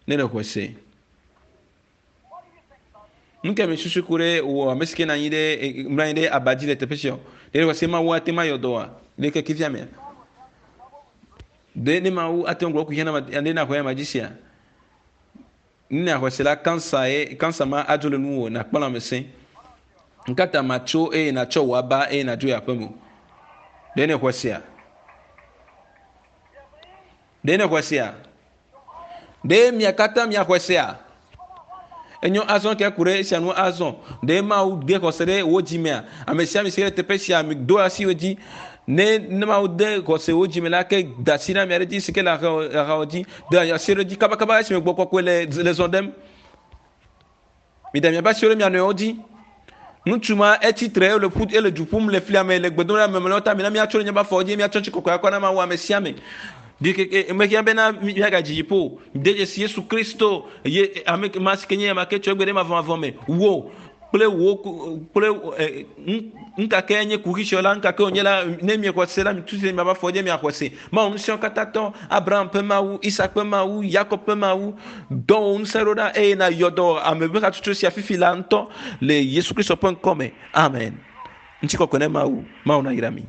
ne le xɔse. Nu ka mesusu ku ɖe wò ame si ke nɔ anyi ɖe mlɔ anyi ɖe aba dzi le teƒe sia o? Ɖe xɔse Mawu ate ŋu ayɔ dɔ wòa le kekevia mea? Ɖe ne Mawu ate ŋu gblɔ kuxia na ɖe naxɔe ama dzi sia? Ne nàxɔe se la, kansa ye kansa ma adzo le nuwò nàkpɔ lãmesẽ. Ŋkata matso eye nàtsɔ wò aba eye nàdzo yi aƒeme o. Ɖe nèxɔe sea? Ɖe nèxɔe sea? Ɖe mia katã miaxɔe sea? Enyo azɔ ke ku ɖe esia nu azɔ. Ɖe Mawu de xɔse ɖe wò dzi mea? Ame sia ame si le teƒe sia, mi do asi wo dzi. Ne ne Mawu de xɔse wò dzi me la, ke da asi ɖe ame aɖe dzi si ke le axawò dzi. Da asi ɖe dzi kabakaba esime gbɔ kɔkɔe le le zɔ ɖem. Mida miaƒe asiwo ɖe mia nɔewo dzi. Ŋutsu ma etsi tre ele ƒu ele du ƒum le flia me le gbedom ɖe ame mlɔewo ta. Mina míatso ɖe míaƒe afɔwo dzi míatsɔ tsi kɔkɔe akɔ na Mawu ame sia ame. Ɖikeke mehiã bena míagadzi dziƒo o. De dzesi Yesu Kristo ye ame ma si ke nye ame ke tso egbe ɖe mavɔmavɔ me. Wò kple wò kple ŋkake nye kuxi siwo la ŋkake wònye la ne miexɔ se la mitu se miaƒe afɔ dzi miaxɔ se. Mawu ŋusẽwo katã tɔ, Abraham ƒe Mawu, Isak ƒe Mawu, Yakob ƒe Mawu, dɔ wò ŋusẽ ɖo ɖa eye nàyɔ dɔ ame ƒe hatsotso sia fifi la ŋutɔ le Yesu Kristo ƒe ŋkɔ me. Amen. Ŋutikɔkɔe ne Mawu. Mawu nayra mi.